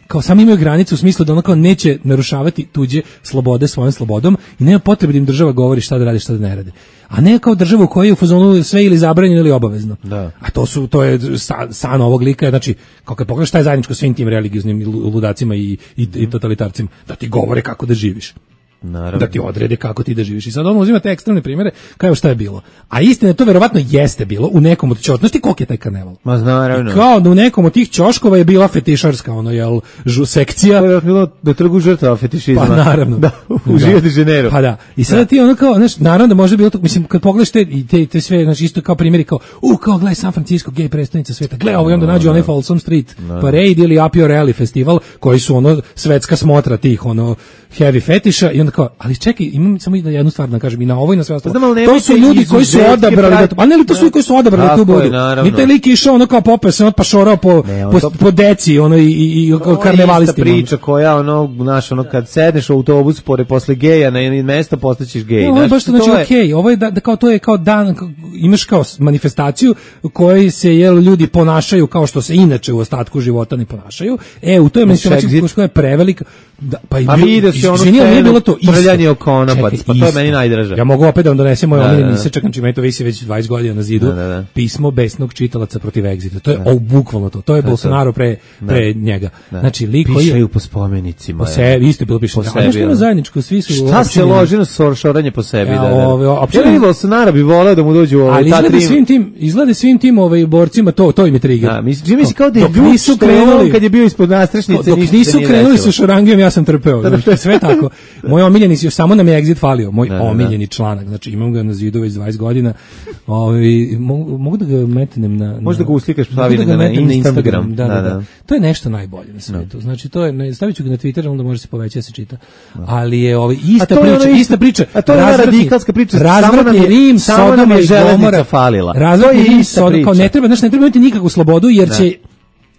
kao sami imaju granicu u smislu da ono kao neće narušavati tuđe slobode svojom slobodom i nema potrebe da im država govori šta da radi, šta da ne radi. A ne kao državu u kojoj je u fazonu sve ili zabranjeno ili obavezno. Da. A to je san ovog lika, znači kao kad pogledaš šta je zajedničko svim tim religioznim ludacima i totalitarcima, da ti govore kako da živiš. Naravno. Da ti odrede kako ti da živiš. I sad on uzima te ekstremne primjere, kao šta je bilo. A istina to verovatno jeste bilo u nekom od ćoškova. Znaš ti koliko je taj karneval? Ma naravno. Kao da u nekom od tih ćoškova je bila fetišarska sekcija. To je bilo da trgu žrtava fetišizma. Pa naravno. Da, u Rio de Janeiro. Pa da. I sada ti ono kao, znaš, naravno da može bilo to, mislim, kad pogledaš te sve, znači isto kao primjeri kao, kao gledaj San Francisco, gej prestonica sveta, gledaj ovo i onda nađu onaj Folsom Street Parade ili Up Your Alley festival, koji su ono svetska smotra tih heavy fetiša i onda kao, ali čekaj, imam samo jednu stvar da kažem i na ovo i na sve ostalo. To su ljudi koji su odabrali, a ne li to su koji su odabrali tu budu. Ni taj lik išao ono kao popeo se, pa šorao po deci i karnevalistima. Ista priča koja kad sedneš u autobus posle geja na mesto postaćeš gej. Ovo je baš znači okej, ovo je da kao to je kao dan, imaš kao manifestaciju u kojoj se ljudi ponašaju kao što se inače u ostatku života ne ponašaju. U toj manifestaciji koja je prevelika. Pa vide se ono scenu, trljanje o konopac, pa to je meni najdraže. Ja mogu opet da vam donesem moj omiljeni isečak, znači meni to visi već 20 godina na zidu, pismo besnog čitalaca protiv Exita. To je bukvalno to je Bolsonaro pre njega. Znači, lik koji pišaju po spomenicima. Po sebi, isto je bilo pišeno. A nešto ima zajedničko, svi su... Šta se loži na šoranje po sebi? Ja Bolsonaro bi voleo da mu dođu ta trim. Izgleda svim tim borcima, to im je trigger. Misli kao da je ljud kad je bio ispod nastrešnice. Dok nisu krenuli sa šorangijom, ja sam trpeo. Sve tako. Moj omiljeni, samo nam je Exit falio, moj omiljeni članak, znači imam ga na zidu već 20 godina, mogu da ga metnem na... Možda ga uslikaš, stavim na Instagram. Da. To je nešto najbolje na svijetu, znači stavit ću ga na Twitter, onda može se poveći da se čita, ali je ista priča, a to je ona radikalska priča, razvratni Rim, Sodoma i Gomora, falila. Razvratni Rim, Sodoma, kao ne treba imati nikakvu slobodu, jer će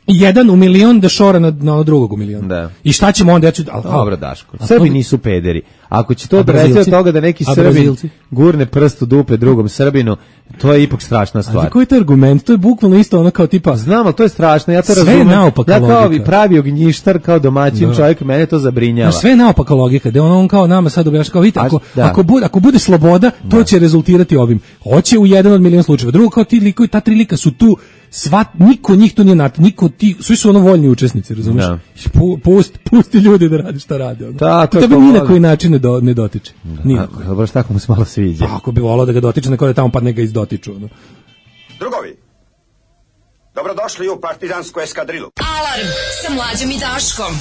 jedan u milion da šora na drugog u milion. Da. I šta ćemo onda? Dobro, Daško. Srbi nisu pederi. Ako će to dovesti od toga da neki Srbin gurne prst u dupe drugom Srbinu, to je ipak strašna stvar. Ali koji je to argument? To je bukvalno isto ono kao tipa... Znam, ali to je strašno, ja to razumem. Ja kao pravi ognjištar, kao domaćin čovjek, mene to zabrinjava. Sve je naopaka logika, da on kao nama sad objašnja, kao vidite, ako bude sloboda, to će rezultirati ovim. Hoće u jedan od milion slučajeva. Drugo, kao ti likovi, ta tri lika su tu, niko njih tu nije svi su voljni učesnici, razumiješ? Pusti ljudi da radi šta rade. To bi ni na koji način ne dotiče. Baš tako mu se malo sviđa. Ako bi volao da ga dotiče, neko da tamo pa neka izdotiču. Drugovi, dobrodošli u partizansku eskadrilu. Alarm sa Mlađom i Daškom.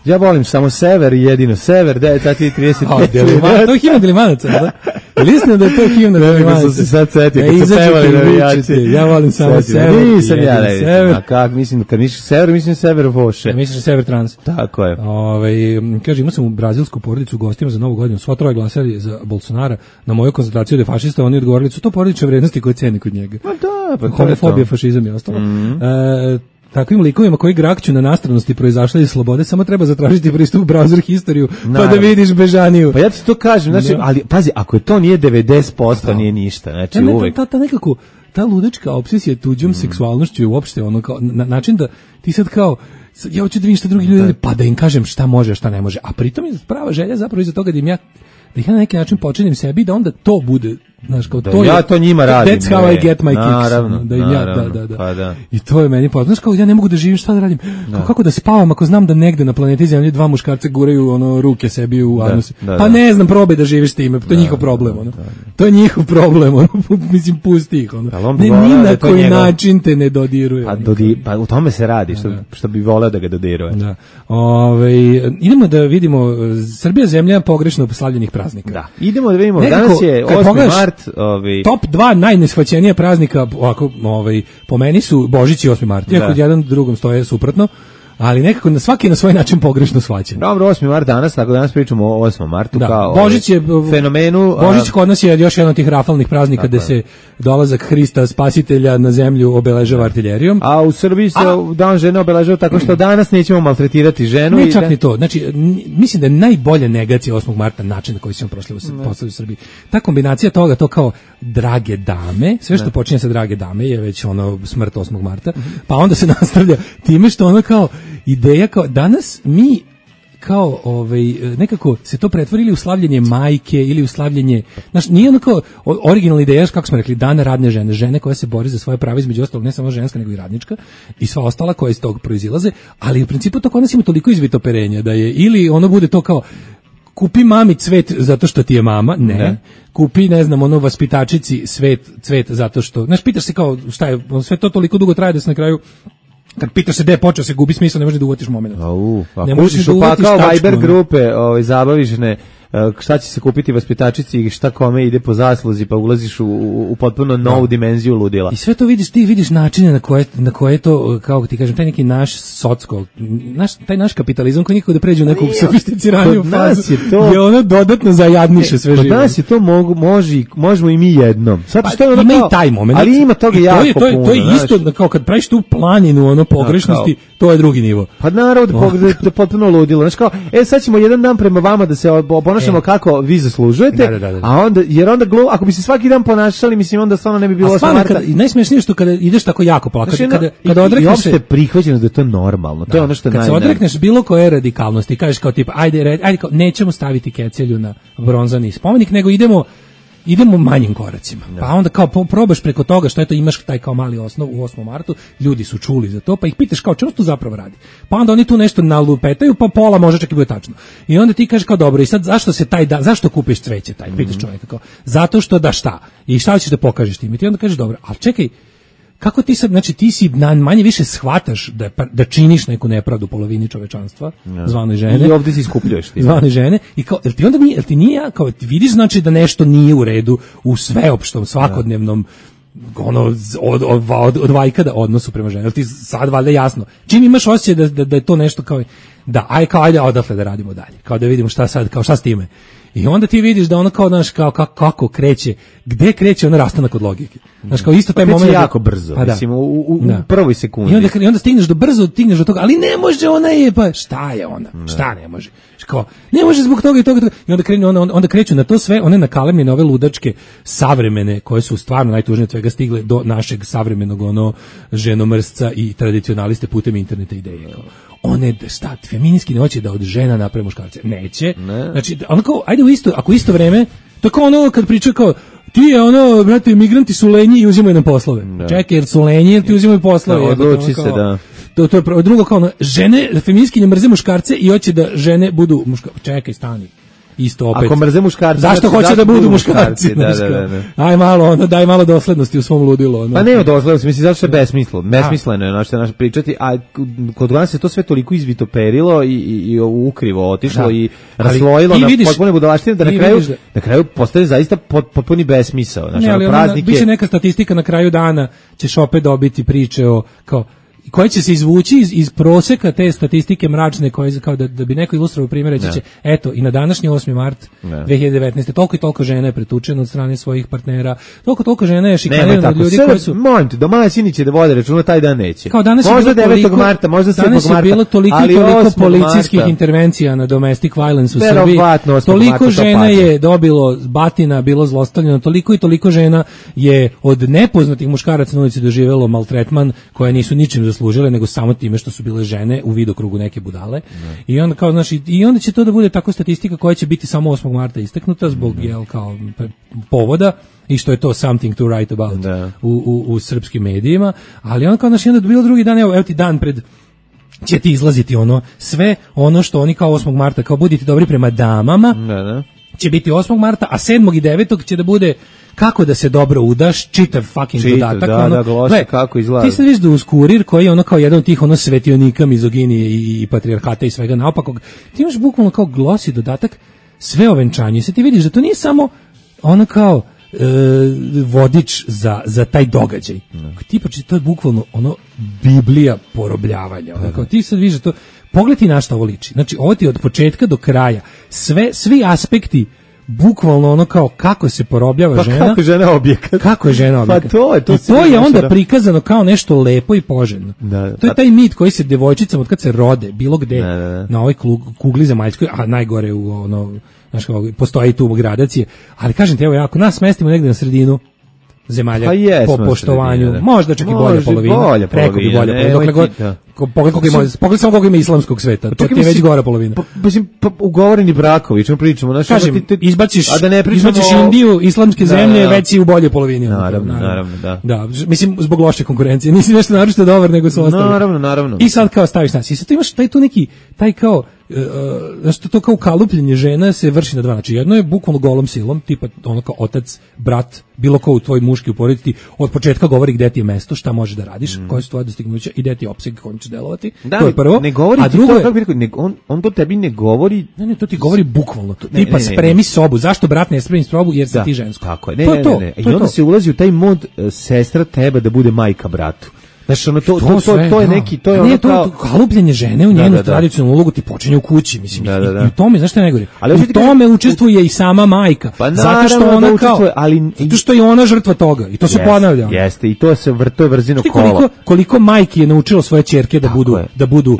Ja volim samo sever i jedino sever, 9:35. To je Himna Delimanaca, da? Listim da je to himna Kako sam se sad setio, kad se pevali navijači. Ja volim samo sever. Nisam ja reći. A kak, mislim, kad misliš sever, mislim sever Voše. Misliš sever trans. Tako je. Kaže, imao sam u brazilsku porodicu u gostima za Novu godinu, sva troje glasali za Bolsonara na moju koncentraciju da je fašista, oni odgovorili su to porodične vrednosti koje ceni kod njega. Ma da, pa homofobija, fašizam i ostalo. Takvim likovima koji grakću na nastranosti proizašli iz slobode, samo treba zatražiti pristup u browser historiju, pa da vidiš bežaniju. Pa ja ti to kažem, znači, ali pazi, ako je to nije 90%, nije ništa, znači uvek. Ta nekako, ta ludačka obsesija tuđom seksualnošću je uopšte ono kao, način da ti sad kao, ja hoću da vidim šta drugi ljudi, pa da im kažem šta može, šta ne može, a pritom je prava želja zapravo iza toga da ih na neki način počinim sebi, da onda to bude, znaš, kao to ja to njima radim. That's how I get my kicks. Naravno, Da. Pa da. I to je meni poznaš, kao ja ne mogu da živim, šta da radim? Kako da spavam ako znam da negde na planeti Zemlji dva muškarca guraju ono ruke sebi u anus? Pa ne znam, probaj da živiš time, to je njihov problem, ono. To je njihov problem, ono. Mislim, pusti ih, ono. Ne, ni na koji način te ne dodiruje. Pa u tome se radi, što bi voleo da ga dodiruje. Da. Idemo da vidimo Srbija zemlja pogrešno slavljenih praznika. Da. Idemo da vidimo, danas je 8. mart. Top 2 najneshvaćenija praznika ovako, po meni su Božić i 8. mart. Iako jedan drugom stoje suprotno, ali nekako svaki na svoj način pogrešno shvaćen. Dobro, 8. mart danas, tako danas pričamo o 8. martu kao Božić je fenomenu. Božić kod nas je još jedan od tih rafalnih praznika gde se dolazak Hrista Spasitelja na zemlju obeležava artiljerijom. A u Srbiji se dan žene obeležava tako što danas nećemo maltretirati ženu. Ne, čak ni to. Znači, mislim da je najbolja negacija 8. marta način na koji se on postavio u Srbiji. Ta kombinacija toga, to kao drage dame, sve što počinje sa drage dame je već ono smrt 8. marta, pa onda se nastavlja time što ono kao ideja kao danas mi kao nekako se to pretvorili u slavljenje majke ili u slavljenje, znači nije ono kao originalna ideja, kako smo rekli, dan radne žene, žene koja se bori za svoje prava, između ostalog ne samo ženska nego i radnička i sva ostala koja iz tog proizilaze, ali u principu to kod nas ima toliko izvitoperenja da je ili ono bude to kao kupi mami cvet zato što ti je mama, ne. Kupi, ne znam, ono vaspitačici cvet zato što, znaš, pitaš se kao šta je, sve to toliko dugo traje da se na kraju kad pitaš se gde je počeo se gubi smisao, ne možeš da uvatiš moment. Ne možeš da uvatiš tačku. Viber grupe, zabavišne, šta će se kupiti vaspitačici i šta kome ide po zasluzi, pa ulaziš u potpuno novu dimenziju ludila. I sve to vidiš, ti vidiš načine na koje to, kako ti kažem, taj neki naš taj naš kapitalizam koji nikako da pređe u neku sofisticiraniju fazu, je ono dodatno zajadniše sve živo. Kod nas je to možemo i mi jednom. Ima i taj moment. Ali ima toga jako puno. To je isto, kao kad praviš tu planinu, ono pogrešnosti, to je drugi nivo. Pa naravno da potpuno ludilo. Znaš kao, sad ćemo jedan dan prema vama da se ponašamo kako vi zaslužujete, a onda, jer onda ako bi se svaki dan ponašali, mislim, onda stvarno ne bi bilo 8. marta. Najsmješnije što kada ideš tako jako plakati, kada odrekneš se... I uopšte prihvaćeno da je to normalno, to je ono što je kad se odrekneš bilo koje radikalnosti, kažeš kao tipa, ajde, nećemo staviti kecelju na bronzani spomenik, nego idemo manjim koracima. Pa onda kao probaš preko toga što eto imaš taj kao mali osnov u 8. martu, ljudi su čuli za to, pa ih pitaš kao čemu se to zapravo radi. Pa onda oni tu nešto nalupetaju, pa pola može čak i bude tačno. I onda ti kažeš kao dobro, i sad zašto se zašto kupiš cveće taj? Pitaš čovjeka kao, zato što da šta? I šta ćeš da pokažeš tim? I ti onda kažeš dobro, al čekaj, kako ti sad, znači ti si manje više shvataš da činiš neku nepravdu polovini čovečanstva, zvanoj žene. I ovdje si iskupljuješ ti. Zvanoj žene. I kao, jel ti nije, kao ti vidiš znači da nešto nije u redu u sveopštom, svakodnevnom od vajkada odnosu prema ženi. Jel ti sad valjda jasno? Čim imaš osjećaj da je to nešto kao, ajde odatle da radimo dalje. Kao da vidimo šta sad, kao šta s time. I onda ti vidiš da ono kao, znaš, kao kako kreće, gde kreće ono rastanak od logike. Znaš, kao isto taj moment... jako brzo, mislim, u prvoj sekundi. I onda stigneš do toga, ali ne može, ona je, pa šta je ona? Šta ne može? Kao, ne može zbog toga i toga. I onda kreću na to sve, one nakalemljene, ove ludačke savremene, koje su stvarno najtužnije od svega stigle do našeg savremenog ženomrsca i tradicionaliste putem interneta ideje. One feministki ne hoće da od žena naprave muškarce. Neće. Znači, onako, ajde ako isto vreme, to je kao ono kad priča kao, ti je ono, brate, migranti su lenji i uzimaju nam poslove. Čekaj, jer su lenji ili ti uzimaju poslove? Odluči se, da. To je drugo kao ono, žene, feministkinje mrze muškarce i hoće da žene budu muškarce. Čekaj, stani. isto opet. Ako mrze muškarci, zašto hoće da budu muškarci? Da. Aj malo, daj malo doslednosti u svom ludilu. Pa nema doslednosti, mislim, zato što je besmisleno je naš pričati, a kod nas se to sve toliko izvitoperilo i ukrivo otišlo i raslojilo na potpune budalaštine da na kraju postane zaista potpuni besmisao. Biće neka statistika na kraju dana, ćeš opet dobiti priče o kao koje će se izvući iz proseka te statistike mračne koje kao da bi neko ilustrovao primjer reći će eto i na današnji 8. mart 2019. toliko i toliko žena je pretučeno od strane svojih partnera, toliko žena je šikanirano od ljudi koji su moment, domaćini će da vode računa taj dan neće. Kao danas možda 9. marta, možda 7. marta. Danas je bilo toliko policijskih intervencija na domestic violence u Srbiji. Toliko žena je dobilo batina, bilo zlostavljeno, toliko žena je od nepoznatih muškaraca na ulici doživelo maltretman koje nisu ničim zaslužile, nego samo time što su bile žene u vidokrugu neke budale. I onda kao i onda će to da bude tako statistika koja će biti samo 8. marta istaknuta zbog kao povoda i što je to something to write about u srpskim medijima, ali onda kao onda je bilo drugi dan, evo ti dan pred će ti izlaziti sve ono što oni kao 8. marta kao budite dobri prema damama. Će biti 8. marta, a 7. i 9. će da bude kako da se dobro udaš, čitav fucking dodatak. Kako izgleda. Ti sad viš da uz Kurir, koji je kao jedan od tih svetionika mizoginije i patrijarhata i svega naopakog, ti imaš bukvalno kao glosi dodatak sve o venčanju. I sad ti vidiš da to nije samo kao vodič za taj događaj. Tipa, to je bukvalno Biblija porobljavanja. Kao ti sad vidiš da to, pogledaj na šta ovo liči. Znači, ovo ti od početka do kraja, svi aspekti bukvalno kao kako se porobljava žena. Kako je žena objekat. Kako je žena objekat. Pa to je onda prikazano kao nešto lepo i poželjno. To je taj mit koji se devojčicama od kad se rode, bilo gde, na ovoj kugli zemaljskoj, a najgore u postoji i tu gradacije, ali kažem ti, evo, ako nas smestimo negde na sredinu zemalja po poštovanju, možda čak i bolja polovina. Rekao bi bolja polovina. Pogledaj samo koliko ima islamskog sveta, to ti je već gora polovina. Ugovoreni brakovi, čemu pričamo? Kažem, izbaciš Indiju, islamske zemlje, već si u boljoj polovini. Naravno, da. Mislim, zbog loše konkurencije, nisi nešto naročito dobar nego su ostali. Naravno. I sad kao staviš nas, i sad tu imaš taj tu neki, taj kao, znači to kao kalupljenje žena se vrši na dva načina. Jedno je bukvalno golom silom, tipa kao otac, brat, bilo ko u tvoj muški u porodici od početka govori gde ti je mesto, šta možeš da radiš, koje su tvoje dostignuća i gde ti je opseg kojim ćeš delovati. To je prvo. Ne govori a drugo je, on to tebi ne govori. Ne, to ti govori bukvalno. Tipa spremi sobu. Zašto brat ne spremi sobu jer si ti žensko? Tako je. Ne. I onda se ulazi u taj mod sestra treba da bude majka bratu. Znači, to je neki, to je ono kao... kalupljenje žene u njenu tradicionalnu ulogu ti počinje u kući, mislim. I u tome, znaš što je najgore? U tome učestvuje i sama majka. Zato što ona kao... Zato što je ona žrtva toga. I to se ponavlja. Jeste, i to je vrzino kola. Koliko majki je naučilo svoje ćerke da budu...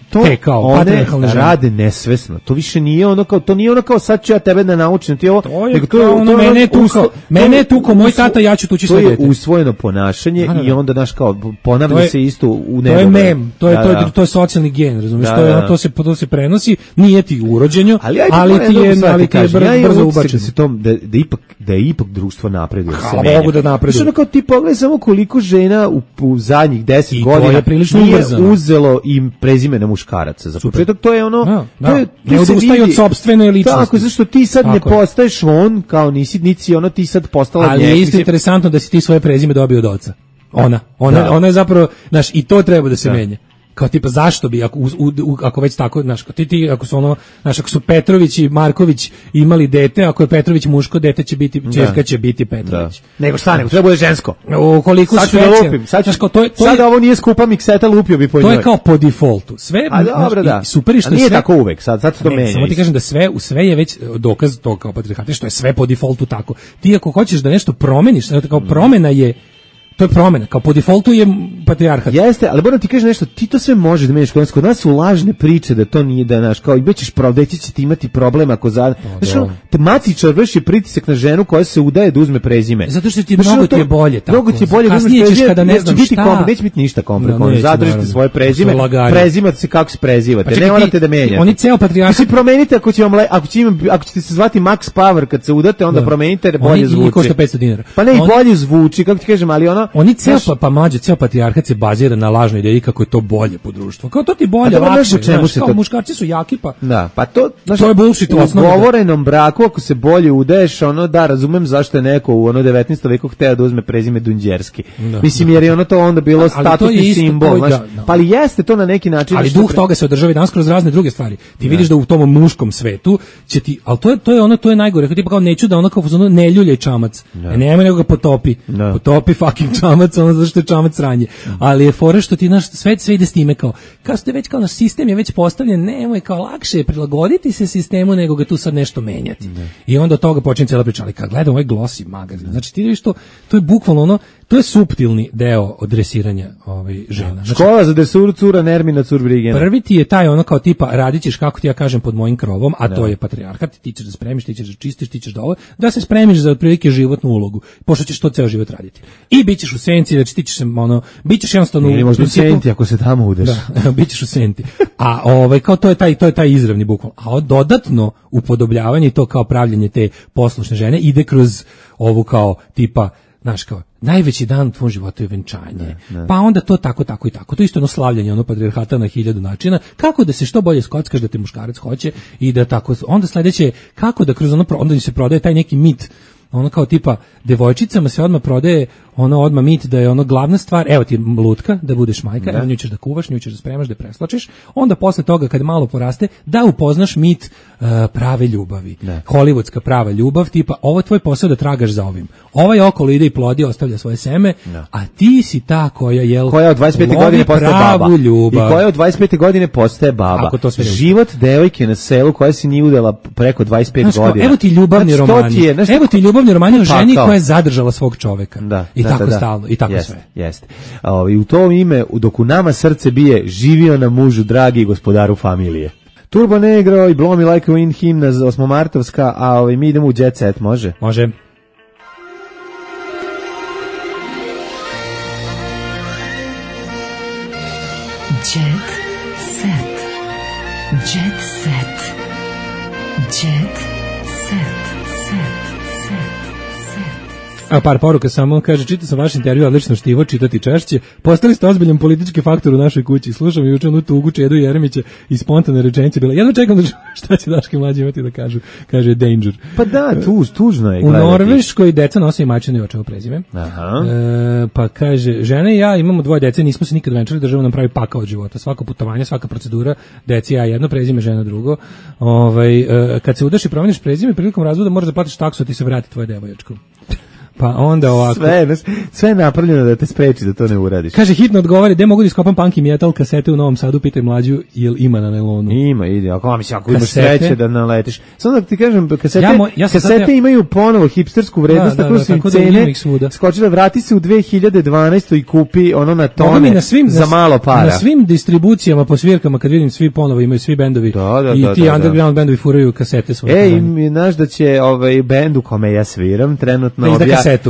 To one rade nesvesno. To više nije ono kao sad ću ja tebe da naučim. Mene je tuko moj tata, ja ću tući svoje dete. To je usvojeno ponašanje i onda naš kao ponavlja se isto u nebo. To je mem, to je socijalni gen, razumiješ? To se prenosi, nije ti u urođenju, ali ti je brzo ubačen. Da je ipak društvo napreduje. Hvala Bogu da napreduje. Znači kao ti pogledaj samo koliko žena u zadnjih 10 godina nije uzelo im prezime na muškaraca. Za početak to je ono... Ne odustaju od sopstvene ličnosti. Tako, zašto ti sad ne postaješ on, kao nisi ono, ti sad postala... Ali je isto interesantno da si ti svoje prezime dobio od oca. Ona je zapravo, znaš, i to treba da se menja. Kao tipa zašto bi ako već tako, znaš, ako su ono, znaš, ako su Petrović i Marković imali dete, ako je Petrović muško, dete će biti, ćerka će biti Petrović. Nego šta, nego treba bude žensko. Koliko sad ću da lupim, sad ovo nije skupa mikseta, lupio bi po njoj. To je kao po defaultu. Sve, super i što nije tako uvek, sad se to menja. Samo ti kažem da sve je već dokaz to kao patrijarhata, što je sve po defaultu tako. Ti ako hoćeš da nešto promeniš, kao promena je to je promjena, kao po defaultu je patrijarhat. Jeste, ali moram ti kažem nešto, ti to sve možeš da meniš, kod nas su lažne priče da to nije da naš, kao i bećeš deci će ti imati problem ako znaš, matičar vrši pritisak na ženu koja se udaje da uzme prezime. Zato što ti mnogo ti je bolje tako. Mnogo ti je bolje da uzmeš prezime, kada ne znam šta. Neće biti ništa komplikovano, zadržite svoje prezime, prezimate se kako se prezivate, ne morate da menjate. Oni ceo patrijarhat. Mislim, promenite ako ćete se zvati Max Power kad se udate, onda promenite, bolje zvuči. Košta $500. Pa ne, i bolje zvuči, kako ti kažem, ali ono Oni ceo ceo patrijarhat se bazira na lažnoj ideji kako je to bolje po društvu. Kao to ti bolje, lakše, kao muškarci su jaki pa. Da, pa to je bullshit u osnovi. U govorenom braku ako se bolje udaješ, da, razumem zašto je neko u 19. veku hteo da uzme prezime Dunđerski. Mislim jer je ono to onda bilo statusni simbol, pa ali jeste to na neki način. Ali duh toga se održava i danas kroz razne druge stvari. Ti vidiš da u tom muškom svetu će ti, al to je najgore, tipa kao neću da ono kao ne ljuljaj čamac. Nema nego ga potopi. Potopi fucking čamac, ono zato što je čamac sranje. Ali je fora što ti naš sve ide s time kao ste već kao naš sistem je već postavljen, nemoj kao lakše prilagoditi se sistemu nego ga tu sad nešto menjati. I onda od toga počinje cijela priča. Ali kad gledam ovaj Glossy magazin, znači ti vidiš to je bukvalno ono, to je suptilni deo dresiranja žena. Znači, škola za dresuru cura Nermina Curbrigena. Prvi ti je taj ono kao tipa radit ćeš kako ti ja kažem pod mojim krovom, a to je patrijarhat, ti ćeš da spremiš, ti ćeš da čistiš, ti ćeš da se spremiš za otprilike životnu ulogu, pošto ćeš to ceo život raditi. I bićeš u senci, znači ti ćeš se bićeš jednostavno u senti ako se tamo udeš. Da, bićeš u senti. A kao to je taj izravni bukval. A dodatno upodobljavanje i to kao pravljenje te poslušne žene ide kroz ovu kao tipa znaš kao, najveći dan u tvom životu je venčanje. Pa onda to tako i tako. To je isto ono slavljanje, patrijarhata na 1000 načina. Kako da se što bolje skockaš da te muškarac hoće i da tako. Onda sledeće, kako da kroz onda se prodaje taj neki mit, ono kao tipa, devojčicama se odmah prodaje odmah mit da je glavna stvar, evo ti lutka, da budeš majka, nju ćeš da kuvaš, nju ćeš da spremaš, da preslačiš, onda posle toga kad malo poraste, da upoznaš mit prave ljubavi. Hollywoodska prava ljubav, tipa, ovo je tvoj posao da tragaš za ovim. Ovaj okolo ide i plodi, ostavlja svoje seme, a ti si ta koja od 25. godine postaje baba. Ljubav. I koja od 25. godine postaje baba. Život devojke na selu koja se nije udala preko 25 godina. Evo ti ljubavni romani. Evo ti ljubavni romani o ženi koja je zadržala svog čoveka. I tako stalno, i tako sve. Jeste. I u tom ime, dok u nama srce bije, živio na mužu dragi i gospodaru familije. Turbo Negro i Blow Me Like a Wind himna 8-martovska, a mi idemo u Jet Set, može? Može. Jet Set. Jet Set. Jet Set. A par poruka samo, kaže, čitao sam vaš intervju, odlično štivo, čitati češće. Postali ste ozbiljan politički faktor u našoj kući. Slušam juče onu tugu Čedu Jeremića i spontane rečenice bila. Jedno čekam da šta će Daške mlađi imati da kažu. Kaže Danger. Pa da, tužno je. U Norveškoj deca nose i majčino i očevo prezime. Pa kaže, žene i ja imamo 2 dece, nismo se nikad venčali, država nam pravi pakao od života. Svako putovanje, svaka procedura, deci ja jedno prezime, žena drugo. Kad se udaš i promeniš prezime, prilikom razvoda moraš da platiš taksu, a ti se vrati tvoje devoječko. Pa onda ovako. Sve je napravljeno da te spreči da to ne uradiš. Kaže, hitno odgovori, gde mogu da iskopam punk i metal kasete u Novom Sadu, pitaj mlađu, jel ima na nailonu? Ima, ide, ako imaš sreće da naletiš. Samo da ti kažem, kasete imaju ponovo hipstersku vrednost, tako su im cene skočile, vrati se u 2012. i kupi ono na tone za malo para. Na svim distribucijama po svirkama, kad vidim svi ponovo imaju svi bendovi i ti underground bendovi furaju kasete svoje. Znaš da će bend u kome ja sviram trenutno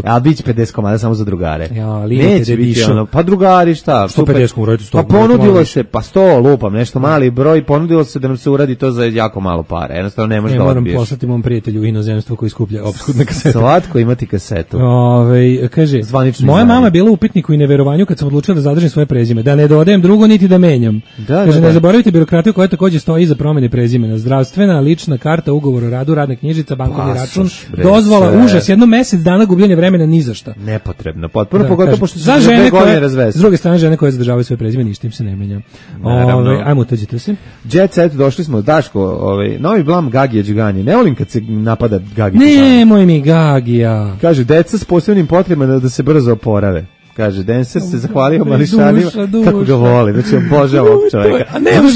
a biće 50 komada samo za drugare. Neće biti ono, pa drugari šta? 150 uraditi 100. Pa ponudilo se, pa 100 lupam, nešto mali broj, ponudilo se da nam se uradi to za jako malo para. Jednostavno ne možeš da odbiješ. Moram poslati mom prijatelju u inozemstvo koji skuplja opskudne kasete. Slatko imati kasetu. Kaže, moja mama je bila u upitniku i neverovanju kad sam odlučila da zadržim svoje prezime, da ne dodajem drugo niti da menjam. Kaže, ne zaboravite birokratiju koja takođe stoji iza promene prezimena. Zdravstvena, lična karta, ugovor o radu, radna knjižica, bankovni račun, dozvola, užas, jedno mesec dana gubljenje vremena ni za šta. Nepotrebno, potpuno, pogotovo pošto za žene koje razvesti. S druge strane, žene koje zadržavaju svoje prezime, ništa im se ne menja. Ajmo, uđite se. Jet Set, došli smo, Daško, novi blam Gagija Đugani. Ne volim kad se napada Gagi. Nemoj mi Gagija. Kaže, deca s posebnim potrebama da se brzo oporave. Kaže, Dancer se zahvalio mališanima, kako ga voli, znači obožava ovog čovjeka.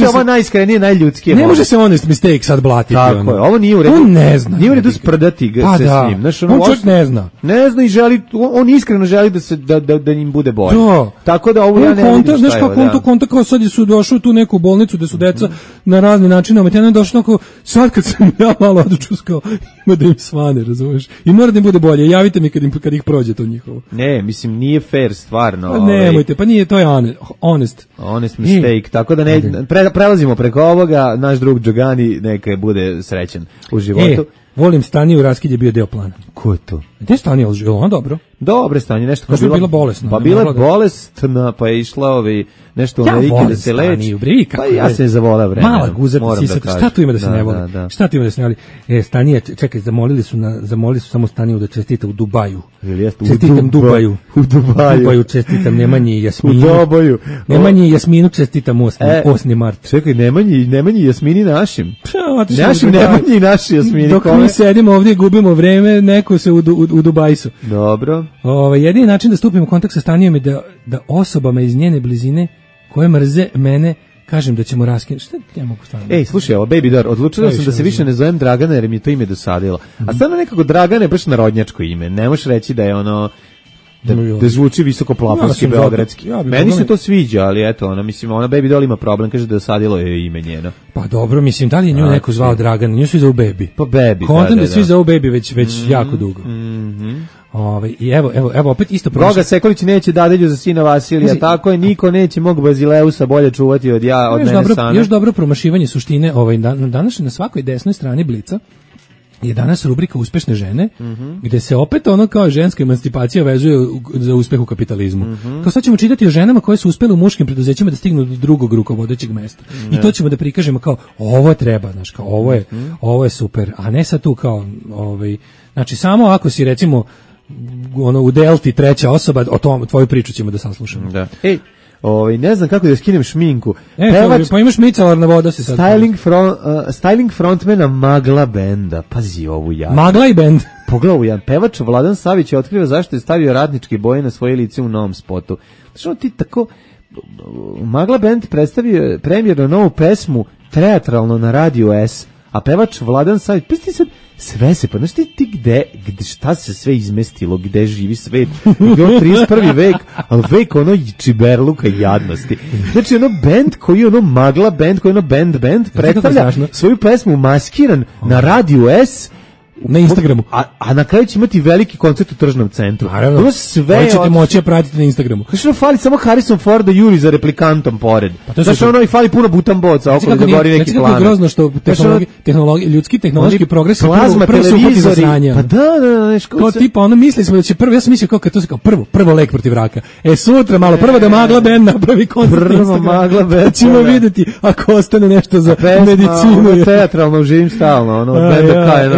Ovo najiskrenije, najljudskije. Ne može se honest mistake sad blatiti. Tako je, ovo nije u redu. On ne zna. Nije u redu sprdati se s njim. On čovjek ne zna. Ne zna i želi, on iskreno želi da im bude bolje. Tako da ovo ja ne vidim šta je. Znaš kako konta kao sad su došli u tu neku bolnicu gde su deca na razne načine, a je došlo onako, sad kad sam ja malo odučuskao, ima da im svane, razumeš? I mora da im bude bolje, javite mi kad ih prođe to njihovo. Ne, mislim, nije fair. jer stvarno... Pa nemojte, pa nije, to je honest. Honest mistake, tako da ne, prelazimo preko ovoga, naš drug Đogani neka bude srećan u životu. Volim Staniju, raskid je bio deo plana. Ko je to? Gde je Stanija, on dobro? Dobre Stanje, nešto kao bila bolesna. Pa bila je bolesna, pa je išla nešto u Amerike da se leči. Pa ja se zavoleo vremena. Mala guzata, šta tu ima da se ne voli? Šta tu ima da se ne voli? Stanija, čekaj, zamolili su samo Staniju da čestita u Dubaju. Čestitam Dubaju. U Dubaju čestitam Nemanji i Jasminu. U Doboju. Nemanji i Jasminu čestitam 8. mart. Čekaj, Nemanji i Jasmini našim. Našim Nemanji i naši Jasmini. Dok mi sedimo ovdje, gubimo vreme, neko se u Dubajsu. Dobro. Jedini način da stupimo u kontakt sa Stanijom je da osobama iz njene blizine koje mrze mene kažem da ćemo raskinuti. Šta ja mogu stvarno? Ej, slušaj, ovo Baby Doll, odlučila sam da se više ne zovem Dragana jer mi je to ime dosadilo. A stvarno nekako Dragana je baš narodnjačko ime. Ne možeš reći da je ono da zvuči visoko plafonski beogradski. Meni se to sviđa, ali eto, ona Baby Doll ima problem, kaže da dosadilo je ime njeno. Pa dobro, mislim, da li je nju neko zvao Dragana? Nju svi zovu Baby. Pa Baby, Kontent da svi zovu Baby već jako dugo. I evo opet isto prošlo. Goga Sekulić neće dadilju za sina Vasilija, tako je, niko neće mog Bazileusa bolje čuvati od mene sana. Još dobro promašivanje suštine, danas na svakoj desnoj strani Blica je danas rubrika Uspešne žene, gde se opet ono kao ženska emancipacija vezuje za uspeh u kapitalizmu. Kao sad ćemo čitati o ženama koje su uspele u muškim preduzećima da stignu do drugog rukovodećeg mesta. I to ćemo da prikažemo kao ovo treba, znaš, kao ovo je super, a ne sad tu kao znači samo ako si recimo u Delti treća osoba, o tvoju priču ćemo da saslušamo. Da. Ne znam kako da skinem šminku. Pa imaš micelarna voda se sad. Styling frontmana Magla benda. Pazi ovu ja. Magla i bend. Pogledaj jedan. Pevač Vladan Savić je otkrio zašto je stavio radničke boje na svoje lice u novom spotu. Znači ti tako Magla bend predstavio premijerno novu pesmu teatralno na Radio S, a pevač Vladan Savić, pa ti sad sve se, pa znaš ti gde, šta se sve izmestilo, gde živi svet, gde je 31. vek, ali vek ono čiberluka i jadnosti. Znači ono band koji je ono Magla band, koji je ono band, predstavlja svoju pesmu maskiran na Radio S, na Instagramu. A na kraju će imati veliki koncert u tržnom centru. Naravno. Ovo sve ćete moći pratiti na Instagramu. Znači fali samo Harrison Ford da juri za replikantom pored. Znači ono i fali puno butamboca okolo da gori neki plan. Kako je grozno što ljudski tehnološki progres prvo su upati za sranja. Pa da. Kao tipa ono mislili smo da će prvo, ja sam mislio kao kad to se kao prvo lek protiv raka. Sutra malo prvo da Magla band napravi koncert. Prvo Magla band. Ćemo vidjeti ako ostane nešto za medicinu. Teatralno živim stalno. Ono benda kaj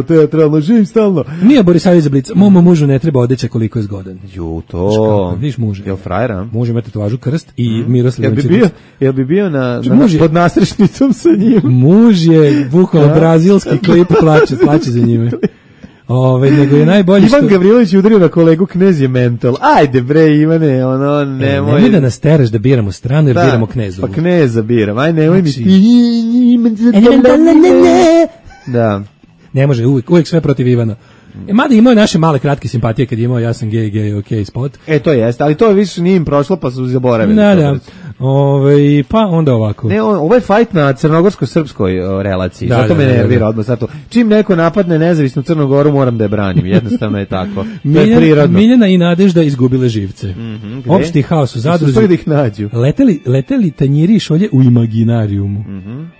Teatralno, živim stalno. Nije Borisavljević za Blic. Mom mužu ne treba odeća koliko je zgodan. To. Viš muže. Jel frajera? Muž ima tetovažu krst i Miroslav. Jel bi bio pod nastrešnicom sa njim? Muž je bukvalno brazilski klip, plače za njime. Nego je najbolje Ivan Gavrilović udario na kolegu Knez je mental. Ajde bre Ivane, ono nemoj. Nemoj da nas tereš da biramo stranu jer biramo Knezovu. Pa Kneza biram, aj nemoj mi ti. Da. Ne može, uvijek sve protiv Ivana. Mada imao naše male kratke simpatije kad je imao ja sam gay, ok spot. To jeste, ali to više nije im prošlo pa su zaboravili. Da. Pa onda ovako. Ne, ovo je fight na crnogorsko-srpskoj relaciji. Zato me nervira odmah. Zato, čim neko napadne nezavisnu Crnu Goru moram da je branim. Jednostavno je tako. To je prirodno. Miljana i Nadežda izgubile živce. Opšti haos u Zadruzi. Da ih nađu. Leteli tanjiri i šolje u imaginarijumu.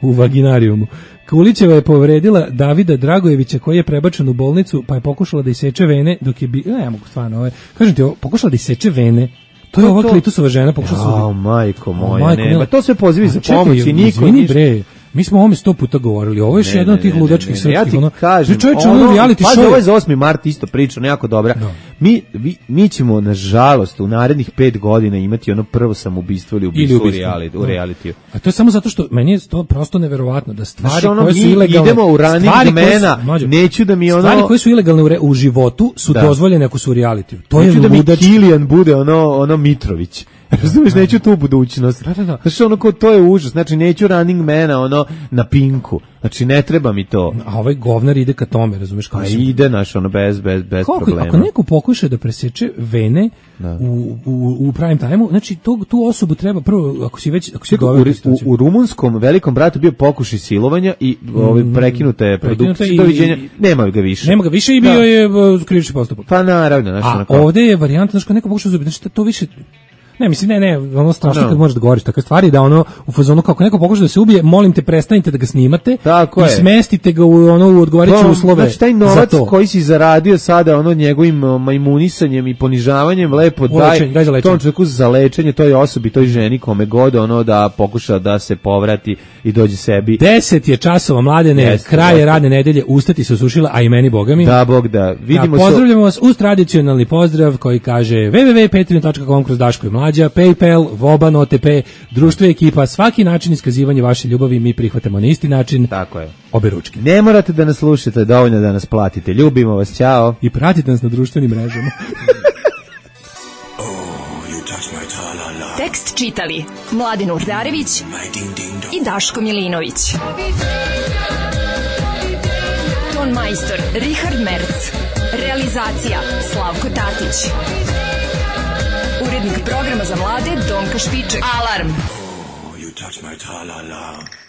U vaginarijumu. Kulićeva je povredila Davida Dragojevića koji je prebačen u bolnicu pa je pokušala da iseče vene dok je ne mogu stvarno kažem ti pokušala da iseče vene. To je ova klitusova žena pokušala majko moja, ne. To sve pozivi za pomoć i niko bre. Mi smo o ovome 100 puta govorili. Ovo je još jedan od tih ludačkih srpskih. Ja ti kažem, reality show. Ovo je za 8. mart isto priča, nejako dobra. Mi ćemo, nažalost, u narednih 5 godina imati ono prvo samoubistvo ili ubistvo u realitiju. A to je samo zato što meni je to prosto neverovatno da stvari koje su ilegalne. Idemo u ranih domena, neću da mi ono... Stvari koje su ilegalne u životu su dozvoljene ako su u realitiju. To je ludački. Neću da mi Kilijan bude ono Mitrović. Razumeš, neću tu budućnost. Znači, ono ko, to je užas. Znači, neću Running Mana, ono, na Pinku. Znači, ne treba mi to. A ovaj govnar ide ka tome, razumeš? A ide, naš, ono, bez problema. Ako neko pokuša da preseče vene u prime time-u, znači, tu osobu treba prvo, ako si u rumunskom velikom bratu bio pokušaj silovanja i prekinuta je produkcija, doviđenja, nema ga više i bio je krivični postupak. Pa naravno, a ovde je varijanta, znači, neko pokuša da znači, to više. Ne, mislim, ono strašno kad možeš da govoriš takve stvari, da ono, u fazonu, kako neko pokuša da se ubije, molim te, prestanite da ga snimate i smestite ga u odgovarajuće uslove. Znači, taj novac koji si zaradio sada, ono, njegovim majmunisanjem i ponižavanjem, lepo daj tom čovjeku za lečenje, toj osobi, toj ženi, kome god, ono, da pokuša da se povrati i dođe sebi. 10 je časova, mladene, kraj je radne nedelje, ustati se osušila, a i meni, boga mi. Da, Bog da. Pozdravljamo vas uz tradicionalni pozdrav koji kaže www.patreon.com/Daško i Mlađa, PayPal, Voban, OTP, društvo i ekipa, svaki način iskazivanja vaše ljubavi mi prihvatamo na isti način. Tako je. Obe ručke. Ne morate da nas slušate, dovoljno da nas platite. Ljubimo vas, ćao. I pratite nas na društvenim mrežama. Tekst čitali Mladin Urdarević i Daško Milinović. Ton majstor Richard Merc. Realizacija Slavko Tatić. Urednik programa za mlade Donka Špiček. Alarm! Oh, you touch my tra-la-la.